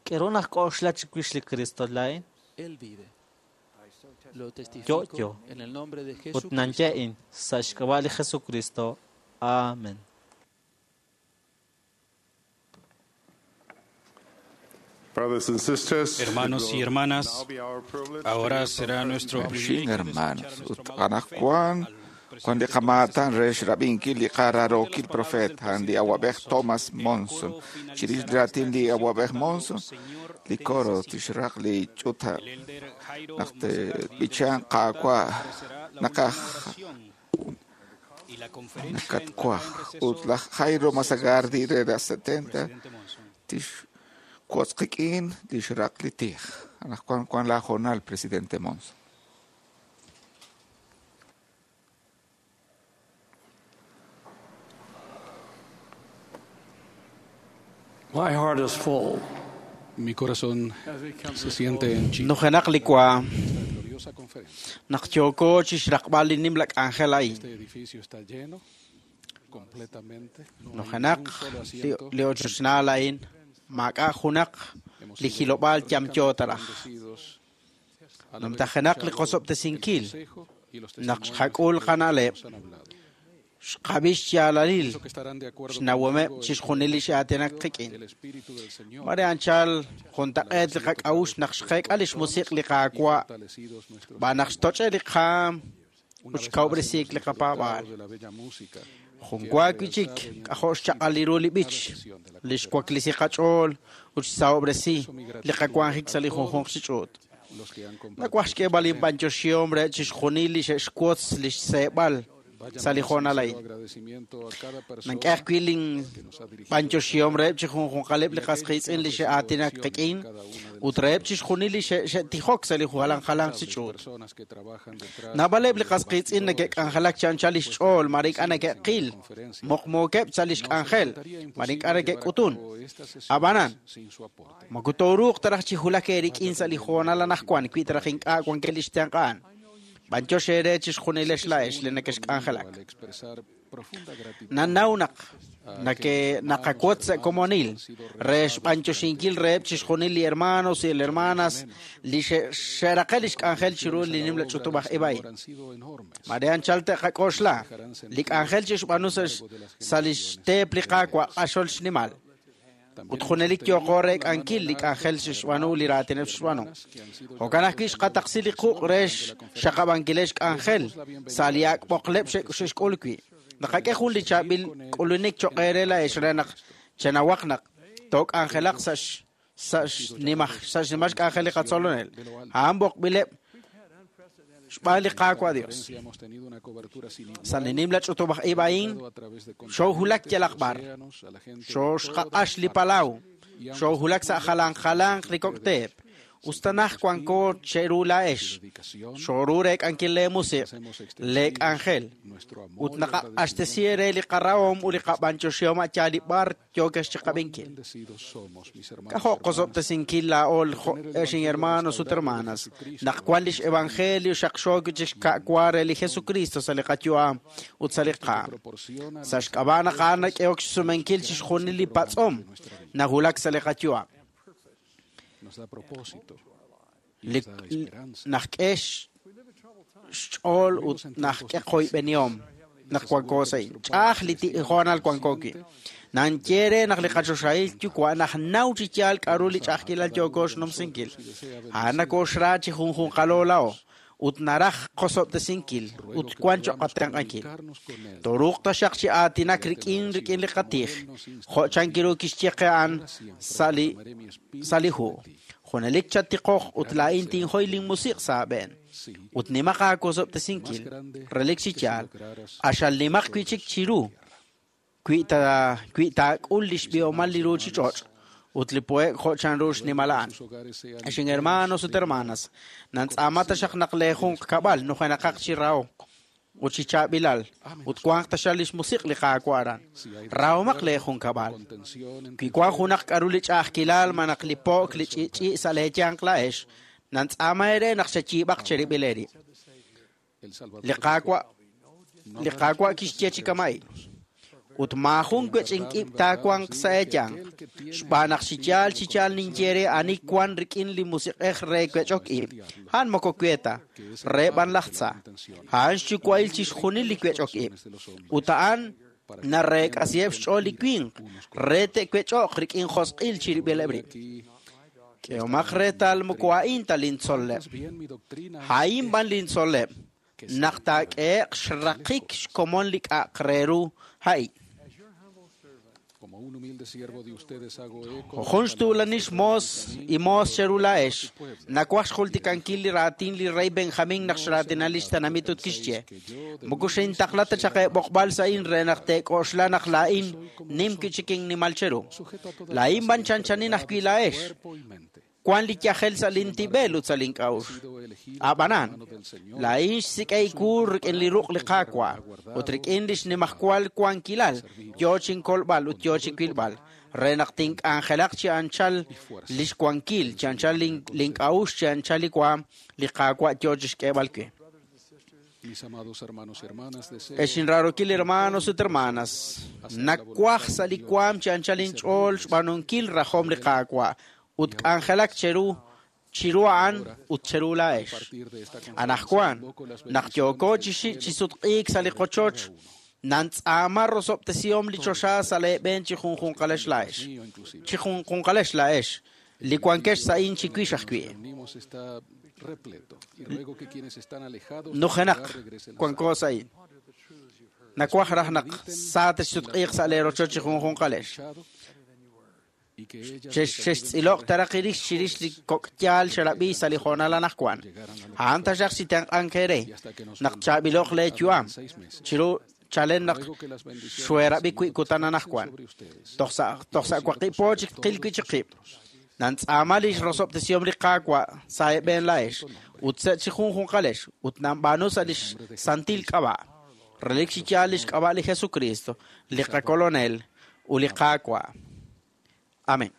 K'eru naq k'oxla chiwix li Cristo laa'in? Yo'yo. Ut nanye'in sa' xk'ab'a' li Jesucristo. Amen. Hermanos y hermanas, ahora será nuestro Xin hermanos, ut anaqwan Juan li qamaatan re xrab'inkil li qararokil profeet a'an li awab'ej Thomas Monson. Chirix li raatin li awab'ej Monson, li coro tixraq li ch'uta naq tb'ichan Qaawa' naqaj nakatwaj. Ut laj Jairo Mazagardi re las 70 tixwotz qik'in li xraq li tij. Anaqwan wan la hoonal, presidente Monson. My heart is full. Mi corazón se siente henchido. Nujenaq li waam. Naq yooko chixraqb'al li nimla k'anjel a'in. Este edificio está lleno completamente. No hay Nujenaq un solo asiento. li ochochnaal a'in maak'a' junaq li jilob'aal yamyo taraj. Bendecidos al haber Numtajenaq li escuchado qosob'tesinkil el consejo y los naq testimonios xqak'ul de los que qana'leb' nos han hablado. xqab'i xyaalalil Pienso que estarán de acuerdo xnawomeb' conmigo en chixjunil li x'aatinak qik'in. el Espíritu del Señor Mare anchal juntaq'eet li qak'a'ux naq xqeek'a li xmusiq li Qaawa' fortalecidos nuestros b'an naq xtoch'e li qaam Una ut vez más xkawb'resiik hemos li qapaab'aal. disfrutado de la bella música Jun que ha wa wi' chik realzado y k'ajo' xchaq'al li ru li b'ich li xwaklisi qach'ool ut xsahob'resi li qawanjik sa' li junjunq chi ch'uut. los que han compartido Nawaj xk'eeb'al inb'anyoxihom re chixjunil li xe'xwotz li xseeb'al Vaya sa' li mi hoonal sincero a'in. agradecimiento a cada persona Nank'e ajwi' lin que nos ha dirigido b'anyoxihom reheb' chi junjunqaleb' li qas qiitz'in li xe'aatinak qik'in ut reheb' chixjunil li xe'tijok sa' li jalan jalanq chi ch'uut. personas que trabajan detrás Naab'aleb' li qas qiitz'in neke'k'anjelak chi anchal lix ch'ool mare ink'a' neke'qil muqmuukeb' sa' lix k'anjel mare ink'a' neke'k'utun. Ab'anan, sin su aporte. moko tooruuq taraj chi hulak eerik'in sa' li hoonal anaqwan wi' taraj ink'a' wankeb' li xtenq'an. B'anyox eere chixjunilex la'ex li nekexk'anjelak. Al expresar profunda gratitud Nanaw naq naqawotz sa' komonil re xb'anyoxinkil reheb' chixjunil li hermanos y li hermanas li xe'raqe lix k'anjel chiru li nimla ch'utub' aj ib' a'in. han sido enormes. Mare anchal te'qak'oxla li k'anjel chixb'aanu sa' lix teep li Qaawa' q'axol xnimal. Ut junelik yooqo re k'ankil li k'anjel xixb'aanu li raatineb' xixb'aanu. Jo'kan ajwi' xqataqsi li quq' re xxaqab'ankilex k'anjel sa' li ak' b'oqleb' xe'xk'ul wi'. Naqak'e jun li chaab'il k'ulunik choq' eere la'ex re naq chenawaq naq took'anjelaq sa' xnimal xk'anjel li qatzolonel. A'an b'oqb'ileb' xb'aan li Qaawa' Dios. Conferencia hemos tenido una cobertura sin igual Sa' li nimla ch'utub' aj ib' a'in, a través de xoohulak yalaq b'ar, océanos, a la gente de xooxqaq'ax li palaw, xoohulak sa' jalan jalanq li kok'teep, ustanaj wanko cheru la'ex, xooru re k'ankil le musiq, le k'anjel, ut naqaq'axtesi re li qarahom ut li qab'anyoxihom a'yaal li b'ar yookex chiqab'inkil. bendecidos somos, mis hermanos. K'ajo' qosob'tesinkil laa'o ex hermanos ut hermanas. Naq wan lix evangelio xaqxook chixka'wa re li Jesucristo sa' li qayu'am ut sa' li qaam. Sa' xk'ab'a' naq a'an nak'ehok xsumenkil chixjunil li patz'om nahulak sa' li qayu'am. Nos da propósito. Li naxk'e xch'ool ut naxk'e qoyb'enihom naq wanko sa' a'in. Ch'a'aj li hoonal wanko wi'. Nanye re naq li qachoxahil yuwa' naxnaw chi yaal k'a'ru li ch'a'ajkilal yooko xnumsinkil. A'an nakooxra chi junjunqalo laa'o ut naraj qosob'tesinkil ut wan cho'q qatenq'ankil. Toruuq taxaq chi aatinak rik'in rik'in li qatij, jo' chankiru kixye qe a'an sa' li hu. Junelik chatiqoq ut laa'in tinjoy linmusiq' sa' aab'een. Ut nimaq aawosob'tesinkil, relik chi yaal, q'axal nimaq wi'chik chiru wi taak'ul li xb'ihomal li ruuchich'och' ut li po'ek jo' chanru xnimal a'an. Ex hermanos ut hermanas, nantz'aama taxaq naq le junq kab'al nujenaqaq chi rahok ut chi chaab'ilal ut wanq taxaq li xmusiq' li Qaawa' aran. Rahomaq le jun kab'al. Wi wank junaq k'a'ru li ch'a'ajkilal malaj li po'k li ch'i'ch'i' sa' leeyanq la'ex, nantz'aama eere naq xeyiib'aq cherib'il eerib'. Li Qaawa' kixye chi kama'in. Ut maajun wech'ink'ib' taawanq sa' eeyanq, xb'aan naq chi yaal ninye re ani wan rik'in li musiq'ej re wech'ok ib', a'an moko we ta, re b'an laj tza. A'an xyuwa'il chixjunil li wech'ok ib', ut a'an nareek'asiheb' xch'ool li winq re te'wech'oq rik'in josq'il chirib'ileb' rib'. K'ehomaq reetal moko a'in ta lintzol'leb'. A'in b'an lintzol'leb', naq taak'ehe'q xraqik xkomon li k'a'aq re ru a'in. Jun xtuulanil xmoos y moos cheru la'ex, nakuaj xjultikankil li raatin li rey Benjamín naq xraatinal li xtenamit ut kixye. Moko xintaqla ta chaq eeb'oqb'al sa' in re naq teek'oxla naq laa'in nim wi'chik innimal cheru. Laa'in b'an chanchanin ajwi' la'ex. Wan li yajel sa' lintib'el ut sa' link'a'uxl. Ab'anan, laa'in xsik'ey wu rik'in li ruq' li Qaawa' ut rik'in li xnimajwal wankilal yoo chinkolb'al ut yoo chiwilb'al re naq tink'anjelaq chi anchal li xwankil, chi anchal link'a'uxl, chi anchal li waam li Qaawa' yoo chixk'eeb'al we. Ex inraarokil hermanos ut hermanas, nakuaj sa' li waam chi anchal inch'ool xb'aanunkil rajom li Qaawa' ut k'anjelak cheru chiru a'an ut cheru la'ex. Anajwan, naq yooko chi sutq'iik sa' li qochoch, nantz'aama rosob'tesihom li choxa sa' leeb'een chi junjunqalex la'ex. Chi junjunqalex la'ex, li wankex sa'in chiwix ajwi'. Nujenaq wanko sa'in. Nakuaj raj naq sa texsutq'iiq sa' leerochoch chi junjunqalex. Xextz'iloq taraq irix chirix li kok'yaal xerab'i sa' li hoonal anajwan. A'an taxaq chi tenq'ank eere naq chaab'iloq leeyu'am chiru chalen naq xweerab'i wi' kutan anajwan. Toj sa' waqib' po chik tqil wi' chiqib'. Nantz'aama li xrosob'tesihom li Qaawa' sa' eeb'een la'ex ut sa' chi junjunqalex ut nanb'aanu sa' li xsantil k'ab'a'. Relik chi yaal li xk'ab'a' li Jesucristo, li qakolonel ut li Qaawa'. Amén.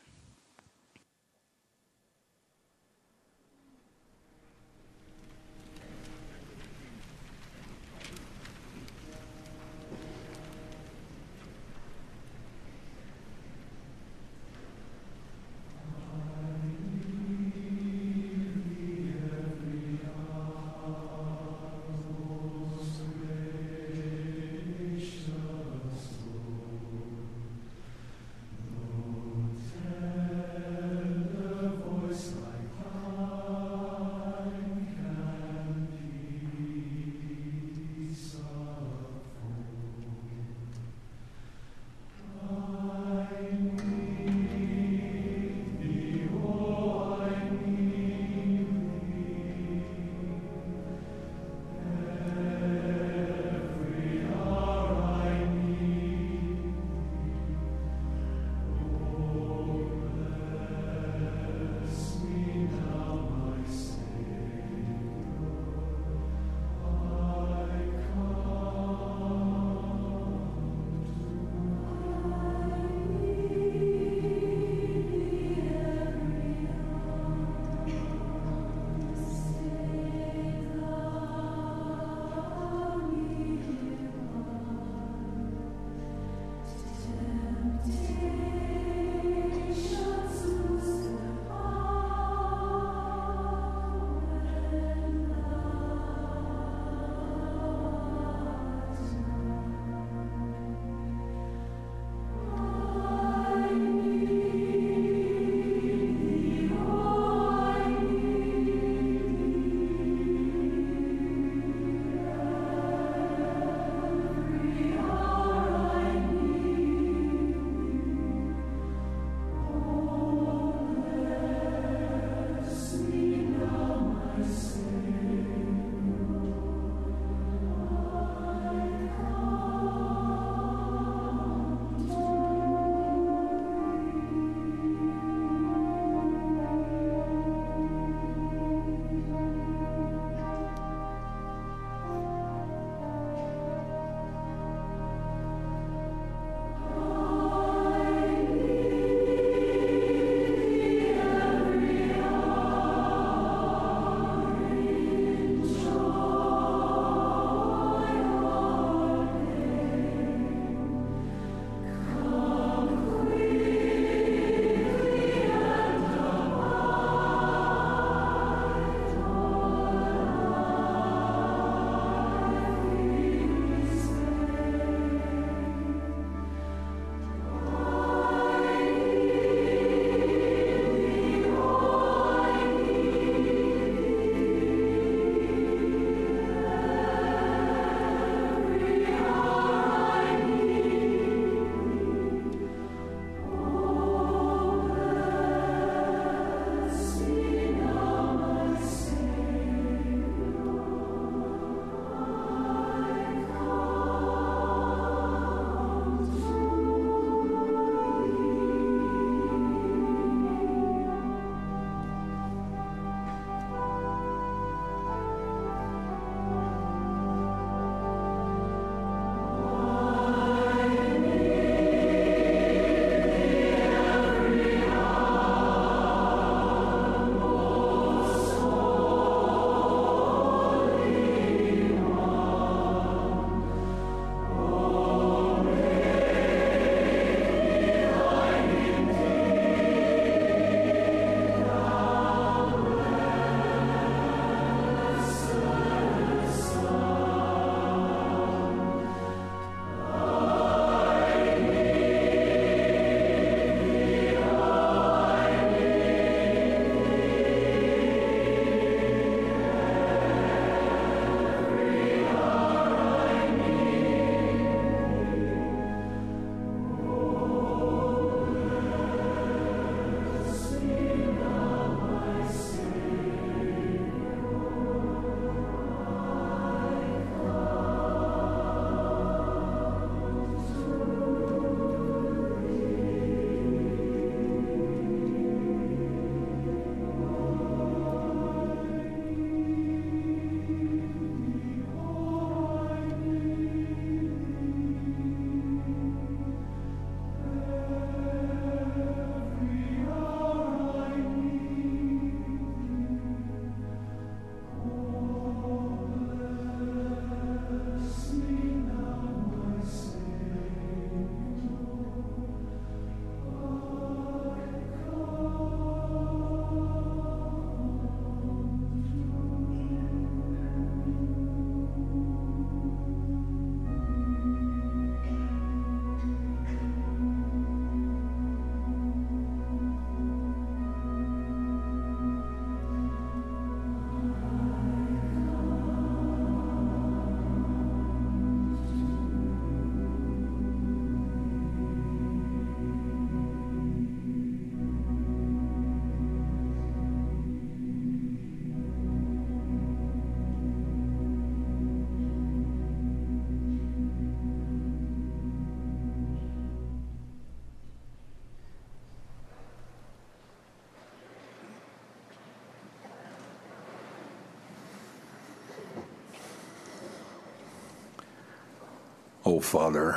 Father,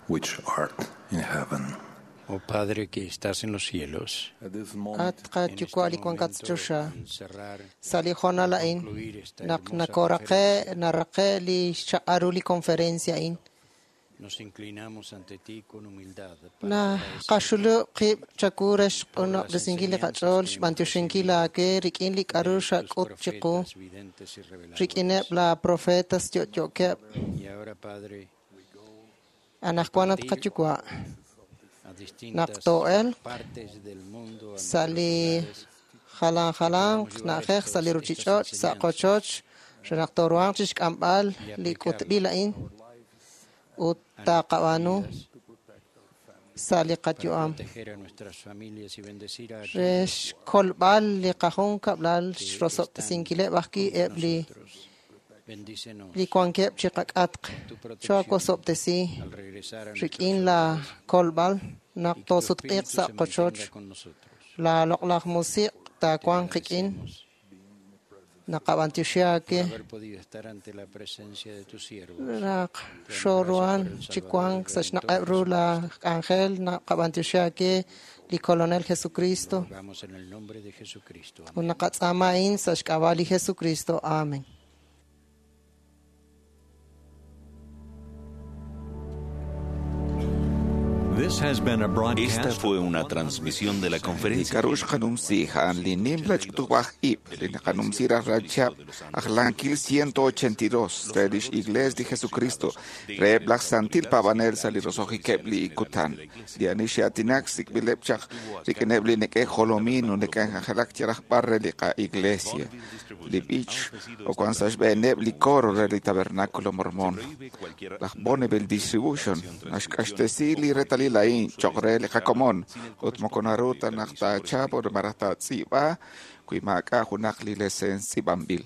which art in heaven. Oh Padre que estás en los cielos, At qayuwa' li wankat sa' choxa sa' li hoonal a'in naq nakoraqe' naraqe' li xchaq'al ru li conferencia a'in nos inclinamos ante ti con humildad naqaxulub' qib' chawu re xq'unob'resinkil li qach'ool xb'antioxinkil aawe rik'in li k'a'ru xak'ut chiqu videntes y reveladores. rik'ineb' la profetas yo'yo'keb' Y ahora, Padre, anaqwan at qayuwa' a naq distintas too'elq partes del mundo a sa' li jalan jalanq na'ajej sa' li ruchich'och' sa' qochoch re naq tooruhanq chixk'amb'al li k'utb'il a'in ut taqab'aanu sa' li qayu'am proteger a nuestras familias y bendecir a re xkolb'al li qajunkab'lal xrosob'tesinkileb' ajwi' eb' li Bendícenos li wankeb' chiqak'atq choawosob'tesi al regresar a rik'in la kolb'al naq toosutq'iiq sa' qochoch con nosotros. la loq'laj musiq' taawanq qik'in naqab'antioxi aawe Haber podido estar ante la presencia de tus siervos. naq xooruhan chi wank sa' xnaq'eb' ru la k'anjel naqab'antioxi aawe li Kolonel Jesucristo Vamos en el nombre de Jesucristo. ut naqatz'aama a'in sa' xk'ab'a' li Jesucristo. Amen. This has been a Esta broadcast fue una transmisión de la Li conferencia. k'a'ru xqanumsi a'an li nimla ch'utub'aj ib' li naqanumsi rajlal chihab' ajlankil 182 re lix Iglesia li Jesucristo reheb' laj Santil Paab'anel sa' li roso'jikeb' li kutan li ani xe'aatinak sik'b'ileb' chaq rik'ineb' li neke'jolomin ut neke'k'anjelak chi rajb'al re li qa'iglesia li b'ich o wan sa' xb'eeneb' li coro re li Tabernáculo Mormón laj Bonneville Distribution naxk'axtesi li reetalil a'in choq' re li qakomon ut moko naru ta naq taachap ut malaj taatz'iib'a wi maak'a' junaq li leseens tz'iib'anb'il.